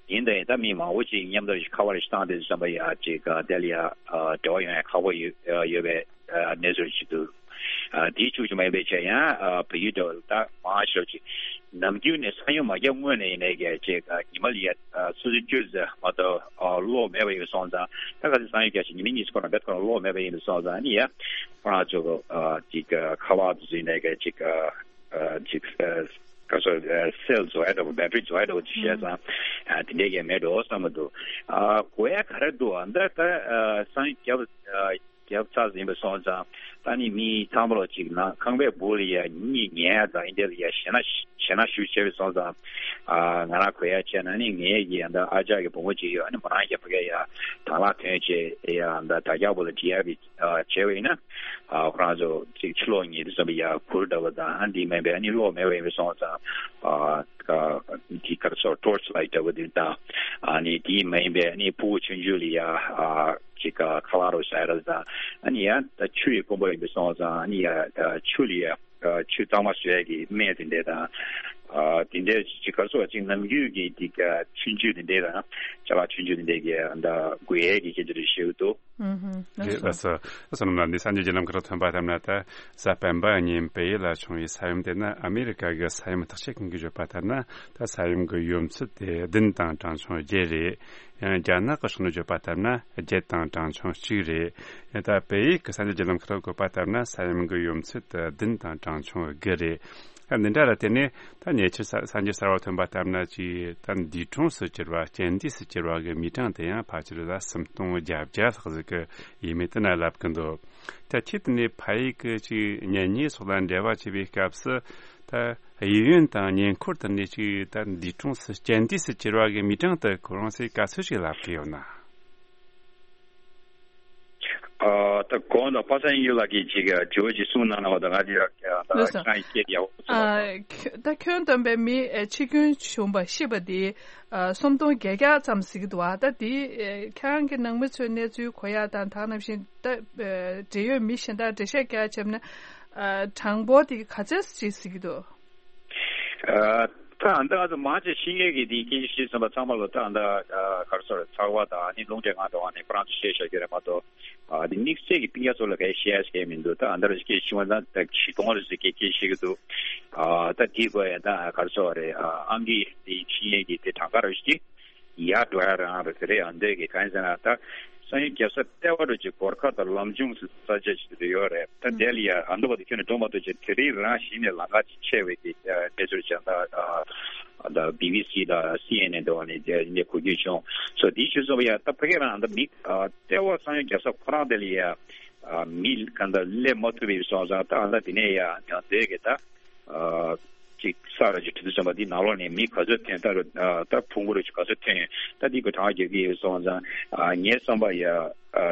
ཡིན་ད་ཡིན་ད་མི་མང་པོ་ཅིག་མཉམ་དུ་ཁ་པར་ཞིག་བཏང་དུས་ཙམ་པ་ཡ་ཅིག་ཨ་དེ་ལ་ཡ་ཨ་འབྲེལ་བ་ཡོང་ཡ་ཁག་པོ་ཡོད་ཡོད་པའི་ཨ་གནས་ཚུལ་ཅིག་འདུག་ཨ་དེའི་ཆུ་ཆུ་མ་ཡིན་པའི་ཆ་ཡང་ཨ་བལ་ཡུལ་འདྲ་བོ་ད་མང་ཤོས་ཅིག་ནམ་རྒྱུན་ནས་གསང་ཡུལ་མ་བརྒྱབ་སྔོན་ནས་ཡིན་ནའི་གལ་ཆེ་ཉི་མ་ལ་ཡ་སོ་སོའི་སྤྱོད་ཚེ་མ་གཏོགས་གློག་མེད་པ་ཡིན་སོང་ཙང་། ད་ག་ཚོད་གསང་ཡུལ་རྒྱག་ཞིག་ཉི་མ་གཉིས་སུ་ཁོ་རང་བེད་ཁོ་རང་གློག་མེད་པ་ཡིན་སོང་ཙང་ནི་ཡ་ཁོ་རང་ཚོ་ཅིག་ཁ་པར་དུ་ཡིན་ནའི་གལ་ཅིག་ཅིག་ག་ཚོད་སེལ་བཟོ་ཡ་འདྲ་བོ་བེ་ཊི་རི་བཟོ་ཡ་འདྲ་བོ་ཅིག་བཤད་ཙང་དེ་འདྲའི་གལ་མེད་འགྲོ་བསམ་གི་འདུག་ཨ་དགོས་ཡ་ག་རེ་འདུག་ཨ་ད་ད་གསང་ཡུལ་རྒྱབ། རྒྱབ་ཚར་ཟིན་པ་སོང་ཙང་ད་ནི་མི་ཚང་མ་ལོ་གཅིག་ནང་ཁང་པའི་སྦུག་ལ་ཡ་གཉིད་ཉལ་ཡ་དང་ཨིན་དེ་ལ་ཡ་ཞེ་ན་ཞེ་ན་ཞུ་བྱས་པ་སོང་ཙང་ཨ་ང་རང་གོ་ཡ་བྱས་ན་ནི་ངའི་གི་ཡ་ད་ཨ་ཅག་གི་བུ་མོ་གཅིག་ཡོད། ཨ་ནི་མོ་རང་གི་ཕ་གི་ཡ་དང་བླངས་ཐོན་བྱས་ཡ་ད་དྲ་རྒྱ་བུ་ལ་འབྲི་ཡ་གི་བྱས་པ་ཡིན་ན་ཨ་ཁོ་རང་ཚོ་གཅིག་ཕྱི་ལོགས་ཉིད་དུ་བསམ་པ་ཡ་གུར་འདྲ་བ་དང་ཨ་འདི་མིན་པའི་ཨ་ནི་གློག་མེད་པ་ཡིན་པ་སོང་ཙང་ཨ། ཀ་གི་ག་རེ་ཟེར་ཊོར་ཆི་ལའིཊ་འདྲ་བོ་དེ་དང་ཨ་ནི་དེ་མ་ཡིན་པའི་ཨ་ནི་ཕྲུ་གུ་ཆུང་ཆུང་ལ་ཡ་ཨ་ཅིག་ཁ་པར་རོ་ཟེར་ར་དང་ཨ་ནི་ཡ་ད་ཆུ་ཡི་དཀོན་པོ་ཡིན་པའི་སོང་ཙང་ཨ་ནི་ཡ་ཆུ་ལ་ཡ་ཆུ་གཙང་མ་བཟོ་ཡ་གི་སྨན་དེ་འདྲས་དང་ཨ་དེ་འདྲས་ཅིག་ག་རེ་ཟེར་ཅིག་ནམ་རྒྱུན་གྱི་དེ་ཆུང་ཆུང་དེ་འདྲས་དང་ཅ་ལག་ཆུང་ཆུང་དེ་འདྲས་ཀྱི་ད་དགོས་ཡས་ཀྱི་ཁྱེད་ཚོ་རེ་ཞིག་འདུག་ཨུ་ཧུམ། ལགས་སོ། ལགས་སོ། ལགས་སོ། རྣམ་པ་འདི་གསར་འགྱུར་བརྒྱུད་ལམ་ཁག་ཐོན་པ་ལྟར་ན་ད་གཟའ་སྤེན་པ་ཉིན་བལ་ཡུལ་ལ་བྱུང་བའི་ས་ཡོམ་དེ་ནི་ཨ་མེ་རི་ཀ་གི་ས་ཡོམ་བརྟག་དཔྱད་མཁན་གྱིས་བརྗོད་པ་ལྟར་ན་ད་ས་ཡོམ་གྱི་ཡོད་ཚད་དེ་བདུན་དང་གྲངས་ཆུང་བརྒྱད་རེད། ཡང་རྒྱ་ནག་གི་ཕྱོགས་ནས་བརྗོད་པ་ལྟར་ན་བརྒྱད་དང་གྲངས་ཆུང་གཅིག་རེད། ཡང་ད་བལ་ཡུལ་གྱི་གསར་འགྱུར་བརྒྱུད་ལམ་ཁག་གིས་བཀོད་པ་ལྟར་ན་ས་ཡོམ་གྱི་ཡོད་ཚད་དེ་བདུན་དང་གྲངས་ཆུང་དགུ་རེད། ད་འདི་འདྲ་ལ་བརྟེན་ནས་ད་ཉེ་ཆར་གསར་གསར་འགྱུར་གསར་བ་ཐོན་པ་ལྟར་ན་ཅིག་ད་འདས་གྲོངས་སུ་གྱུར་བ་རྐྱེན་འདས་སུ་གྱུར་བ་གི་མིའི་གྲངས་དེ་ཡང་ཕལ་ཆེར་ད་སུམ་སྟོང་བརྒྱད་བརྒྱ་ལྷག་ཟིག་གི་ཡས་མས་དེ་ན་ལབ་ཀྱི་འདུག་ད་ཁྱེད་དེ་ནས་ཕ་ཡུལ་གྱི་ཅིག་གཉེན་ཉེ་སོགས་ལ་འབྲེལ་བ་བྱེད་པའི་སྐབས་སུ་ད་གཡས་གཡོན་དང་ཉེ་འཁོར་དེ་ནས་ཅིག་ད་འདས་གྲོངས་སུ་རྐྱེན་འདས་སུ་གྱུར་བ་གི་མིའི་གྲངས་དེ་ཁོ་རང་ཚོས་ག་ཚོད་ཅིག་ལབ་ཀྱི་ཡོད་ན། ཨ་ད་གོང་དུ་པ་སངས་དབྱངས་ལགས་ཀྱིས་ཅིག་དྲི་བ་ཅིག་གསུངས་གནང་གནང་བ་དང་ང་དེ་ལགས་སོ། ད་ཁྱོད་ཡག་པོ་གསུངས་ཨ་པ་ཁྱོད་ད་ཁྱོན་བསྡོམས་པའི་མི་ཨེ་འཆི་སྐྱོན་བྱུང་བ་ཤི་བ་དེ་ཨ་སུམ་སྟོང་བརྒྱད་བརྒྱ་ཙམ་ཟེར་གྱི་འདུག་ཨ་ད་དེ་ཨེ་ཁྱེད་རང་གི་ནང་མི་ཚོའི་གནས་ཚུལ་གོ་ཡག་དང་ད་ནང་བཞིན་ད་ཨེ་འབྲེལ་ཡོད་མི་གཞན་དག་འགྲེལ་བཤད་རྒྱག་བྱས་ན་ཨ་གྲངས་འབོར་དེ་ག་ཚད་ཅིག་ཟེར་གྱི་འདུག་ཨ་ད་ཨ་ད་ང་ཚོ་མང་ཆེ་ཤི་མཁན་གྱི་དེའི་སྐད་ཆ་བཤད་ཚུན་པ་ཚང་མ་ལོ་ད་ཨ་ད་ཨ་ག་རེ་ཟེར་ཚགས་པ་དང་ཨ་ནི་རླུང་འཕྲིན་ཁང་འགྲོ་བ་ནས་ཁོ་རང་ཚོ་བཤད་བཞག་རྒྱུ་རེད་མ་གཏོགས། ཨ་དེ་དམིགས་བསལ་གྱི་སྤུན་ཀྱག་ཚོ་ལ་གའི་བཤད་ཡ་ཞིག་མི་འདུག་ད་ཨ་ད་ར་སྐད་ཆ་བྱུང་བ་ཙང་ད་ཁྲི་སྟོང་རེ་ཟེར་སྐད་ཆ་བཤད་ཀྱི་འདུག་ཨ་ད་དེའི་སྐོར་ཡ་ད་ག་རེ་ཟེར་བ་རེད། ཨ་ཨང་ཀི་དེ་ཤི་མཁན་གྱི་དེ་གྲངས་ཀ་ར་ཞིག་ཡར་འགྲོ་ཡ་རང་རེད་ཟེར་རེད། ཨ་འདོད་ཀྱི་གང་ཡིན་ཟེར་ན་ད་གསང་ཡུལ་རྒྱབ་ས་ལྟེ་བ་རུ་ཅིག་གོར་ཁ་དང་ལམ་ཆུང་ས་ཆ་ཞིག་ཏུ་ཡོད་རེད། ད་དེ་ལ་ཡ་ཨ་འདོད་པ་དེ་ཁྱོན་ནས་འགྲོ་མ་ཐུབ་ཅིག་དེ་རིང་རང་གཞི་ནས་ལམ་ཁ་ཅིག་ཆད་པའི་གི་གནས་ཚུལ་ཅིག་ད་ད་བི་བི་སི་དང་སི་ཨེན་ཨེན་འདྲ་བ་ནས་དེ་ནས་གོ་རྒྱུ་བྱུང་སོ། དེའི་ཕྱིར་སོང་བ་ཡ་ད་ཕ་གི་རང་ད་མི་ལྟེ་བ་གསང་ཡུལ་རྒྱབ་ས་ཁོ་རང་དེ་ལ་ཡ་མི་གང་ལྟར་སླེབས་མ་ཐུབ་པའི་སོང་ཙང་ད་ཨ་ད་དེ་ནས་ཡ་ཡང་དེ་གི་ད་ཅིག་ས་ར་ཅིག་ཁྲི་དུ་ཚན་པ་འདི་ནང་ལོགས་ནས་མི་ག་ཚོད་ཐོན་ད་ད་ཕུང་པོ་རུ་ཅིག་ག་ཚོད་ཐོན་ད་འདི་གི་གྲངས་རྒྱག་གི་ཡོད་སོང་ཙང་ངའི་བསམ་པ་ཡ་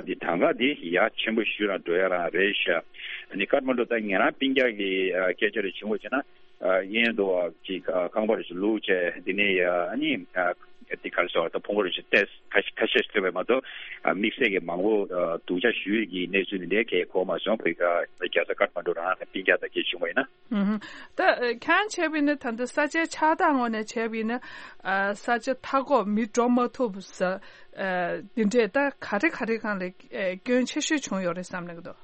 འདི་ད་ག་འདི་ཡ་ཆེན་པོ་ཞུ་རང་འགྲོ་ཡ་རང་རེད་ཤག་ཨ་ནི་ཀ་ཐ་མན་ཌུ་ད་ཉེ་རང་སྤུན་ཀྱག་གི་སྐད་ཆ་རེ་བྱུང་བ་བྱས་ན། ཨ་གཡས་འདུག་བ་ཅིག་ཨ་ཁང་པ་རེ་ཞིག་བླུགས་བྱས་འདི་ནས་ཡ་ཨ་ནི་ཨ་འདི་ག་རེ་ཟེར་བ་ད་ཕུང་པོ་རེ་ཞིག་ཏེས་ཁ་ཤས་ཁ་ཤས་ཤིག་ཐོན་པས་མ་གཏོགས་ཨ་དམིགས་བསལ་གྱི་མང་པོ་ཨ་སྡུག་ཅག་ཞུ་ཡས་ཀྱི་གནས་ཚུལ་འདི་འདྲའི་གས་གོ་མ་སོང་། བོད་ཀྱི་རྒྱལ་ས་ཀ་ཐ་མན་ཌུ་རང་ནས་སྤུན་ཀྱག་དང་སྐད་བྱུང་བ་ཡིན་ན། ཨུ་ཧུམ། ད་ཨ་ཁྱེད་རང་བྱས་པ་ཡིན་ན་ད་ལྟ་ས་ཆའི་ཆགས་སྟངས་ངོས་ནས་བྱས་པ་ཡིན་ན་ཨ་ས་ཆ་མཐའ་འཁོབ་མི་འགྲོ་མ་ཐུབ་ས་ཨ་འདི་འདྲས་ད་ག་རེ་ག་རེ་སྒང་ལ་ཨ་སྐྱོན་ཆེ་ཤོས་བྱུང་ཡོད་རེད་བསམ་གྱི་འདུག་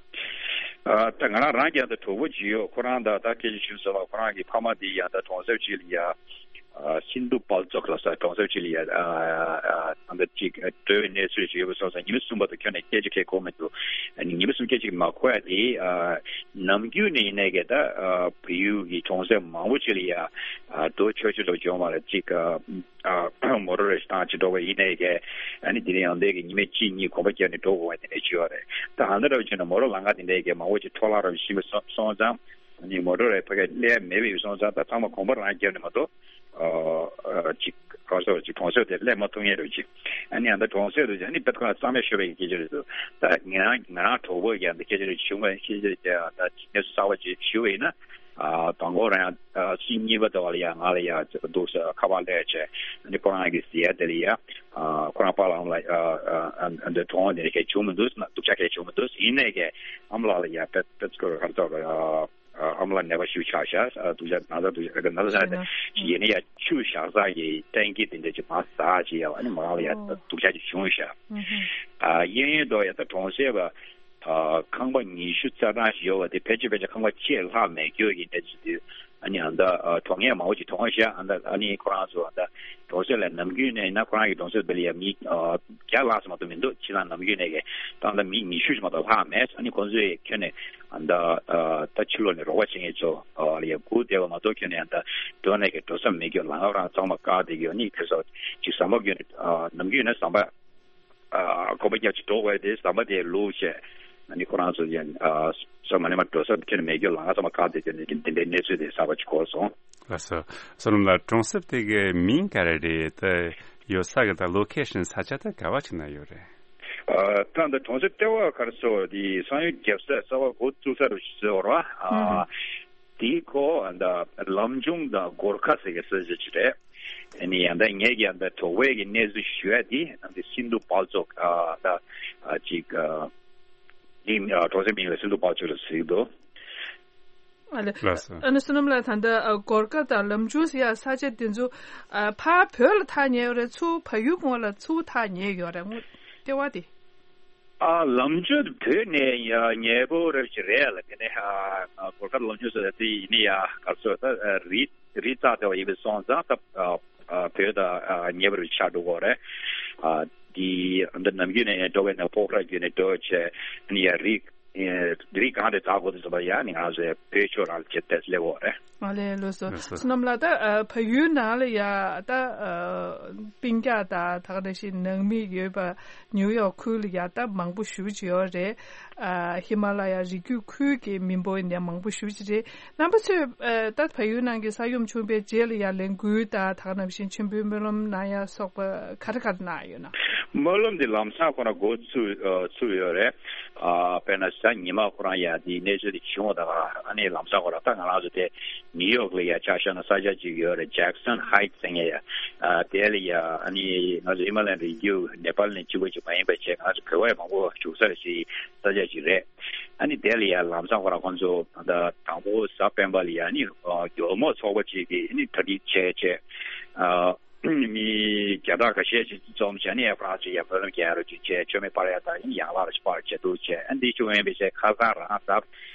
ཨ་ད་ང་རང་རང་ཀྱང་ད་གྲོགས་པོ་ཅིག་ཡོད། ཁོ་རང་ད་ད་སྐད་ཆ་ཞུ་ཟེར་བ་ཁོ་རང་གི་ཕ་མ་དེ་ཡང་ད་གྲོང་གསེབ་ཅིག་ལ་ཡ་ཨ་སིན་དྷུ་བལ་ཙོག་ལ་ས་གྲོང་གསེབ་ཅིག་ལ་ཡ་ཨ་ཨ་ད་ཅིག་འགྲོ་བའི་གནས་ཚུལ་ཞིག་ཡོད་པ་སོང་ཙང་ཉི་མ་གསུམ་བར་དུ་ཁྱོན་ནས་སྐད་ཆ་གང་གོ་མི་འདུག་ཨ་ནི་ཉི་མ་གསུམ་སྐད་ཆ་མ་གོ་ཡ་དེ་ཨ་ནམ་རྒྱུན་ནས་ཡིན་ནའི་གི་ད་ཨ་བལ་ཡུལ་གྱི་གྲོང་གསེབ་མང་པོ་ཅིག་ལ་ཡ་ཨ་འགྲོ་ཆོག་ཆོག་འགྲོ་བྱུང་བ་ལ་ཅིག་ཨ། ཨ་མོ་ཊ་རེ་ཞིག་བཏང་ཅིག་འགྲོ་བ་ཡིན་ནའི་གས་ཨ་ནི་དེ་རིང་ཡང་འདས་ཀྱི་ཉི་མ་གཅིག་གཉིས་གོམ་པ་བརྒྱབ་ནས་འགྲོ་དགོས་པ་དེ་འདྲ་ཅིག་ཡོད་རེད། ད་ཨ་འདྲ་འདྲ་བ་བྱས་ན་མོ་ཊ་ལམ་ཁ་དེ་འདྲའི་གས་མང་པོ་ཅིག་འཕྲོ་བརླག་རབ་ཕྱིན་པ་སོང་སོང་ཙང་ཨ་ནི་མོ་ཊ་རེ་ཕ་གས་སླེབས་མེད་པའི་སོང་ཙང་ད་ཚང་མ་གོམ་པ་རང་བརྒྱབ་ནས་མ་གཏོགས་ཨ་ཅིག་ག་རེ་ཟེར་ཅིག་གྲོང་གསེབ་དེ་སླེབས་མ་ཐུབ་མཁན་རེད་ཅིག་ཨ་ནི་ཨ་ད་གྲོང་གསེབ་དུ་ཨ་ནི་དཔེ་ཁོ་ན་གཙང་མ་ཤོར་བའི་སྐད་ཆ་རེད་འདུག་ད་ང་རང་ང་རང་གྲོགས་པོ་ཡང་འདི་སྐད་ཆ་རེ་བྱུང་བ་ཤེས་ཀྱི་རེད། ད་གནས་ཚུལ་གསར་པ་ཅིག་ཞུ་བ་ཡིན་ན། ཨ་དང་པོ་རང་ཡང་ཨ་ཕྱི་གཉིས་པ་དེ་བ་ལ་ཡང་ང་ལ་ཡང་འདུག་ས་ཁ་པར་སླེབས་བྱས། ཨ་ནི་ཁོ་རང་གི་ཟེར་ཡ་དེ་ལ་ཡ་ཨ་ཁོ་རང་པཱ་ལགས་ལ་ཨ་ཨ་འདི་གྲོངས་དེ་ནས་ཁྱེད་བྱུང་མི་འདུག་སྡུག་ཅག་ཁྱེད་བྱུང་མི་འདུག་ཡིན་ནས་ཀྱི་ཨ་མ་ལགས་ལ་ཡ་པད་པད་ཁོ་རང་ཚོ་ཨ་ཨ་མ་ལགས་ནད་པ་ཤུགས་ཆག་ཤག་སྡུག་ཅག་ན་ཚ་སྡུག་ཅག་ན་ཚ་ཆག་ནས་ཡིན་ན་ཡ་ཆུ་བཞག་ས་ཀྱི་ཊེང་ཀི་དེ་འདྲ་ཅིག་མར་ཟག་ཅིག་ཡ་བ་ཨ་ནི་མ་ལགས་ལ་ཡ་སྡུག་ཅག་ཅིག་བྱུང་ཤག་ཨ་ཡིན་ཡིན་དོ་ཡ་ད་གྲོངས་སེ་བ། ཨ་ཁང་པ་ཉི་ཤུ་རྩ་གྲངས་ཤིག་ཡོད་པ་དེ་ཕལ་ཆེར་ཕལ་ཆེར་ཁང་པ་གཅིག་ལྷག་མེད་རྒྱུ་ཡིན་ནས་ཅི་དུས་ཨ་ནི་ཨ་མདའ་གྲོངས་ཡས་མང་པོ་ཅིག་མཐོང་ཤག་ཨ་མདའ་ཨ་ནི་ཁོ་རང་ཚོ་ཨ་མདའ་གྲོངས་སེ་ལ་ནམ་རྒྱུན་ནས་ཡིན་ན་ཁོ་རང་གི་གྲོངས་སེ་བེ་ལ་ཡ་མི་བརྒྱ་ལྷག་ཙམ་མ་གཏོགས་མི་འདུག་ཕྱི་ལ་ནམ་རྒྱུན་ནས་གི་ད་ལྟ་མི་ཉི་ཤུ་ཞིག་མ་གཏོགས་ལྷག་མེད། ཨ་ནི་ཁོང་ཚོས་ཁྱོན་ནས་ཨ་མདའ་ད་ཕྱི་ལོགས་ནས་རོགས་པ་བྱེད་མཁན་ཚོ་ལ་ཡ་སྒུག་བསྡད་པ་མ་གཏོགས་ཁྱོན་ནས་ཨ་མདའ་འགྲོ་ནས་གི་འགྲོ་ས་མེད་རྒྱུ་ལམ་ཁ་རང་གཙང་མ་བཀག་བསྡད་རྒྱུ་ཨ་ནི་ཁ་སང་ཅིག་ཟམ་པ་བརྒྱུད་ནས་ནམ་རྒྱུན་ནས་ཟམ་པ། ཨ་གོམ་པ་རྒྱབ་ཅིག་འགྲོ་དགོས་དེ་ཟམ་པ་དེ་ལུག་བྱས། ཨ་ནི་ཁོ་རང་ཚོ་ཡང་ཨ་ས་མ་ནས་མ་འགྲོ་ས་ཁྱོན་ནས་མེད་རྒྱུ་ལམ་ཁ་ཚང་མ་བཀག་བསྡད་རྒྱུ་ནི་དེ་འདྲའི་གནས་ཚུལ་དེ་གསར་པ་ཅིག་གོ་སོང་། ལགས་སོ། བསོད་ནམས་ལགས་གྲོང་གསེབ་དེ་གའི་མིང་ག་རེ་རེད། ད་ཡོད་ས་གི་ད་ལོ་ཁེ་ཤན་ས་ཆ་ད་ག་བ་ཅིག་ན་ཡོད་རེད། ཨ་ད་འདི་གྲོང་གསེབ་ལྟེ་བ་ག་རེ་ཟེར་བ་དེ་ས་ཡོམ་བརྒྱབ་ས་རྩ་བ་འགོ་བཙུགས་ས་རུ་ཟེར་བ་རེད་བ། ཨ་དེའི་ཁོ་ད་ལམ་ཆུང་དང་སྒོར་ཁ་ཟེར་གི་ས་ཆ་ཅིག་རེད། ཨ་ནི་ཡང་ད་ངེད་ཀྱི་ཡང་ད་གྲོགས་པོའི་གི་གནས་ཚུལ་ཞུ་ཡ་དེ་ནང་དེ་སིན་དྷུ་དཔལ་འབྱོར་ཨ་ད་ཨ་ཅིག་ཨ་ཨིན་ཨ་གྲོང་གསེབ་མིང་ལ་སིན་དྷུ་དཔལ་འབྱོར་ལ་ཟེར་གི་འདུག་ཨ་ལེ། ལགས་སོ། ཨ་ནི་བསོད་ནམས་ལགས་ད་ལྟ་ཨ་གོར་ཁ་དང་ལམ་ཆུང་ཟེར་ཡ་ས་ཆ་དེ་ཚོ་ཨ་ཕར་བོད་ལ་ཐག་ཉེ་ཡོད་རེད། ཚུར་བལ་ཡུལ་སྔོན་ལ་ཚུར་ཐག་ཉེ་ཡོད་རེད་ལྟེ་བ་དེ། ཨ་ལམ་ཆུང་བོད་ནས་ཡ་ཉེ་པོ་རེད་ཅིག་རེད་ལ། དེ་ནས་ཨ་གོར་ཁ་ལམ་ཆུང་ཟེར་ཡ་དེ་ཡིན་ནི་ཡ་ག་ཚོད་ད་རི་རི་རྩ་ལྟེ་བ་ཡིན་པའི་སོང་ཙང་ད་ཨ་བོད་དང་ཨ་ཉེ་བར་ཆགས་འགྲོ་གི་རེད། ཨ་དེ་འདི་ནམ་རྒྱུན་ནས་འགྲོ་བའི་ནས་ཕོ་ཁྲ་རྒྱུན་ནས་འགྲོ་བྱས་ནི་ཡ་རི་རི་གང་དེ་འཛེག་དགོས་དུས་ཙམ་པ་ཡ་ནི་ང་ཚོའི་བོད་ཕྱོགས་རང་ལ་ཆེད་དེ་སླེབས་འོ་རེད། ཨ་ལེ་ལགས་སོ། ལགས་སོ། བསོད་ནམས་ལགས་ད་ཨ་བལ་ཡུལ་ནང་ལ་ཡ་ད་ཨ་སྤུན་ཀྱག་དང་ད་ག་ནང་བཞིན་ནང་མི་ཡོད་པ་ནིའུ་ཡོག་ཁུལ་ལ་ཡ་ད་མང་པོ་ཞེ་ཅིག་ཡོད་རེད། ཨ་ཧི་མ་ལ་ཡ་རི་རྒྱུད་ཁུལ་གྱི་མི་འབོར་ཡིན་ནའི་མང་པོ་ཞེ་ཅིག་རེད། རྣམ་པ་ཚོས་ཨ་ད་བལ་ཡུལ་ནང་གི་ས་ཡོམ་བྱུང་བའི་རྗེས་ལ་ཡ་ལས་འགུལ་དང་ད་ག་ནང་བཞིན་མཆོད་འབུལ་སྨོན་ལམ་གནང་ཡ་སོགས་པ་ག་རེ་ག་རེ་གནང་ཡོད་ན། སྨོན་ལམ་འདི་ལམ་སང་ཁོ་ན་འགོ་ཚུགས་ཨ་ཚུགས་ཡོད་རེད། ཨ་དཔེར་ན་གཟའ་ཉི་མ་ཁོ་རང་ཡ་འདི་གནས་ཚུལ་འདི་བྱུང་བ་དང་ཨ་ནི་ལམ་སང་ཁོ་རང་ད་ང་རང་ཚོ་དེ་ནིའུ་ཡོག་ལ་ཡ་ཆ་བཞག་ན་ས་ཆ་ཅིག་ཡོད་རེད། ཇེག་སོན་ཧའིཊ་ཟེར་མཁན་ཡ། ཨ་དེ་ལ་ཡ་ཨ་ནི་ང་ཚོ་ཧི་མ་ལ་ཡན་རི་རྒྱུད་ནེ་པཱལ་ནས་གཅིག་པ་ཅིག་མ་ཡིན་པ་བྱས་ང་ཚོ་བོད་པ་མང་པོ་བཞུགས་ས་རེད་ཅིག་ས་ཆ་ཅིག་རེད། ཨ་ནི་དེ་ལ་ཡ་ལམ་སང་ཁོ་རང་ཁོང་ཚོ་ད་དང་པོ་གཟའ་སྤེན་པ་ལ་ཡ་ཨ་ནི་ཨ་ཇོ་མོ་ཚོགས་པ་ཅིག་གིས་ཨ་ནི་གྲ་སྒྲིག་བྱས་བྱས་ཨ། མི་བརྒྱ་ཕྲག་ཁ་ཤས་ཤིག་འཛོམས་བྱས་ནས་ཨེ་ཧྥ་རན་སི་ཡ་སྨོན་ལམ་རྒྱག་རོགས་ཅིག་བྱས། མཆོད་མེ་སྤར་ཡ་དང་ཡང་ལག་ལ་སྤར་བྱས་འདུག་བྱས། ཨ་འདི་བྱུང་ཡིན་པའི་ཆེད་ཁ་སང་རང་གཟའ་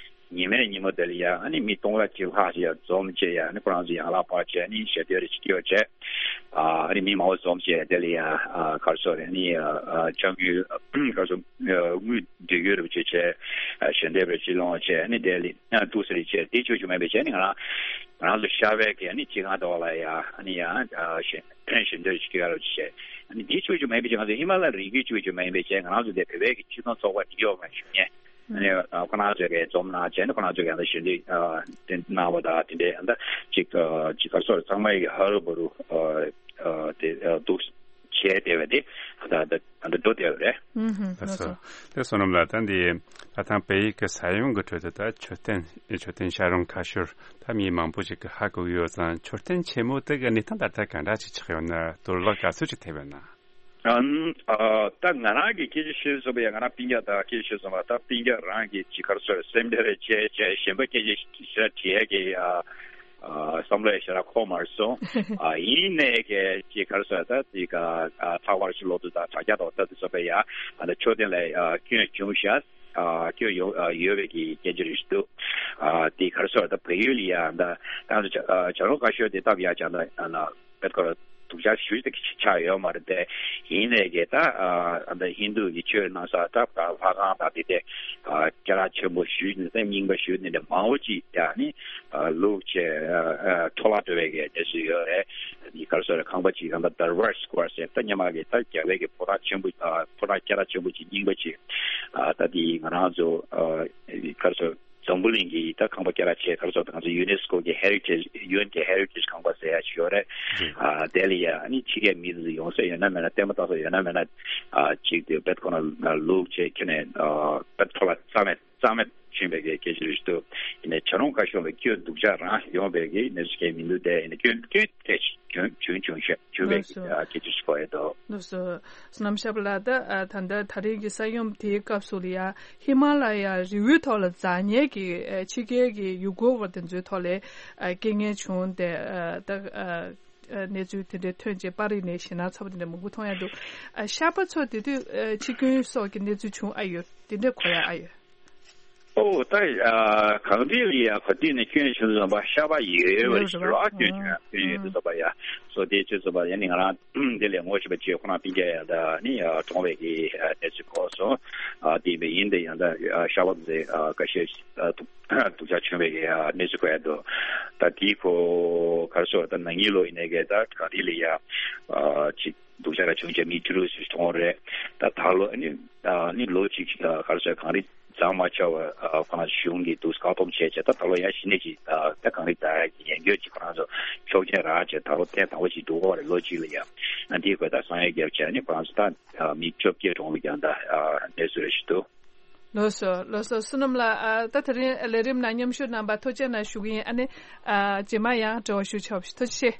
ཉི་མའི་ཉིན་མོ་དེ་ལ་ཡ་ཨ་ནི་མི་སྟོང་ཕྲག་གཅིག་ལྷག་ཞིག་ཡ་འཛོམས་བྱས་ཡ་ཨ་ནི་ཁོ་རང་ཚོ་ཡང་ལག་སྤར་བྱས་ཨ་ནི་ཞལ་འདོན་རེ་ཅིག་སྐྱོར་བྱས། ཨ་ནི་མི་མང་པོ་འཛོམས་བྱས་དེ་ལ་ཡ་ཨ་ག་རེ་ཟེར་རེད། ཨ་ནི་ཨ་ཨ་ཅ་དངུལ་ག་རེ་ཟེར་དངུལ་འབྲེལ་ཡོད་རེ་བྱས་བྱས་ཨ་ཞལ་འདེབས་རེ་ཅིག་སློང་བྱས་ཨ་ནི་དེ་ལ་ཡ་འདུག་སེ་རེ་བྱས། དེ་བྱུང་བྱུང་མེད་པའི་ཆེད་ནི་ང་རང་ང་རང་ཚོ་ཤར་པའི་གི་ཨ་ནི་སྤྱི་ཁང་ཐོག་ལ་ཡ་ཨ་ནི་ཡ་ཨ་ཞལ་ཕན་ཞལ་འདེབས་ཅིག་སྐྱོར་ཡ་རོགས་བྱས། ཨ་ནི་འདི་ཆོས་ཆོས་མེད་པའི་ཆེད་ང་ཚོ་ཧི་མ་ལ་རི་རྒྱུད་ཆོས་ཆོས་མེད་པའི་ཆེད་ང་རང་ཚོ་དེ་བོད་པའི་གི་སྤྱི་མཐུན་ཚོགས་པ་ནིའུ་ཡོག་ལ་བཞུགས་མཁན་ཨ་ནི་ཨ་ཁོ་རང་ཚོས་གི་འཛོམས་གནང་བྱས་ནས་ཁོ་རང་ཚོས་གི་ཡང་ད་ཞལ་འདེབས་ཨ་དེ་གནང་བ་དང་དེ་འདྲའི་ཨ་ད་ཅིག་ཨ་ཅིག་ག་རེ་ཟེར་ཚང་མ་ཡི་གི་ཧ་རུ་བ་རུ་ཨ་ཨ་དེ་ཨ་འདུག་བྱས་བསྡད་པ་དེ་ད་ད་ད་འགྲོ་བསྡད་པ་རེད། ཨུམ་ཧུམ། ལགས་སོ། ལགས་སོ། དེ་བསོད་ནམས་ལགས་ད་འདི་ད་ཐེངས་བལ་ཡུལ་གྱི་ས་ཡོམ་གྱི་ཁྲོད་དུ་ད་མཆོད་རྟེན་མཆོད་རྟེན་བྱ་རུང་ཁ་ཤོར་ད་མི་མང་པོ་ཞིག་གིས་ཧ་གོ་གི་ཡོད་ཙང་མཆོད་རྟེན་ཆེན་མོ་དེ་གི་གནས་སྟངས་ད་ལྟ་ག་འདྲ་ཞིག་ཆགས་ཡོད་ན་དོར་བརླག་ག་ཚོད་ཅིག་ཐེབས་ཡོད་ན། ཨ་ཨ་ད་ང་རང་གི་སྐད་ཆ་ཤོད་ཙམ་པ་ཡ་ང་རང་སྤུན་ཀྱག་དང་སྐད་ཆ་ཤོད་ཙམ་པ་ད་སྤུན་ཀྱག་རང་གི་ཅིག་ག་རེ་ཟེར་སེམས་ཁྲལ་རེ་བྱས་བྱས་གཞན་པ་སྐད་ཆ་ཞེ་དྲག་དྲི་ཡས་ཀྱི་ཨ། ཨ་བསམ་བློ་ཡང་ཞེ་དྲག་འཁོར་མ་སོང་། ཨ་ཡིན་ནའི་གལ་ཅིག་ག་རེ་ཟེར་ད་ཅིག་ཨ་ཚགས་པར་ཞིག་ཀློག་དུས་དང་དྲ་རྒྱ་ཐོག་ལྟ་དུས་ཙམ་པ་ཡ་ཨ་ད་མཆོད་རྟེན་ལ་ཨ་སྐྱོན་བྱུང་ཤག་ཨ་སྐྱོན་ཡོད་ཨ་ཡོད་པའི་གི་སྐད་ཆ་རེ་ཞིག་འདུག་ཨ་དེ་ག་རེ་ཟེར་ད་བལ་ཡུལ་ལ་ཡ་ད་ད་ང་ཚོ་བྱ་ཨ་བྱ་རུང་ཁ་ཤོར་དེ་སྟབས་ཡག་ཅང་ད་ཨ་ན་དཔེ་ཁོ་ར་སྡུག་ཅག་ཞེ་ཅིག་ཆགས་ཡོད་མ་རེད་དེ། ཡིན་ནའི་གི་ད་ཨ་ད་ཧིན་རྡུ་གི་ཆོས་གནང་ས་ད་ལྷ་ཁང་དང་དེ་དེ་ཨ་སྐད་གྲགས་ཆེན་པོ་ཞེ་ཅིག་སེམས་རྙིང་པ་ཞེ་ཅིག་དེ་འདྲ་མང་པོ་ཅིག་ཡ་ནི། ལུག་བཅས་འཕྲོ་བརླག་འགྲོ་བའི་གནས་ཚུལ་ཡོད་རེད། ག་རེ་ཟེར་རེད། ཁང་པ་གཅིག་གང་ལྟར་Durbar Square ཟེར་ད་སྔོན་མ་གི་ད་རྒྱ་བལ་གྱི་ཕོ་བྲང་ཆེན་པོ་ཕོ་བྲང་སྐད་གྲགས་ཆེན་པོ་གཅིག་རྙིང་པ་གཅིག་ད་དེ་ང་རང་ཚོ་ག་རེ་ཟེར་འཛམ་བུ་གླིང་གི་ད་ཁང་པ་སྐད་གྲགས་ཆེ་ག་རེ་ཟེར་ད་ང་ཚོ་ཡུ་ནེ་སི་ཀོ་གི་Heritage UN གི་Heritage ཁང་པ་ཟེར་ཡ་ཞིག་ཡོད་རེད། དེ་ལ་ཡ་ཨ་ནི་ཕྱི་རྒྱལ་མི་ཚོ་ཡོང་ས་ཡོད་ན་མེད་ན་ལྟད་མོ་ལྟ་ས་ཡོད་ན་མེད་ན་གཅིག་དེ་བེད་ཁོ་ན་ལུག་བཅས་ཁྱོན་ནས་བེད་ཐོ་ལ་རྩ་མེད། གཙང་མ་བྱུང་བའི་གི་སྐད་ཆ་རེད་འདུག་ཡིན་ནའི་བྱ་རུང་ཁ་ཤོར་བའི་སྐྱོན་སྡུག་ཅག་རང་ཡོང་བའི་གི་གནས་ཚུལ་གང་ཡང་མི་འདུག་དེ་ཡིན་ནའི་སྐྱོན་སྐྱོན་དེ་བྱུང་བྱུང་བྱུང་བྱུང་བྱུང་བའི་ལགས་སོ། གི་སྐད་ཆ་ཞིག་གོ་ཡོད་འདུག་ལགས་སོ། བསོད་ནམས་ཤར་པ་ལགས། ད་ཨ་ད་ལྟ་ད་རིང་གི་ས་ཡོམ་དེའི་སྐབས་སུ་ལ་ཡ་ཧི་མ་ལ་ཡ་རི་བོའི་ཐོག་ལ་འཛེགས་མཁན་གྱི་ཨ་ཕྱི་རྒྱལ་གྱི་ཡུལ་སྐོར་བ་དེ་ཚོའི་ཐོག་ལ་ཨ་རྐྱེན་ངན་བྱུང་སྟེ་ཨ་ད་ཨ་ཨ་གནས་ཚུལ་དེ་འདྲའི་ཐོན་རྗེས་པར་རིས་ནས་ཞེད་སྣང་ཚ་པོ་དེ་འདྲ་མང་པོ་མཐོང་ཡ་འདུག་ཨ་ཤར་པ་ཚོ་དེ་དུས་ཨ་འཆི་སྐྱོན་སོགས་ཀྱི་གནས་ཚུལ་བྱུང་ཨ་ཡོད། དེ་འདྲ་གོ་ཡ་ཨ་ཡོད། ཨོ་ད་ཨ་གངས་རི་ལ་ཡ་ག་དུས་ནས་སྐྱོན་བྱུང་ཙམ་པ་ཤར་པ་ཡོད་པ་རེད་ཤག་ཨ་སྐྱོན་བྱུང་ཡ་སྐྱོན་ཡོད་དུས་ཙམ་པ་ཡ་སོ་དེ་ཚོད་ཙམ་པ་ཡ་ནི་ང་རང་དེ་ལས་ངོ་ཤེས་པ་ཅིག་ཁོ་རང་སྤུན་ཀྱག་ཡང་ད་ནི་ཨ་གྲོངས་པའི་གི་ཨ་གནས་ཚུལ་གོ་སོང་། ཨ་དེ་ཡིན་པ་ཡིན་དེ་ཡང་ད་ཨ་ཤར་པ་ཚོ་ཨ་ཁ་ཤས་ཨ་སྡུག་སྡུག་ཅག་བྱུང་བའི་གི་ཨ་གནས་ཚུལ་གོ་ཡ་འདུག་ད་དེའི་ཁོ་ག་རེ་ཟེར་ད་ན་ནིང་ལོ་ཡིན་ནའི་གི་ད་གངས་རི་ལ་ཡ་ཨ་ཅིག་སྡུག་ཅག་ར་བྱུང་བྱས་མི་བཅུ་དྲུག་ཙམ་གྲོངས་རེད། ད་ད་ལོ་ཨ་ནི་ཨ་ནི་ལོ་གཅིག་ཨ་ག་རེ་ཟེར་གངས་རི་འཛེགས་མ་ཆོག་པ་ཨ་ཁོ་རང་གཞུང་གིས་འདུག་བཀག་སྡོམ་བྱས་བྱས་ད་ད་ལོ་ཡང་གཞི་ནས་ཅིག་ཨ་ད་གངས་རི་འཛེག་ཡས་ཀྱི་ཉེན་ཁ་ཅིག་ཁོ་རང་ཚོ་ཆོག་མཆན་རག་བྱས་ད་ལོ་ཐེངས་དང་པོ་ཅིག་འདུག་གོ་རེད། ལོ་གཅིག་ལ་ཡ་ཨ་འདིའི་སྐོར་ད་གསང་ཡ་བརྒྱབ་བྱས་ཨ་ནི་ཁོ་རང་ཚོ་ད་ཨ་མི་བཅོ་བརྒྱད་གྲོངས་པའི་ཀྱང་ད་ཨ་གནས་ཚུལ་རེ་ཞིག་འདུག་ལགས་སོ་ལགས་སོ། བསོད་ནམས་ལགས། ཨ་ད་དེ་རིང་ལས་རིམ་ནང་མཉམ་ཞུགས་གནང་བར་ཐུགས་རྗེ་གནང་ཞུ་གི་ཡིན། ཨ་ནི་ཨ་རྗེས་མ་ཡང་འབྲེལ་བ་ཞུ་ཆོག་པ་ཞིག་ཐུགས་རྗེ་ཆེ།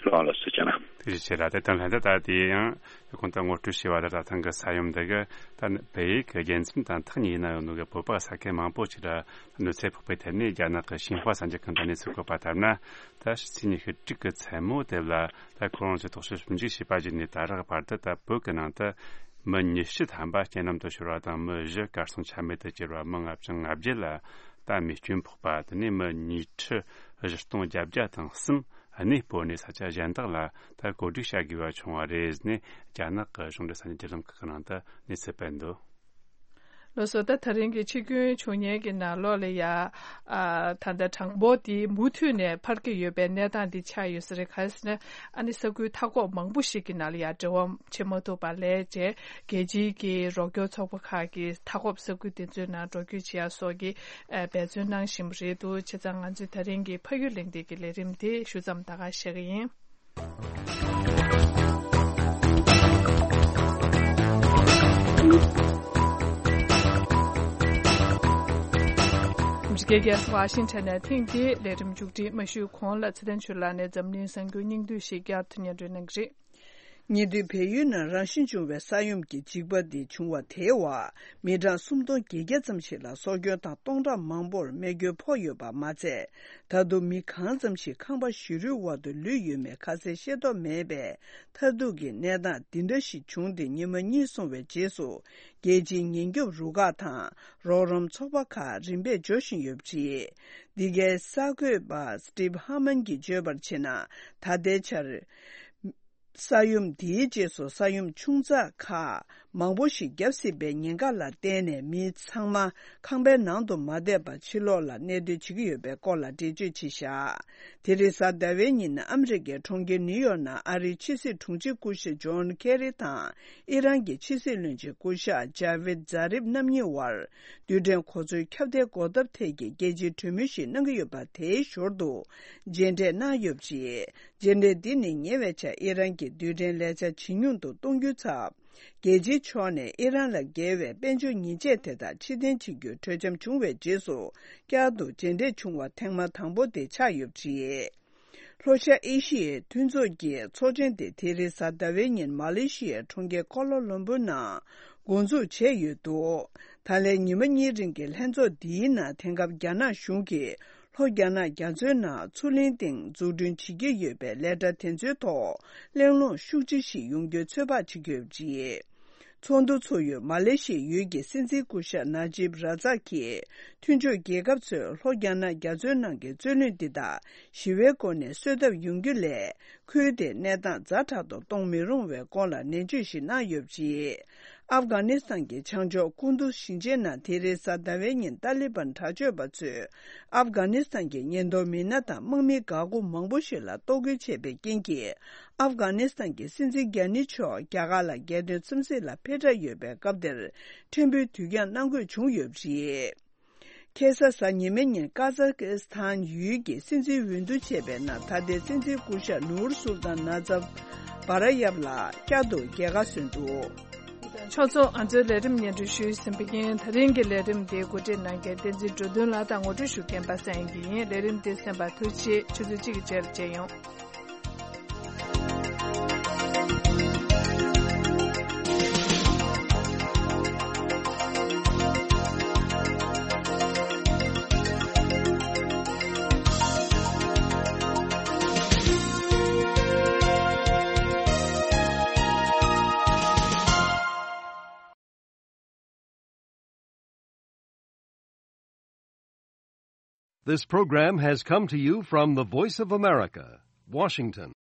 ལགས་ལགས་སོ་ཅན། ཐུགས་རྗེ་ཆེ་ལགས། དེ་དང་ལྷན་དུ་ད་དེ་ཡང་ཁོང་ད་ངོ་སྤྲོད་བྱས་པ་ལ་ད་ཐེངས་ཀྱི་ས་ཡོམ་འདི་གི་ད་བལ་ཡུལ་གྱི་རྒྱལ་མཚམས་དང་ཐག་ཉེ་ན་ཡོད་ནོ་གི་བོད་པ་ས་ཁུལ་མང་པོ་ཅིག་ལ་གནོད་འཚེ་ཕོག་པའི་ཐད་ནས་རྒྱ་ནག་གི་ཤིན་ཧྭ་གསར་འགྱུར་ཁང་དང་གནས་ཚུལ་བཀོད་པ་ལྟར་ན། ད་ཕྱི་ཚེས་ཉི་ཤུ་དྲུག་གི་མཚན་མོ་དེ་ལ་ད་ཁོ་རང་ཚོས་རྟོག་ཞིབ་ཞིབ་འཇུག་བྱས་པ་བརྒྱུད་ནས་ད་རག་བར་དུ་ད་བོད་ཀྱི་ནང་དུ་མི་ཉི་ཤུ་ཐམ་པ་རྐྱེན་ལམ་དུ་ཤོར་བ་དང་མི་བཞི་གར་སོང་ཆ་མེད་དུ་གྱུར་བ། མི་ལྔ་བཅུ་ང་བརྒྱད་ལ་ད་རྨས་སྐྱོན་ཕོག་པ། དེ་ནས་མི་ཉིས་ཁྲི་བཞི་སྟོང་བརྒྱད་བརྒྱ་དང་གསུམ་གནས་སྤོར་ནས་ས་ཆ་གཞན་དག་ལ་ད་བཀོད་སྒྲིག་བྱ་དགོས་པ་བྱུང་བ་རེད་ཟེར་ནས་རྒྱ་ནག་གི་གཞུང་འབྲེལ་ས་གནས་བརྒྱུད་ལམ་ཁག་གི་ནང་དུ་གནས་ཚུལ་སྤེལ་འདུག་ལགས་སོ། ད་ད་རིང་གི་འཆི་སྐྱོན་བྱུང་མཁན་གྱི་ནང་ལོགས་ལ་ཡ་ཨ་ད་ལྟ་གྲངས་འབོར་དེ་མུ་མཐུད་ནས་འཕར་གྱི་ཡོད་པའི་གནས་སྟངས་འདི་ཆགས་ཡོད་ས་རེད། ག་རེ་ཟེར་ན་ཨ་ནི་ས་ཁུལ་མཐའ་འཁོབ་མང་པོ་ཞིག་གི་ནང་ལ་ཡ་འབྲེལ་བ་བྱེད་མ་ཐུབ་པ་ལས་བྱས་རྒྱལ་སྤྱིའི་གི་རོགས་སྐྱོར་ཚོགས་པ་ཁག་གིས་མཐའ་འཁོབ་ས་ཁུལ་དེ་ཚོའི་ནང་འགྲོ་སྐྱོད་བྱེད་ཡ་སོགས་ཀྱི་ཨ་འབད་བརྩོན་གནང་བཞིན་པ་རེད་འདུག་བྱས་ཙང་ང་ཚོས་ད་རིང་གི་ཕ་ཡུལ་གླེང་སྟེགས་ཀྱི་ལས་རིམ་དེ་ཞུ་མཚམས་ད་ག་བཞག་གི་ཡིན། ཨ་མི་རི་ཀའི་རྒྱལ་ས་ཝ་ཤིང་ཊོན་ནས་ཐེངས་འདིའི་ལས་རིམ་མཇུག་སྒྲིལ་མ་ཞུས་གོང་ལ་ཚེ་བརྟན་ཆོས་ལགས་ནས་འཛམ་གླིང་གསར་འགྱུར་སྙིང་བསྡུས་ཤིག་བསྐྱར་དུ་སྙན་སྒྲོན་གནང་གི་རེད། ཉེ་དུས་བལ་ཡུལ་ནང་རང་བཞིན་བྱུང་བའི་ས་ཡོམ་གྱི་འཇིགས་པ་འདི་བྱུང་བ་དེའི་འོག་མི་གྲངས་སུམ་སྟོང་བརྒྱད་བརྒྱ་ཙམ་ཞིག་ལ་སྲོག་སྐྱོན་དང་སྟོང་ཕྲག་མང་པོར་རྨས་སྐྱོན་ཕོག་ཡོད་པ་མ་ཚད། ད་དུང་མི་གང་ཙམ་ཞིག་ཁང་པ་བཞི་རུའི་འོག་ཏུ་ལུས་ཡོད་མེད་ཁ་གསལ་ཤེས་རྟོགས་མེད་པའི་མཐར་ཐུག་གི་གནས་སྟངས་འདི་འདྲ་ཞིག་བྱུང་སྟེ་ཉི་མ་གཉིས་སོང་བའི་རྗེས་སུ། རྒྱལ་སྤྱིའི་ཉེན་སྐྱོབ་རུ་ཁག་དང་རོགས་རམ་ཚོགས་པ་ཁག་རིམ་པས་འབྱོར་བཞིན་ཡོད་པ་རེད། འདི་གའི་གསར་འགོད་པ་Steve Harmon གྱིས་བརྗོད་པར་བྱས་ན། ད་ལྟའི་ཆར། ས་ཡོམ་འདིའི་རྗེས་སུ་ས་ཡོམ་ཆུང་ཙག་ཁག་མང་པོ་ཞིག་བརྒྱབ་སྲིད་པའི་ཉེན་ཁ་ལ་བརྟེན་ནས་མི་ཚང་མ་ཁང་པའི་ནང་དུ་མ་བསྡད་པར་ཕྱི་ལོགས་ལ་གནས་སྡོད་བྱེད་ཀྱི་ཡོད་པའི་སྐོར་ལ་འགྲེལ་བརྗོད་བྱས་བཞག་དེ་རིང་གཟའ་ཟླ་བའི་ཉིན་ཨ་མི་རི་ཀའི་གྲོང་ཁྱེར་ནིའུ་ཡོག་ནང་ཨ་རིའི་ཕྱི་སྲིད་དྲུང་ཆེ་སྐུ་ཞབས་ཇོན་ཁེ་རི་དང་ཨི་རན་གྱི་ཕྱི་སྲིད་བློན་ཆེན་སྐུ་ཞབས་ཇ་ཝིད་ཛཱ་རིབ་རྣམ་གཉིས་དབར་རྡུལ་ཕྲན་གོ་མཚོན་ཁྱབ་གདལ་འགོག་ཐབས་ཐད་ཀྱི་རྒྱལ་སྤྱིའི་གྲོས་མོལ་ཞིག་གནང་གི་ཡོད་པ་དེའི་ཞོར་དུ་མཇལ་འཕྲད་གནང་ཡོད་པ་རེད། མཇལ་འཕྲད་འདི་ནི་ཉེ་བའི་ཆར་ཨི་རན་གྱི་རྡུལ་ཕྲན་ལས་འཆར་ཇེ་ཉུང་དུ་གཏོང་རྒྱུའི་ཚབ། རྒྱལ་སྤྱིའི་ཕྱོགས་ནས་ཨི་རན་ལ་འགེལ་བའི་དཔལ་འབྱོར་ཉེས་ཆད་དེ་དག་ཕྱིར་འཐེན་བྱེད་རྒྱུའི་གྲོས་འཆམ་བྱུང་བའི་རྗེས་སུ་བསྐྱར་དུ་མཇལ་འཕྲད་བྱུང་བ་ཐེངས་མ་དང་པོ་དེ་ཆགས་ཡོད་པ་རེད། ལྷོ་ཤར་ཨེ་ཤི་ཡའི་མཐུན་ཚོགས་ཀྱི་ཚོགས་ཆེན་དེ་དེ་རིང་གཟའ་ཟླ་བའི་ཉིན་མ་ལེ་ཤི་ཡའི་གྲོང་ཁྱེར་ཀོ་ལ་ལམ་པུར་ནང་འགོ་འཛུགས་བྱས་ཡོད་འདུག་ད་ལན་ཉི་མ་གཉིས་རིང་གི་ལྷན་ཚོགས་འདིའི་ནང་དེང་སྐབས་རྒྱ་ནག་གཞུང་གིས་ལྷོ་རྒྱ་ནག་རྒྱ་མཚོའི་ནང་མཚོ་གླིང་སྟེང་འཛུགས་སྐྲུན་བྱེད་ཀྱི་ཡོད་པའི་ལས་གྲྭ་དེ་ཚོའི་ཐོག་གླེང་སློང་ཤུགས་ཆེ་ཞིག་ཡོང་རྒྱུའི་ཚོད་དཔག་བྱེད་ཀྱི་ཡོད་པ་རེད། ཚོགས་འདུ་ཚོགས་ཡུལ་མ་ལེ་ཤི་ཡའི་ཡུལ་གྱི་སྲིད་འཛིན་སྐུ་ཞབས་ན་ཇིབ་ར་ཛག་གིས་མཐུན་ཕྱོགས་རྒྱལ་ཁབ་ཚོས་ལྷོ་རྒྱ་ནག་རྒྱ་མཚོའི་ནང་གི་རྩོད་གླེང་འདི་དག་ཞི་བའི་སྒོ་ནས་སེལ་ཐབས་ཡོང་རྒྱུ་ལས། ཁུལ་དེའི་གནས་སྟངས་ཛ་དྲག་ཏུ་གཏོང་མི་རུང་བའི་སྐོར་ལ་ནན་བརྗོད་ཞིག་གནང་ཡོད་པ་རེད། ཨབ་གྷ་ནི་སི་ཐན་གྱི་བྱང་ཕྱོགས་ཀུན་ཏུ་ཞིང་ཆེན་ནང་དེ་རིང་གཟའ་ཟླ་བའི་ཉིན་ཏཱ་ལི་བན་དྲག་སྤྱོད་པ་ཚོས་ཨབ་གྷ་ནི་སི་ཐན་གྱི་ཉེན་རྟོག་མི་སྣ་དང་དམག་མི་འགག་སྒོ་མང་པོ་ཞིག་ལ་གཏོར་རྒོལ་བྱས་པའི་རྐྱེན་གྱིས། ཨབ་གྷ་ནི་སི་ཐན་གྱི་སྲིད་འཛིན་རྒྱ་ནི་མཆོག་རྒྱ་གར་ལ་རྒྱལ་དོན་འཚམས་གཟིགས་ལ་ཕེབས་འབྲས་ཡོད་པའི་སྐབས་དེར་ཕྲན་བུའི་དུས་འགྱངས་གནང་དགོས་བྱུང་ཡོད་པ་རེད། ཁ་སང་གཟའ་ཉི་མའི་ཉིན་ཀ་ཛ་ཀི་སི་ཐན་ཡུལ་གྱི་སྲིད་འཛིན་འོས་བསྡུ་བྱས་པའི་ནང་ད་ལྟའི་སྲིད་འཛིན་སྐུ་ཞབས་ནུར་སུལ་ཏཱན་ནཱ་ཛབ་བྷ་ར་ཡབ་ལགས་བསྐྱར་དུ་རྒྱལ་ཁ་སོན་འདུག་ཕྱོགས་ཚོ་ང་ཚོའི་ལས་རིམ་སྙན་སྒྲོན་ཞུས་ཟིན་པ་ཡིན། ད་རིང་གི་ལས་རིམ་འདི་གོ་སྒྲིག་གནང་མཁན་བསྟན་འཛིན་འགྲོ་དོན་ལགས་དང་ངོ་སྤྲོད་ཞུ་མཁན་པ་སངས་དབྱངས་སྐྱིད་ཡིན། ལས་རིམ་འདི་གསན་པར་ཐུགས་རྗེ་ཆེ། ཆུ་ཚོད་གཅིག་གི་རྗེས་ལ་མཇལ་ཡོང་། This program has come to you from the Voice of America, Washington.